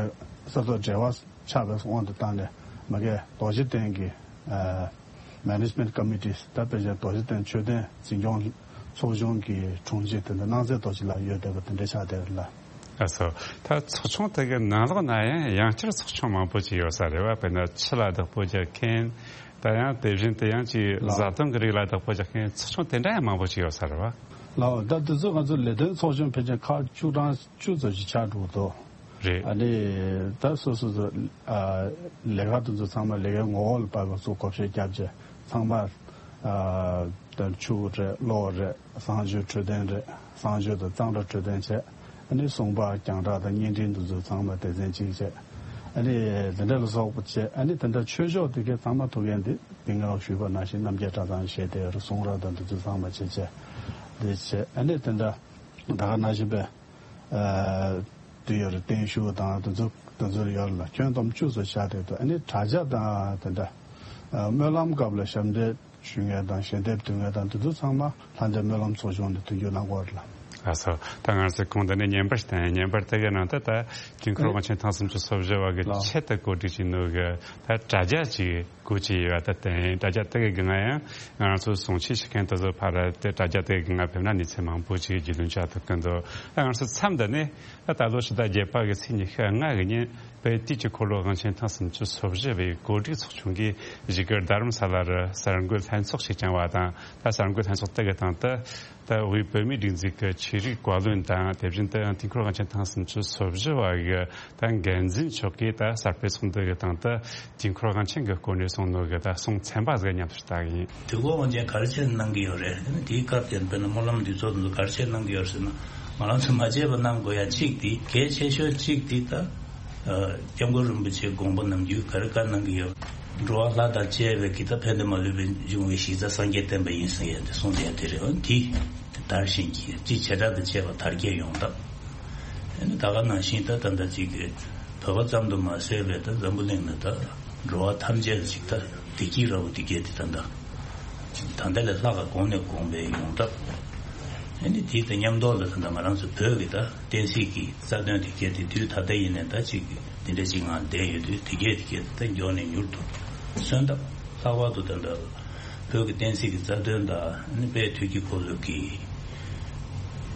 ས་ཐོག་འབྲེལ་བ་ཆགས་པའི་དབང་དུ་བཏང་ནས་མ་གི་རྡོ་རྗེ་གདན་གྱི་ཨ་Management Committee། ད་དཔེ་ཆ་རྡོ་རྗེ་གདན་མཆོད་རྟེན་འཛིན་སྐྱོང་ཚོགས་ཆུང་གི་དྲུང་ཆེ་དེ་འདྲ་སྣང་ཚད་རྡོ་རྗེ་ལགས་ཡོད་བསྡད་པ་དེ་འདྲ་ཆགས་བསྡད་ལ། ཨ་སོ། ད་ཚོགས་ཆུང་དེ་གའི་ནང་ལོགས་ན་ཡང་ཡང་བསྐྱར་ཚོགས་ཆུང་མང་པོ་ཅིག་ཡོད་ས་རེད་བ། དཔེར་ན་ཆུ་ལ་བདག་པོ་རྒྱག་མཁན། ད་ཡང་དེ་བཞིན་དུ་ཡང་ཅིག་ལགས། བཟའ་བཏུང་གི་རིགས་ལ་བདག་པོ་རྒྱག་མཁན་ཚོགས་ཆུང་དེ་འདྲ་ཡང་མང་པོ་ཅིག་ཡོད་ས་རེད་བ། ལགས། ད་དེ་ཚོ་ང་ཚོ་ལས་དོན་ཚོགས་ཆུང་ཕལ་ཆེར་ཁག་བཅུ་གྲངས་བཅུ་ཙམ་ཞིག་ཆགས་འགྲོ་འདུག་རེད། ཨ་ནི་ད་སོ་སོ་སོ་ཨ་ལས་ཀ་དེ་ཚོ་ཚང་མ་ལས་ཀའི་ངོ་བོ་ལ་དཔག་པའི་ཚུར་བགོ་བཤའ་བརྒྱབ་བྱས་ཚང་མ་ཨ་ད་ཆུ་རེད། གློག་རེད། གསང་སྤྱོད་འཕྲོད་བསྟེན་རེད། གསང་སྤྱོད་དང་གཙང་སྦྲ་འཕྲོད་བསྟེན་བྱས། ཨ་ནི་སྲུང་སྤ་རྒྱང་གྲགས་དང་བརྙན་འཕྲིན་དེ་ཚོ་ཚང་མ་སྡེ་ཚན་གཅིག་བྱས། ཨ་ནི་དེ་འདྲ་ལ་སོགས་པ་བྱས། ཨ་ནི་དེ་འདྲ་ཆོས་ཕྱོགས་དེ་གའི་ཚང་མ་ཐུགས་འགན་དེ་དེ་སྔ་ཞུས་པ་ནང་བཞིན་རྣམ་རྒྱལ་གྲྭ་ཚང་བྱས་ཏེ་གསུང་རབ་དང་དེ་ཚོ་ཚང་མ་བྱས་བྱས་དེ་བྱས། ཨ་ནི་དེ་འདྲ་ད་ག་ནང་བཞིན་པའི་ཨ་དུས་ཡོད་རེད། བརྟན་བཞུགས་དང་དེ་ཚོ་དེ་ཚོ་ཡོད་ལ་ཁྱོན་བསྡོམས་བཅུ་ཙམ་བཞག་དེ་དུས། ཨ་ནི་དྲ་རྒྱ་དང་དེ་འདྲ་ཨ་སྨོན་ལམ་སྐབས་ལ་ཞབས་འདེགས་ཞུ་མཁན་དང་ཞལ་འདེབས་འདོན་མཁན་དང་དེ་ཚོ་ཚང་མ་ལྷ་འདྲེ་སྨོན་ལམ་ཚོགས་ཆུང་ནས་མཐུན་འགྱུར་གནང་དགོས་རེད་ལ། ལགས་སོ། ད་ང་ཚོས་གོང་དུ་ནས་བརྙན་པར་ཞིག་བསྟན། བརྙན་པར་དེ་གའི་ནང་དུ་ད་དུས་འཁོར་དབང་ཆེན་ཐེངས་སུམ་ཅུ་སོ་བཞི་བ་གི་ལགས། ཆེད་དུ་གོ་སྒྲིག་བྱས་ནོ་གི་ད་དྲ་རྒྱ་ཅིག་བཀོལ་གྱི་ཡོད་པ་ད་བསྟན། དྲ་རྒྱ་དེ་གི་སྒང་ཡང་ང་རང་ཚོ་གསུང་ཆོས་ཞུ་མཁན་དེ་ཚོ་ཕར་དེ་དྲ་རྒྱ་དེ་གི་སྒང་ཕེབས་ན་གནས་ཚུལ་མང་པོ་ཅིག་རྒྱུས་ལོན་བྱ་ཐུབ་ཀྱི་འདུག་ད་ང་ཚོ་མཚམས་འདི་ནས་ད་ད་ལོ་ཕྱི་ཟླ་བརྒྱད་པ་གི་ཚེས་ཉི་ཤུ་ལྔ་གི་ཉིན་དཔལ་དུས་ཀྱི་འཁོར་ལོ་དབང་ཆེན་ཐེངས་སུམ་ཅུ་སོ་བཞི་བའི་གོ་སྒྲིག་ཚོགས་ཆུང་གིས་གཞིས་ཀ་རྡ་རམ་ས་ལ་རུ་གསར་འགོད་ལྷན་ཚོགས་ཤིག་བསྐྱངས་པ་དང་། ད་གསར་འགོད་ལྷན་ཚོགས་དེ་གི་སྟེང་དུ་ད་དབུས་བོད་མིའི་སྒྲིག་འཛུགས་ཀྱི་ཆོས་རིག་བཀའ་བློན་དང་། དེ་བཞིན་དུ་ཡང་དུས་འཁོར་དབང་ཆེན་ཐེངས་སུམ་ཅུ་སོ་བཞི་བ་གི་ད་འགན་འཛིན་མཆོག་གིས་ད་གསར་སྤེལ་ཚོགས་འདུ་གི་སྟེང་དུ་དུས་འཁོར་དབང་ཆེན་གྱི་སྐོར་ནས་གསུངས་ནོ་གི་ད་གསུང་ཚན་པ་ཟིག་མཉམ་དུ་བལྟ་གི་ཡིན། དུས་འཁོར་དབང་ཆེན་ག་རེ་བྱས་གནང་གི་ཡོད་རེད། དེ་ནི་དེའི་སྐབས་དེར་དཔེར་ན་སྨོན་ལམ་འདུས་ཚོགས་དེ་ཚོ་ག་རེ་བྱས་གནང་གི་ཡོད་ཟེར་ན། ང་རང་ཚོ་མ་བརྗེད་པ་གནང་དགོས་ཡ་གཅིག་དེ། གལ་ཆེ་ཤོས་གཅིག་དེ་ད་ཨ་སྐྱབས་མགོན་རིན་པོ་ཆེའི་དགོངས་པ་ནམ་རྒྱུན་ག་རེ་བཀའ་གནང་གི་ཡོད། འགྲོ་བ་ལྷ་དང་བཅས་པའི་གི་ད་ཕན་བདེ་མ་ལུས་པའི་འབྱུང་བའི་གཞི་རྩ་སངས་རྒྱས་བསྟན་པ་ཡིན་ཟེར་ཡ་དེ་གསུངས་ཡ་དེ་རེད། འོ་དེ་དེ་དར་ཞིང་རྒྱས། སྤྱི་བྱེ་བྲག་དང་བཅས་པ་དར་རྒྱས་ཡོང་ཐབས། ཨ་ནི་ད་ག་ནང་བཞིན་ད་ད་ལྟ་ཅིག་གི་བོད་པ་ཙམ་དུ་མ་ཟད་པའི་ད་འཛམ་བུ་གླིང་ན་ད་འགྲོ་བ་ཐམས་ཅད་ལ་ཅིག་ད་བདེ་སྐྱིད་རབ་བདེ་སྐྱིད་དེ་ད་ད་ད་ལྟ་ལས་ལྷག་ག་གོང་ནས་གོང་འཕེལ་ཡོང་ཐབས། ཨ་ནི་དེ་དང་མཉམ་དུ་ལ་ད་ང་རང་ཚོ་བོད་ཀྱི་ད་བསྟན་སྲིད་ཀྱི་རྩ་དོན་དེ་གལ་ཏེ་དུས་ད་ལྟ་ཡིན་ནའི་ད་ཅིག་འདི་འདྲ་ཅིག་ངང་བསྡད་ཡོད་དུས་དེ་གལ་ཏེ་གལ་ཏེ་ད་མགྱོགས་ནས་མྱུར་དུ་སོན་ཐབས། ལྷག་པར་དུ་ད་ལྟ་བོད་ཀྱི་བསྟན་སྲིད་ཀྱི་རྩ་དོན་དང་ཨ་ནི་དཔལ་དུས་ཀྱི་འཁོར་ལོ་གི་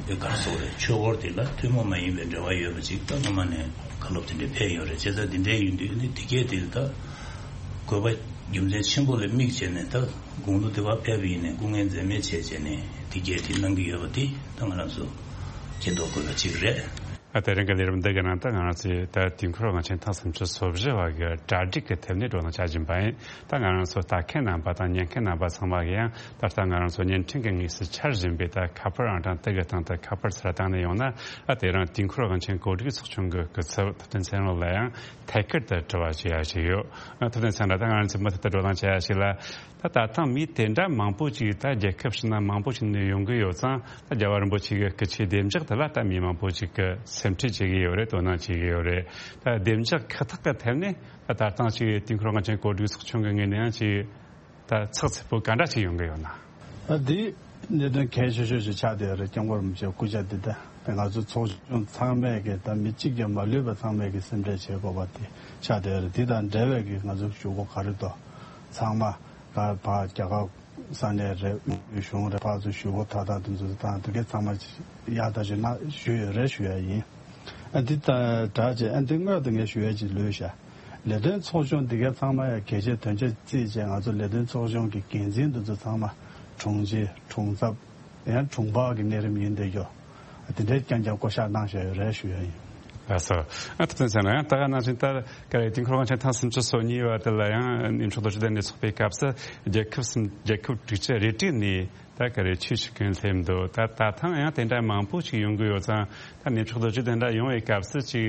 དེ་གར་སོགས་རེད། ཆོས་འཁོར་དེ་ལ་ཐུན་མོང་མ་ཡིན་པའི་འབྲེལ་བ་ཡོད་པ་ཅིག་ད་སྔོན་མ་ནས་བཀའ་སློབ་དེ་འདྲ་ཕེབས་ཡོད་རེད། བྱས་ཙང་འདི་འདྲ་ཡིན་དུས་ཨ་ནི་དེ་གལ་ཏེ་ད་དགོས་པ་རྒྱུ་མཚན་ཆེན་པོ་ལ་དམིགས་བྱས་ནས་ད་དགུང་ལོ་དེ་བ་ཕེབས་པ་ཡིན་ནའི་སྐུ་ངལ་འཛེམས་མེད་བྱས་བྱས་ནས་དེ་གལ་ཏེ་གནང་གི་ཡོད་པ་དེ་ད་ང་རང་ཚོ་མཁྱེན་རྟོགས་དགོས་པ་ཅིག་རེད། ཨ་དེ་རིང་གི་ལས་རིམ་འདི་གི་ནང་དུ་ང་རང་ཚོས་ད་དུས་འཁོར་དབང་ཆེན་ཐེངས་སུམ་ཅུ་སོ་བཞི་བ་གི་གྲ་སྒྲིག་གི་ཐད་ནས་བགྲོ་གླེང་བྱ་བཞིན་པ་ཡིན། ད་ང་རང་ཚོ་ལྟ་མཁན་རྣམ་པ་དང་ཉན་མཁན་རྣམ་པ་ཚང་མ་གིས་ཡང་ད་ལྟ་ང་རང་ཚོ་བརྙན་འཕྲིན་གྱི་དངོས་སུ་འཆར་བཞིན་པའི་ད་ཁ་པར་ཨང་གྲངས་དེ་གི་སྟེང་དུ་ཁ་པར་ཚུར་བཏང་ནས་ཡོང་ན། ཨ་དེ་རིང་དུས་འཁོར་དབང་ཆེན་གོ་སྒྲིག་ཚོགས་ཆུང་གི་སྐུ་ཚབ་ཐུབ་བསྟན་ཚེ་རིང་ལགས་ལ་ཡང་ཐད་ཀར་དུ་དྲི་བ་བྱེད་ཡ་ཞིག་ཡོད། ཨ་ཐུབ་བསྟན་ཚེ་རིང་ལགས། ད་ང་རང་ཚོས་མུ་མཐུད་དུ་བགྲོ་གླེང་བྱེད་ཡ་ཞིག་ལ། ད་ད་ཐེངས་མི་དེ་འདྲ་མང་པོ་ཅིག་ད་རྒྱལ་ཁབ་ཕྱི་ནང་མང་པོ་ཞིག་ནས་ཡོང་གི་ཡོད་ཙང་། ད་རྒྱལ་བ་རིན་པོ་ཆེ་གི་སྐུ་ཕྱྭའི་བདེ་འཇགས་དེ་ལ་ད་མི་མང་པོ་ཅིག་གིས་སེམས་ཁྲལ་བྱེད་ཀྱི་ཡོད་རེད། དོ་སྣང་བྱེད་ཀྱི་ཡོད་རེད། ད་བདེ་འཇགས་ཁག་ཐེག་གི་ཐད་ནས་ད་ད་ཐེངས་ཅིག་དུས་འཁོར་དབང་ཆེན་གོ་སྒྲིག་ཚོགས་ཆུང་གི་ངོས་ནས་ཡང་ཅིག་ད་ཚགས་ཚུད་པོ་ག་འདྲ་ཅིག་ཡོང་གི་ཡོད་ན། ད་འདི་གནད་དོན་གལ་ཆེ་ཤོས་ཤིག་ཆགས་བསྡད་ཡོད་རེད། སྐྱབས་མགོན་རིན་པོ་ཆེའི་སྐུ་ཕྱྭ་འདི་ད་ང་ཚོ་ཚོགས་ཆུང་ཚང་མས་ཀྱི་ད་མི་གཅིག་ཀྱང་མ་ལུས་པ་ཚང་མས་ཀྱི་སེམས་ཁྲལ་བྱེད་དགོས་པ་དེ་ཆགས་བསྡད་ཡོད་རེད། འདི་དང་འབྲེལ་བའི་ཀྱི་ང་ཚོ་ཞུ་སྒོ་ག་རེ་འདུག་ཚང་མ་ག་ཕར་རྒྱ་གར་ས་གནས་རེད། གཞུང་རེད། ཕར་ཚུར་ཞུ་སྒོ་ད་ད་དེ་ཚོ་དང་དེ་གའི་ཚང་མ་ཡག་ཐག་ཆོད་ན་ཞུས་ཡོད་རེད་ཞུ་ཡ་ཡིན། ཨ་འདི་ལྟར་བྱས། ཨ་འདི་སྔོན་དུ་ངས་ཞུ་ཡ་ཅིག་ལོས་ཤག་ལས་དོན་ཚོགས་ཆུང་འདི་གའི་ཚང་མ་ཡ་གལ་ཆེ་དོན་ཆེ་བརྩིས་བྱས། ང་ཚོ་ལས་དོན་ཚོགས་ཆུང་གི་འགན་འཛིན་འདི་ཚོ་ཚང་མ་དྲུང་ཆེ་དྲུང་ཚབ་ཡང་དྲུང་འཕར་གྱི་གནས་རིམ་ཡིན་བསྡད་རྒྱུ་དེ་འདྲའི་རྐྱང་རྐྱང་བསྐོ་བཞག་གནང་བཞག་ཡོད་རེད་ཞུ་ཡ་ཡིན། ལགས་སོ། ཨ་ཐུབ་བསྟན་ཚེ་རིང་ལགས། ཡང་ད་ག་ནང་བཞིན་ལྟར་ག་རེ་དུས་འཁོར་དབང་ཆེན་ཐེངས་སུམ་ཅུ་སོ་གཉིས་པ་དེ་ལ་ཡང་གནས་མཆོག་རྡོ་རྗེ་གདན་ནས་ཚོགས་པའི་སྐབས་སུ་རྒྱལ་ཁབ་གསུམ་རྒྱལ་ཁབ་དྲུག་ཅུ་རེ་དྲུག་ནས་ད་ག་རེ་ཆོས་ཞུ་མཁན་སླེབས་འདུག་ད་ད་ཐེངས་ཡང་དེ་འདྲ་མང་པོ་ཞིག་ཡོང་གི་ཡོད་ཙང་། ད་གནས་མཆོག་རྡོ་རྗེ་གདན་ལ་ཡོང་བའི་སྐབས་སུ་ཅིག་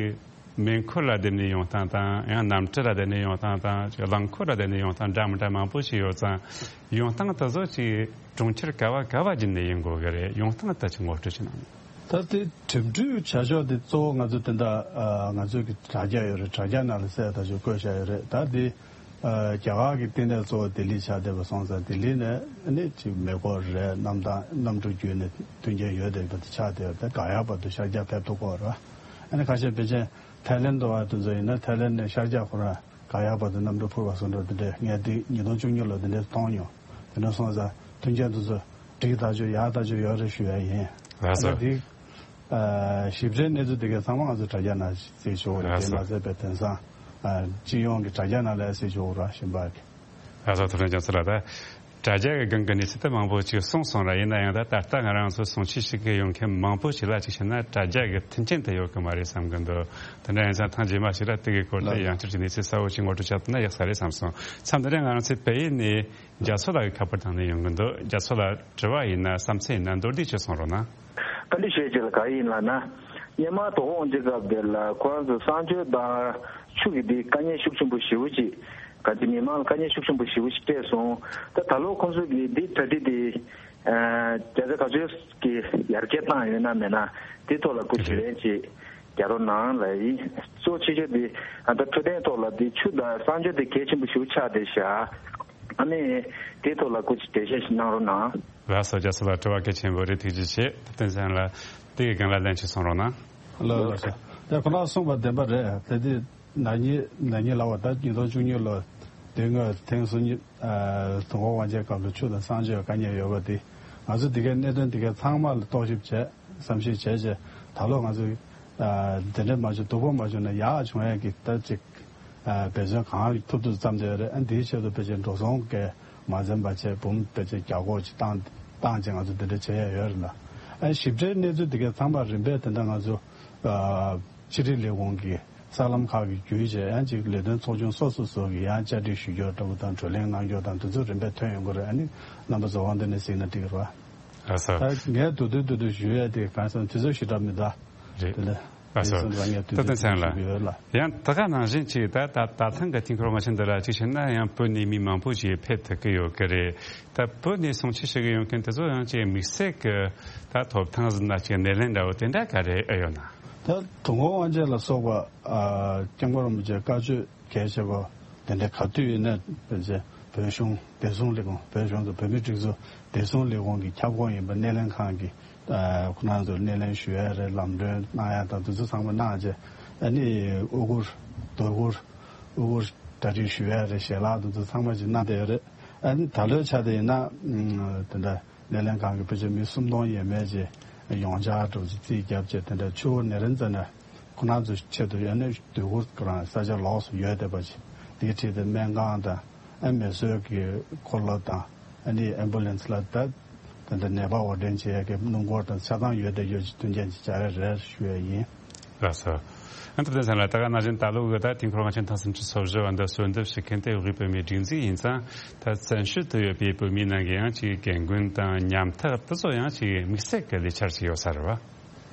མེ་འཁོར་ལ་བསྡད་ནས་ཡོང་སྟངས་དང་། ཡང་གནམ་གྲུ་ལ་བསྡད་ནས་ཡོང་སྟངས་དང་། ཅིག་རླངས་འཁོར་ལ་བསྡད་ནས་ཡོང་སྟངས་འདྲ་མི་འདྲ་མང་པོ་ཞིག་ཡོད་ཙང་། ཡོང་སྟངས་དེ་ཚོ་ཅིག་གྲོང་ཁྱེར་ག་བ་ག་བ་བརྒྱུད་ནས་ཡིན་དགོས་ཀྱི་རེད། ཡོང་སྟངས་དེ་ཅིག་ངོ་སྤྲོད་ཅིག་གནང་། ད་དེ་འགྲིམ་འགྲུལ་བྱ་ཕྱོགས་དེ་གཙོ་བོ་ང་ཚོ་དེ་འདྲ་ཨ་ང་ཚོའི་གི་དྲ་རྒྱ་ཡོད་རེད། དྲ་རྒྱ་ནང་ལ་གསལ་ཐག་ཆོད་བཀོད་བཞག་ཡོད་རེད། ད་དེ་ཨ་རྒྱ་གར་གི་བསྟི་གནས་གཙོ་བོ་ལྡི་ལི་ཆགས་བསྡད་པ་སོང་ཙང་ལྡི་ལི་ནས་ནི་ཅིག་མེ་འཁོར་རེད། གནམ་ཐང་གནམ་གྲུ་བརྒྱུད་ནས་མཐུན་རྐྱེན་ཡོད་བསྡད་པ་དེ་ཆགས་བསྡད་ཡོད་རེད། ད་ག་ཡག་བར་དུ་ཤར་རྒྱག་ཕེབས་ཐུབ་ཀྱི་ཡོད་རེད། ཨ་ནི་ཁ་ཤས་ཕལ་ཆེར་ཐའི་ལེན་དུ་བ་དེ་ཚོ་ཡིན་ན་ཐའི་ལེན་ནས་ཤར་རྒྱག་ཁོ་རང་ག་ཡག་བར་དུ་གནམ་གྲུ་འཕུར་བ་སོང་འགྲོ་དེ་འདྲས་ངས་འདི་ཉིས་སྟོང་བཅུ་གཉིས་ལོ་དེ་འདྲས་མཐོང་མྱོང་། དེ་འདྲ་སོང་ཙང་མཐུན་རྐྱེན་དེ་ཚོ་འགྲིག་ཐག་ཆོད་ཡག་ཐག་ཆོད་ཡོད་རེད་ཞུ་ཡ་ཡིན། ལགས་སོ། ཨ་ནི་འདི་ཨ་ཞིབ་ཕྲའི་གནས་ཚུལ་དེ་གའི་ཚང་མ་ང་ཚོ་དྲ་རྒྱ་ནང་གཟིགས་ཆོག་རེད། ལགས་དེ་སོ། མ་ཟད་པའི་དེང་སང་ཨ་སྤྱི་ཡོངས་ཀྱི་དྲ་རྒྱ་ནང་ལ་གཟིགས་ཆོག་ར་ཞིམ་པ་གི། ལགས་སོ། ཐུབ་བསྟན་རྒྱ་མཚོ་ལགས། ད་དྲ་རྒྱ་གི་སྒང་གི་གནས་ཚུལ་དེ་མང་པོ་ཅིག་གསུངས་སོང་ར། ཡིན་ན་ཡང་ད་ད་ལྟ་ང་རང་ཚོ་སྲུང་བརྩི་ཞུ་གི་ཡོང་མཁན་མང་པོ་ཞིག་ལ་ཅིག་བྱས་ན་དྲ་རྒྱ་གི་མཐུན་རྐྱེན་དེ་ཡོད་གི་མ་རེད་བསམ་གི་འདུག་དེ་འདྲ་ཡིན་ཙང་ཐེངས་རྗེས་མ་ཞིག་ལ་དེ་གི་སྐོར་དེ་ཡང་བསྐྱར་གྱི་གནས་ཚུལ་གསལ་བོ་ཞིག་ངོ་སྤྲོད་བྱ་ཐུབ་ན་ཡག་ས་རེད་བསམ་སོང་། མཚམས་འདི་ནས་ང་རང་ཚོའི་བལ་ཡུལ་ནས་རྒྱ་མཚོ་ལགས་ཀྱི་ཁ་པར་བཏང་ནས་ཡོང་གི་འདུག་རྒྱ་མཚོ་ལགས། དྲི་བ་ཡིན་ན་བསམ་ཚུལ་ཡིན་ན་མདོར་བསྡུས་ཅིག་གསུང་རོགས་གནང་། བཀའ་འདྲི་ཞུ་ཡ་ཅིག་ལ་ག་ཡིན་ལབ་ན། སྔོན་མ་དོ་དགོང་གཅིག་སྐབས་དེ་ལ་ཁོ་རང་ཚོ་གསང་སྤྱོད་དང་ཆུ་གི་དེ་དཀའ་ངལ་ཤུགས་ཆེན་པོ་ཞེ་པོ་ཅིག་ག་ཚོད་མི་མང་ལ་དཀའ་ངལ་ཤུགས་ཆེན་པོ་ཞེ་པོ་ཅིག་སྤྲད་སོང་། ད་ད་ལོ་ཁོང་ཚོ་གི་དེ་གྲ་སྒྲིག་དེ་རྒྱ་ཆེ་ག་ཚོད་ཀྱི་ཡར་རྒྱས་བཏང་ཡོད་ན་མེད་ན་དེ་ཐོག་ལ་སྐུ་དྲིན་ལན་ཅིག་རྒྱག་རོགས་གནང་ལབ་ཡིན། གཙོ་ཆེ་ཤོས་དེ་ཨ་ད་འཕྲོད་བསྟེན་ཐོག་ལ་དེ་ཆུ་དང་གསང་སྤྱོད་དེ་གལ་ཆེན་པོ་ཞེ་པོ་ཆགས་བསྡད་ཤག་ཨ་ནི་དེ་ཐོག་ལ་སྐུ་དྲིན་འགྲེལ་བཤད་ཞིག་གནང་རོགས་གནང་། ལགས་སོ། རྒྱ་མཚོ་ལགས་དྲི་བ་གལ་ཆེན་པོ་རེད། ཐུགས་རྗེ་ཆེ། ཐུབ་བསྟན་སེང་ལགས་དེ་གི་སྒང་ལ་ལན་ཅིག་གསུང་རོགས་གནང་། ལགས་ལགས་སོ། དེ་ཁོ་ན་གསུངས་པ་བདེན་པ་རེད། དེ་དེ་ན་ནིང་ན་ནིང་ལབ་པ་ད་ཉིས་སྟོང་བཅུ་གཉིས་ལོ་དེ་སྔོན་ཐེངས་སོ་གཉིས་དུས་འཁོར་དབང་ཆེན་སྐབས་ལ་ཆུ་དང་གསང་སྤྱོད་དཀའ་ངལ་ཡོད་པ་དེ་ང་ཚོ་དེ་གའི་གནད་དོན་དེ་གའི་ཚང་མ་ལ་རྟོག་ཞིབ་བྱས་བསམ་ཤེས་བྱས་རྗེས་ད་ལོ་ང་ཚོ་དེ་འདྲ་མ་བྱུང་སྡུག་པོ་མ་བྱུང་ན་ཡག་བྱུང་ཡ་གི་ད་ཅིག་འབད་བརྩོན་གང་ཐུབ་ཐུབ་བརྩམས་བསྡད་ཡོད་རེད། ཨ་འདིའི་ཆེད་དུ་ཕལ་ཆེར་འགྲོ་སོང་གས་མ་འཛེམས་པ་བྱས་འབུམ་ཕལ་ཆེར་བརྒྱ་སྐོར་ཅིག་བཏང་བཏང་བྱས་ང་ཚོ་འདི་འདྲ་བྱས་ཡ་ཡོད་རེད་ལ། ཨ་ཞིབ་ཕྲའི་གནས་ཚུལ་འདི་གའི་ཚང་མ་རིམ་པས་དེ་འདྲ་ང་ཚོ་ཕྱི་དྲིལ་ལས་ཁུངས་ཀྱི་གསར་ལམ་ཁག་གི་བརྒྱུད་བྱས་ཡང་ཅིག་ལས་དོན་ཚོགས་ཆུང་སོ་སོ་སོ་གི་ཡང་བཅར་འདྲི་ཞུ་རྒྱུ་འདྲ་པོ་དང་བགྲོ་གླེང་གནང་རྒྱུ་དང་དེ་ཚོ་རིམ་པས་ཐོན་ཡོང་གི་རེད། ཨ་ནི་རྣམ་པ་ཚོ་དབང་དུ་ནས་གཟིགས་ན་འགྲིག་གི་རེད་བ། ལགས་སོ། ད་ངས་དུ་དུ་དུ་དུ་ཞུ་ཡ་དེ་གང་སོང་དུས་ཚོད་ཞེ་དྲག་མི་འདུག་རེད། དེ་ལ་ལགས་སོ། དེ་སོང་ཙང་ངས་དུས་ཐུབ་བསྟན་སེང་ལགས། ཞུ་གི་ཡོད་ལ། ཡང་ད་ག་ནང་བཞིན་ཅིག་ད་ད་ད་ཐེངས་ཀྱི་དུས་འཁོར་དབང་ཆེན་འདི་ལ་ཅིག་བྱས་ན་ཡང་བོད་ནས་མི་མང་པོ་ཅིག་ཕེབས་ཐུབ་ཀྱི་ཡོད་ཀྱི་རེད། ད་བོད་ནས་སྲུང་བརྩི་ཞུ་གི་ཡོང་མཁན་དེ་ཚོ་ཡང་ཅིག་དམིགས་བསལ་གྱི་ད་ཐོབ་ཐང་ཟིན་ན་ཅིག་སྣེ་ལེན་འདྲ་བོ་དེ་འདྲ་ག་རེ་ཨེ་ཡོད་ན། ད་དུས་འཁོར་དབང་ཆེན་ལ་སོགས་པ་ཨ་སྐྱབས་མགོན་རིན་པོ་ཆེ་བཀའ་ཆོས་གལ་ཆེ་བ་དེ་འདྲ་ག་དུས་ཡིན་ན་ཕལ་ཆེར་བོད་གཞུང་བདེ་སྲུང་ལས་ཁུངས་བོད་གཞུང་དུ་བོད་མིའི་སྒྲིག་འཛུགས་བདེ་སྲུང་ལས་ཁུངས་ཀྱི་ཁྱབ་ཁོངས་ཡིན་པ་སྣེ་ལེན་ཁང་གི་ཁོ་རང་ཚོར་སྣེ་ལེན་ཞུ་ཡ་རེད། ལམ་སྟོན་གནང་ཡ་དང་དེ་ཚོ་ཚང་མ་གནང་རྗེས་ཨ་ནི་དབུ་གུར་དོ་གུར་དབུ་གུར་གྲ་སྒྲིག་ཞུ་ཡ་རེད། ཞལ་ལག་དེ་ཚོ་ཚང་མ་ཅིག་གནང་བསྡད་ཡོད་རེད། ཨ་ནི་ད་ལོའི་ཆ་དེ་ཡིན་ན་དེ་འདྲ་སྣེ་ལེན་ཁང་གི་ཕལ་ཆེར་མི་སུམ་སྟོང་ཡས་མས་ཅིག་ཡོངས་ཁྱབ་འགྲོ་ཅིག་རྩིས་བརྒྱབ་བྱས་དེ་འདྲ་ཆུ་བོ་ནེ་རན་ཛ་ན། ཁོ་རང་ཚོའི་ཆེད་དུ་ཡང་ན་སྡོད་གུར་ཁོ་རང་ས་ཆ་ལོགས་སུ་ཡོད་བསྡད་པ་ཅིག་དེའི་ཁྲིད་དེ་སྨན་ཁང་དང་ཨ་མེ་གསོད་ཀྱི་འཁོར་ལོ་དང་ཨ་ནི་ཨེམ་བུ་ལན་སི་ལ་ད་ད་ལྟ་ནད་པ་དབོར་འདྲེན་བྱེད་ཡག་གི་སྣུམ་འཁོར་དང་ཆ་ཚང་ཡོད་བསྡད་ཡོད་ཅིག་མཐུན་རྐྱེན་ཅིག་སྦྱར་ཡ་རེད་ཞུ་ཡ་ཡིན། ལགས་སོ། ཨ་ཐུབ་བསྟན་སེང་ལགས་ད་ག་ནང་བཞིན་ད་ལོ་གི་ད་དུས་འཁོར་དབང་ཆེན་ཐེངས་སུམ་ཅུ་སོ་བཞི་བ་འདི་གསོལ་འདེབས་ཞུ་མཁན་དེ་དབུས་བོད་མིའི་སྒྲིག་འཛུགས་ཡིན་ཙང་ད་བཙན་བྱོལ་དུ་ཡོད་པའི་བོད་མིའི་ནང་གི་ཡང་ཅིག་རྒན་རྒོན་དང་ཉམ་ཐག་དེ་ཚོ་ཡང་ཅིག་དམིགས་བསལ་གྱི་ལས་འཆར་ཅིག་ཡོད་ས་རེད་བ།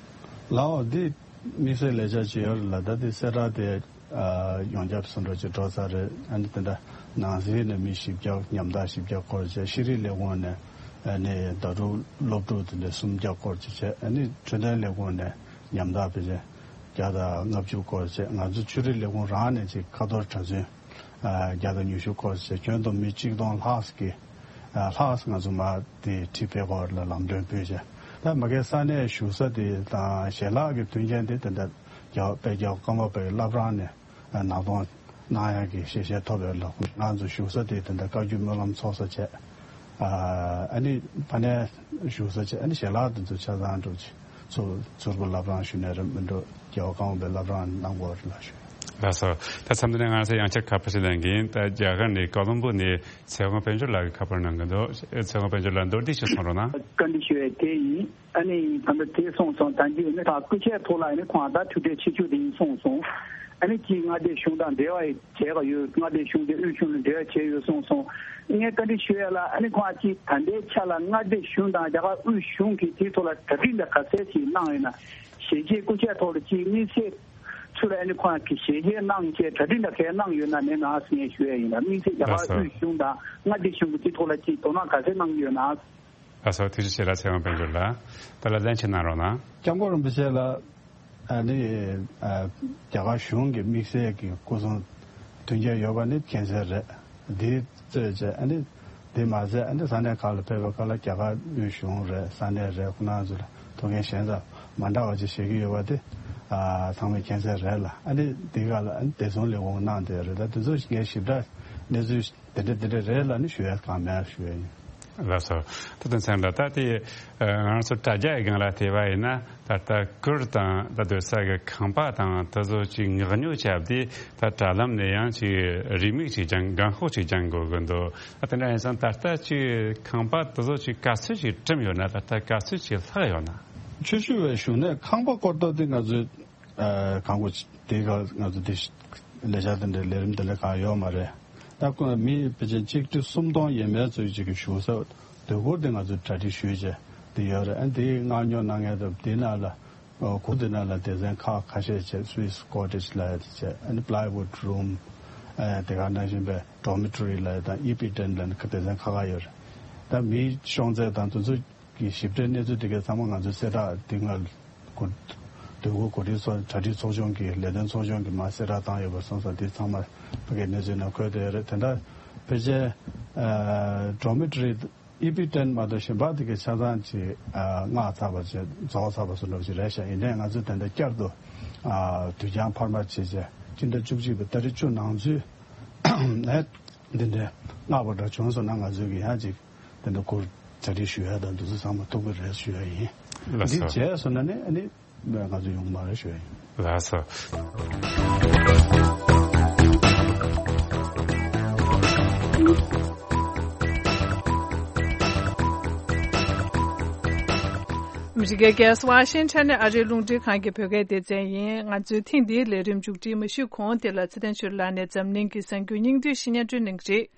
ལའོ་འདི་དམིགས་བསལ་ལས་འཆར་ཅིག་ཡོད་རེད་ལ། ད་འདི་གསལ་བསྒྲགས་དེ་ཨ་ཡོངས་ཁྱབ་སུ་འགྲོ་ཅིག་འགྲོ་ཚར་རེད། ཨ་ནི་དེ་འདྲ་ནང་སྲིད་ནས་མི་བཞི་བརྒྱ་ཉམ་ཐག་བཞི་བརྒྱ་སྐོར་བྱས། ཤེས་རིག་ལས་ཁུངས་ནས་ཨ་ནི་ཟླ་དྲུག་སློབ་ཕྲུག་དེ་འདྲ་སུམ་བརྒྱ་སྐོར་ཅིག་བྱས། ཨ་ནི་འཕྲོད་བསྟེན་ལས་ཁུངས་ནས་ཉམ་ཐག་ཕལ་ཆེར་བརྒྱ་དང་ལྔ་བཅུ་སྐོར་བྱས། ང་ཚོ་ཆོས་རིག་ལས་ཁུངས་རང་ནས་ཅིག་ཁ་ཐོར་གྲྭ་བཙུན་བརྒྱ་དང་ཉི་ཤུ་སྐོར་བྱས། ཁྱོན་བསྡོམས་མི་གཅིག་སྟོང་ལྷག་ཙམ་གྱིས་ལྷག་ཙམ་ང་ཚོ་མར་དེ་ཁྲིད་ཕེབས་སྐོར་ལ་ལམ་སྟོན་ཕུལ་བྱས། ད་མ་གིའི་ས་གནས་བཞུགས་ས་དེ་དང་ཞལ་ལག་གི་མཐུན་རྐྱེན་དེ་དེ་འདྲ་རྒྱལ་བ་དཔལ་རྒྱལ་བ་ཀརྨ་པའི་བླ་བྲང་ནས་ནང་གཏོང་གནང་ཡག་གི་ཞལ་བཞེས་ཐོབ་ཡོད་ལ། ང་ཚོ་བཞུགས་ས་དེ་དེ་འདྲ་བཀའ་བརྒྱུད་སྨོན་ལམ་ཚོགས་ས་བྱས། ཨ་ནི་ཕ་ནས་བཞུགས་ས་བྱས། ཨ་ནི་ཞལ་ལག་དེ་ཚོ་ཆ་ཚང་འགྲོ་ཚུར་ཚུར་གི་བླ་བྲང་ཞུ་ནས་རེད་མི་འགྲོ། རྒྱལ་བ་ཀརྨ་པའི་བླ་བྲང་གནང་དགོས་རེད་ལ་ཞུ། ལགས་སོ། ད་མཚམས་འདི་ནས་ང་ཚོས་ཡང་བསྐྱར་ཁ་པར་ཞིག་ལེན་གྱིན། ད་རྒྱ་གར་ནས་ཀོ་ལོམ་བོ་ནས་ཚེ་དབང་དཔལ་འབྱོར་ལགས་ཀྱིས་ཁ་པར་གནང་གི་འདུག་ཚེ་དབང་དཔལ་འབྱོར་ལགས་མདོར་བསྡུས་ཤིག་གསུང་རོགས་གནང་། བཀའ་འདྲི་ཞུ་ཡས་དེ་ཡིན། ཨ་ནི་ད་ལྟ་དེ་གསུངས་སོང་། ད་གིན་ནི་ད་སྐུ་ཕྱྭའི་ཐོག་ལ་ཨ་ནི་ཁོང་ད་ཐུག་འཕྲད་ཆེ་ཤོས་དེ་ཡིན་གསུངས་སོང་། ཨ་ནི་གཅིག་མངའ་སྡེ་གཞུང་དང་འབྲེལ་བ་བྱས་པ་ཡོད། མངའ་སྡེ་གཞུང་དེ་དབུས་གཞུང་ལ་འབྲེལ་བ་བྱས་ཡོད་གསུངས་སོང་། ངས་བཀའ་འདྲི་ཞུ་ཡ་ལ་ཨ་ནི་ཁོང་གཅིག་ད་ལྟའི་ཆ་ལ་མངའ་སྡེ་གཞུང་དང་རྒྱ་གར་དབུས་གཞུང་གིས་དེའི་ཐོག་ལ་གྲ་སྒྲིག་འདྲ་ག་ཚད་ཅིག་གནང་ཡོད་ན། ཞལ་བཞེས་སྐུ་ཕྱྭའི་ཐོག་ལ་གཅིག་དམིགས་བསལ་ཚུལ་ལ་ཨ་ནི་ཁོང་གིས་ཞལ་བཞེས་གནང་བྱས་གྲ་སྒྲིག་འདྲ་གས་གནང་ཡོད་ན་མེད་ན་ཟེར་ངས་ཞུ་ཡ་ཡིན་ལ། དམིགས་བསལ་རྒྱ་གར་དབུས་གཞུང་དང་མངའ་སྡེ་གཞུང་གིས་དེའི་ཐོག་ལ་གཅིག་དོ་སྣང་ག་ཚད་གནང་གི་ཡོད་ན། ལགས་སོ། ཐུགས་རྗེ་ཆེ་ལ་ཚེ་དབང་དཔལ་འབྱོར་ལགས། ད་ལ་ལན་ཆེ་གནང་རོགས་གནང་། སྐྱབས་མགོན་རིན་པོ་ཆེ་ལ་ཨ་ནི་ཨ་རྒྱ་གར་གཞུང་གི་དམིགས་བསལ་གྱི་སྐུ་སྲུང་མཐུན་རྐྱེན་ཡོད་པ་ནི་མཁྱེན་གསལ་རེད། འདི་གཙོས་བྱས་ཨ་ནི་འདི་མ་ཟད་ཨ་ནི་ས་གནས་ཁག་ལ་ཕེབས་པའི་སྐབས་ལ་རྒྱ་གར་དབུས་གཞུང་རེད། ས་གནས་རེད། ཁོ་རང་ཚོ་ལ་ཐུགས་འགན་གཞན་དང་མ་འདྲ་བ་ཅིག་བཞེས་ཀྱི་ཡོད་པ་དེ་ཨ་ཚང་མས་མཁྱེན་གསལ་རེད་ལ། ཨ་ནི་འདི་ག་ལ་ཨ་ནི་བདེ་སྲུང་ལས་ཁུངས་གནང་བསྡད་རེད། ད་དེ་ཚོ་ངས་ཞིབ་ཕྲ་གནས་ཚུལ་དེ་འདྲ་དེ་འདྲ་རེད་ལ་ནི་ཞུ་ཡ་གང་མེད་ཞུ་ཡ་ཡིན། ལགས་སོ། ད་དུང་མཚན་ལ་ད་དེ་ང་རང་ཚོ་དྲ་རྒྱ་ཡི་སྒང་ལ་བལྟས་པ་ཡིན་ན་ད་ལྟ་གུར་དང་ད་སྡོད་ས་གི་ཁང་པ་དང་དེ་ཚོ་ཅིག་མངགས་ཉོ་བྱས་ཏེ་ད་དྲ་ལམ་ནས་ཡང་ཅིག་རེའུ་མིག་ཅིག་སྦྱང་། རྒན་ཤོག་ཅིག་སྦྱང་དགོས་ཀྱི་འདུག་ཨ་དེ་འདྲ་ཡིན་ཙང་ད་ལྟ་ཅིག་ཁང་པ་དེ་ཚོ་ཅིག་ག་ཚོད་ཅིག་བཀྲམ་ཡོད་ན། ད་ལྟ་ག་ཚོད་ཅིག་ལྷག་ཡོད་ན། ཆུ་ཤུར་བའི་གཞུང་ནས་ཁང་པ་སྐོར་ཐོག་དེ་ང་ཚོས་ཨ་གང་དགོས་དེ་ག་ང་ཚོ་དེ་ལས་འཆར་དེ་འདྲའི་ལས་རིམ་དེ་འདྲ་གང་ཡོད་མ་རེད། ད་ཁོ་མི་ཕལ་ཆེར་ཆིག་ཁྲི་སུམ་སྟོང་ཡས་མས་ཙམ་ཅིག་གི་བཞུགས་ས་སྡོད་གུར་དེ་ང་ཚོས་གྲ་སྒྲིག་ཞུས་བྱས་དེ་ཡོད་རེད། ཨ་དེ་མངགས་ཉོ་གནང་མཁན་དང་དེ་ནང་ལ་ཨ་གུར་དེ་ནང་ལ་སྡེ་ཚན་ཁག་ཁ་ཤས་བྱས། Swiss cottage ལབ་ཡ་དེ་བྱས། ཨ་ནི་plywood room ཨ་དེ་ག་ནང་བཞིན་པའི་dormitory ལབ་ཡ་དང་ཨི་པི་ཊེན་ལབ་ནི་སྡེ་ཚན་ཁག་ཁག་ཡོད་རེད། ད་མིའི་ཤོང་ཚད་དང་དེ་ཚོ་གི་ཞིབ་ཕྲའི་གནས་ཚུལ་དེ་གའི་ཚང་མ་ང་ཚོའི་གསལ་བསྒྲགས་འདི་སྔ་གོ་སྡོད་གུར་གོ་སྒྲིག་ཚོགས་གྲ་སྒྲིག་ཚོགས་ཆུང་གི་ལས་དོན་ཚོགས་ཆུང་གིས་མར་གསལ་བསྒྲགས་བཏང་ཡོད་པ་སོང་ཙང་འདི་ཚང་མ་ཕ་གིའི་གནས་ཚུལ་ནང་འཁོད་བསྡད་ཡོད་རེད། དེ་འདྲ་ཕལ་ཆེར་ཨ་dormitory ཨི་པི་ཊེན་མ་གཏོགས་གཞན་པ་དེ་གའི་ཆ་ཚང་ཅིག་ཨ་མངགས་ཚར་བ་ཅིག་རྫོགས་ཚར་བ་བཟོ་འདྲ་ཅིག་རེད་ཤག་ཡིན་ནའི་ང་ཚོས་ད་ལྟ་བསྐྱར་དུ་ཨ་དུས་འགྱངས་འཕར་མ་བྱས་བྱས་སྤྱི་ཟླ་བཅུ་གཅིག་པའི་ཏ་རིག་བཅུ་ནང་ཚུད་ཨ་འདི་འདྲའི་མངགས་པ་འདྲ་བྱུང་སོང་ན་ང་ཚོས་ཀྱི་ཡང་ཅིག་དེ་འདྲ་གུར་གྲ་སྒྲིག་ཞུ་ཡ་དང་དེ་ཚོ་ཚང་མ་ཐུབ་ཀྱི་རེད་ཞུ་ཡ་ཡིན། ལགས་འདི་སོ། བྱས་སོང་ན་ནི་ཨ་ནི་ང་ཚོ་ཡོང་གི་མ་རེད་ཞུ་ཡ་ཡིན། ལགས་སོ། ཨ་མི་རི་ཀའི་རྒྱལ་ས་ཝ་ཤིང་ཊོན་ནས་ཨ་རིའི་རླུང་འཕྲིན་ཁང་གི་བོད་སྐད་སྡེ་ཚན་ཡིན། ང་ཚོའི་ཐེངས་འདིའི་ལས་རིམ་མཇུག་སྒྲིལ་མ་ཞུས་གོང་དེ་ལ་ཚེ་བརྟན་ཆོས་ལགས་ནས་འཛམ་གླིང་གི་གསར་འགྱུར་སྙིང་བསྡུས་ཤིག་སྙན་སྒྲོན་གནང་གི་རེད།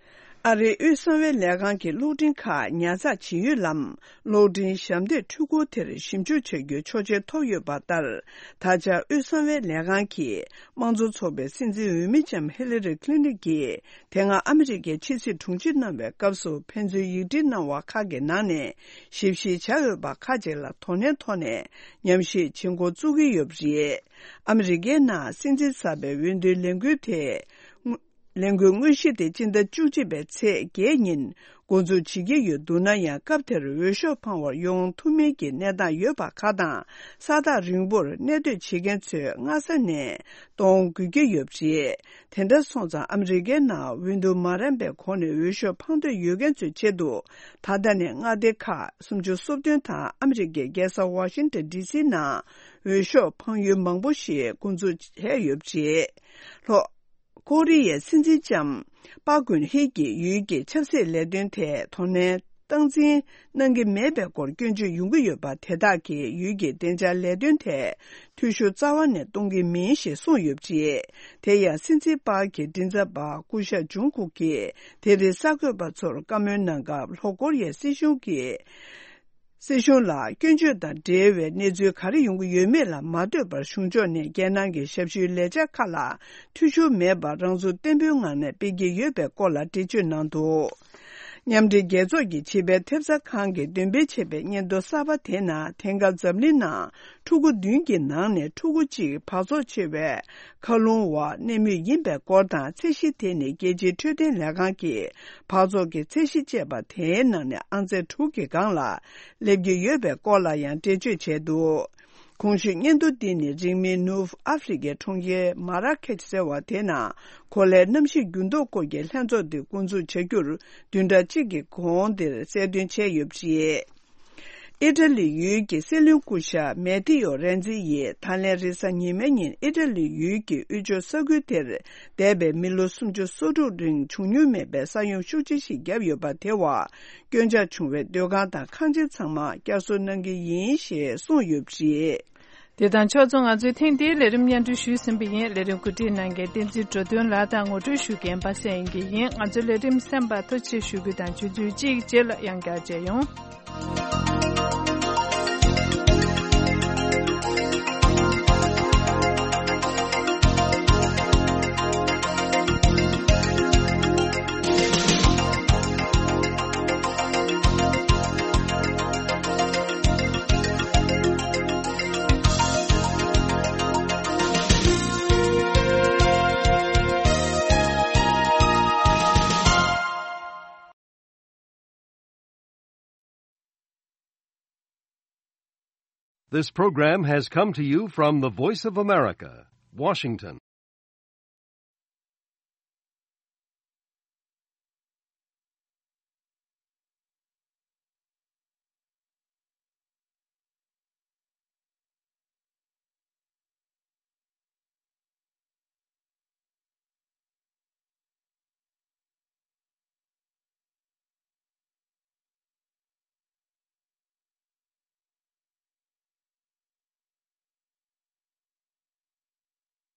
ཨ་རིའི་དབུས་གསང་བའི་ལས་ཁང་གི་གློག་འཕྲིན་ཁག་ཉར་ཚགས་བྱེད་ཡུལ་ལམ་གློག་འཕྲིན་ཞབས་འདེགས་འཕྲུལ་འཁོར་དེར་ཞིབ་འཇུག་བྱ་རྒྱུའི་ཆོག་མཆན་ཐོབ་ཡོད་པ་ལྟར། ད་ཆ་དབུས་གསང་བའི་ལས་ཁང་གིས་དམངས་གཙོ་ཚོགས་པའི་སྲིད་འཛིན་འོས་མི་ལྕམ་ཧི་ལི་རི་ཁི་ལིན་ཊོན་གྱིས་དེ་སྔ་ཨ་མི་རི་ཀའི་ཕྱི་སྲིད་དྲུང་ཆེ་གནང་བའི་སྐབས་སུ་ཕན་ཚུན་ཡིག་འབྲེལ་གནང་བ་ཁག་གི་ནང་ནས་ཞིབ་བཤེར་བྱ་འོས་པ་ཁག་ཅིག་ལ་དོ་ནན་ཐོག་ནས་ཉམས་ཞིབ་བྱེད་འགོ་བཙུགས་ཀྱི་ཡོད་པ་རེད། ཨ་མི་རི་ཀའི་ནང་སྲིད་འཛིན་གསར་པའི་འོས་བསྡུའི་ལས་འགུལ་དེ། ལས་འགུལ་དངོས་གཞི་དེ་སྤྱི་ཟླ་བཅུ་གཅིག་པའི་ཚེས་བརྒྱད་ཉིན་འགོ་འཛུགས་བྱེད་ཀྱི་ཡོད་འདུག་ན་ཡང་། སྐབས་དེར་འོས་ཤོག་འཕང་བར་ཡོང་ཐུབ་མིན་གྱི་གནས་སྟངས་ཡོད་པ་ཁག་དང་། ས་ཐག་རིང་པོར་གནས་སྡོད་བྱེད་མཁན་ཚོས་སྔ་ས་ནས་གཏོང་དགོས་ཀྱི་ཡོད་པ་རེད། དེ་འདྲ་སོང་ཙང་ཨ་མི་རི་ཀའི་ནང་འོས་བསྡུ་མ་རན་པའི་སྒོ་ནས་འོས་ཤོག་འཕང་འདོད་ཡོད་མཁན་ཚོའི་ཆེད་དུ། ད་ལྟ་ནས་མངའ་སྡེ་ཁག་སུམ་ཅུ་སོ་བདུན་དང་ཨ་མི་རི་ཀའི་རྒྱལ་ས་ཝ་ཤིང་ཊོན་ཌི་སི་ནང་འོས་ཤོག་འཕང་ཡུལ་མང་པོ་ཞིག་འགོ་འཛུགས་བྱས་ཡོད་པ་རེད། ལྷོ། ཀོ་རི་ཡའི་སྲིད་འཛིན་ལྕམ་པཱ་ཀུན་ཧེ་ཀྱིས་ཡུལ་གྱི་ཆབ་སྲིད་ལས་དོན་ཐད་དོ་ནན་སྟངས་འཛིན་གནང་གི་མེད་པའི་སྐོར་སྐྱོན་བརྗོད་ཡོང་གི་ཡོད་པ་དེ་དག་གིས་ཡུལ་གྱི་བདེ་འཇགས་ལས་དོན་ཐད་འཐུས་ཤོར་རྩ་བ་ནས་གཏོང་གི་མིན་ཞེས་གསུངས་ཡོད་པ་རེད། དེ་ཡང་སྲིད་འཛིན་པཱ་ཀྱི་མགྲིན་ཚབ་པ་སྐུ་ཞབས་ཇུང་ཀུག་གིས་དེ་རིང་གསར་འགོད་པ་ཚོར་བཀའ་མོལ་གནང་སྐབས། ལྷོ་ཀོ་རི་ཡའི་སྲིད་གཞུང་གིས། སྲིད་གཞུང་ལ་སྐྱོན་བརྗོད་དང་འབྲེལ་བའི་གནས་ཚུལ་ག་རེ་ཡོང་གི་ཡོད་མེད་ལ་མ་ལྟོས་པར། གཞུང་ཕྱོགས་ནས་རྒྱལ་ནང་གི་ཞབས་ཞུའི་ལས་འཆར་ཁག་ལ་འཐུས་ཤོར་མེད་པར་རང་ཚུགས་བརྟན་པོའི་ངང་ནས་སྤེལ་གྱི་ཡོད་པའི་སྐོར་ལ་འགྲེལ་བརྗོད་གནང་འདུག། མཉམ་འབྲེལ་རྒྱལ་ཚོགས་ཀྱི་བྱིས་པའི་ཐེབས་རྩ་ཁང་གིས་འདོན་སྤེལ་བྱས་པའི་སྙན་ཐོ་གསར་པ་དེ་ནང་། དེང་སྐབས་འཛམ་གླིང་ནང་ཕྲུ་གུ་བདུན་གྱི་ནང་ནས་ཕྲུ་གུ་གཅིག་འབག་བཙོག་ཆེ་བའི་མཁའ་རླུང་འོག་གནས་མུས་ཡིན་པའི་སྐོར་དང་། ཚད་གཞི་དེ་ནི་རྒྱལ་སྤྱིའི་འཕྲོད་བསྟེན་ལས་ཁང་གིས་འབག་བཙོག་གི་ཚད་གཞི་བཅས་པ་དེའི་ནང་ནས་ཨང་ཚད་དྲུག་གི་སྒང་ལ་སླེབས་ཀྱི་ཡོད་པའི་སྐོར་ལ་ཡང་འགྲེལ་བརྗོད་བྱས་འདུག། གོང་ཞུས་སྙན་ཐོ་འདི་ནི་རིང་མིན་ནུབ་ཨ་ཧྥེ་རི་ཀའི་གྲོང་ཁྱེར་མ་ར་ཁེཆ་ཟེར་བ་དེ་ནང་གོ་ལའི་གནམ་གཤིས་འགྱུར་ལྡོག་སྐོར་གྱི་ལྷན་ཚོགས་འདི་འགོ་འཛུགས་བྱ་རྒྱུར་བདུན་ཕྲག་གཅིག་གི་གོང་དེར་གསལ་སྟོན་བྱས་ཡོད་པ་རེད། ཨི་ཊ་ལི་ཡུལ་གྱི་སྲིད་བློན་སྐུ་ཞབས་མེ་ཏི་ཡོ་རེན་ཛི་ཡིས་ད་ལན་རེས་གཟའ་ཉི་མའི་ཉིན་ཨི་ཊ་ལི་ཡུལ་གྱི་དབུས་ཕྱོགས་ས་ཁུལ་དེར་འདས་པའི་མི་ལོ་སུམ་ཅུ་སོ་དྲུག་རིང་བྱུང་མྱོང་མེད་པའི་ས་ཡོམ་ཤུགས་ཆེ་ཞིག་བརྒྱབ་ཡོད་པ་དེ་བ། སྐྱོན་ཆག་བྱུང་བའི་སྡོད་ཁང་དང་ཁང་ཆེན་ཚང་མ་བསྐྱར་གསོ་གནང་གི་ཡིན་ཞེས་གསུངས་ཡོད་པ་རེད། དེ་དང་ཕྱོགས་མཚུངས་ང་ཚོས་ཐེངས་འདིའི་ལས་རིམ་སྙན་སྒྲོན་ཞུས་ཟིན་པ་ཡིན། ལས་རིམ་གོ་སྒྲིག་གནང་མཁན་བསྟན་འཛིན་འགྲོ་དོན་ལགས་དང་ངོ་སྤྲོད་ཞུ་མཁན་པ་སངས་དབྱངས་སྐྱིད་ཡིན། ང་ཚོའི་ལས་རིམ་གསན་པར་ཐུགས་རྗེ་ཆེ་ཞུ་རྒྱུ་དང་ཆུ་ཚོད་གཅིག་རྗེས་ལ་ཡང་བསྐྱར་མཇལ་ཡོང་། This program has come to you from the Voice of America, Washington.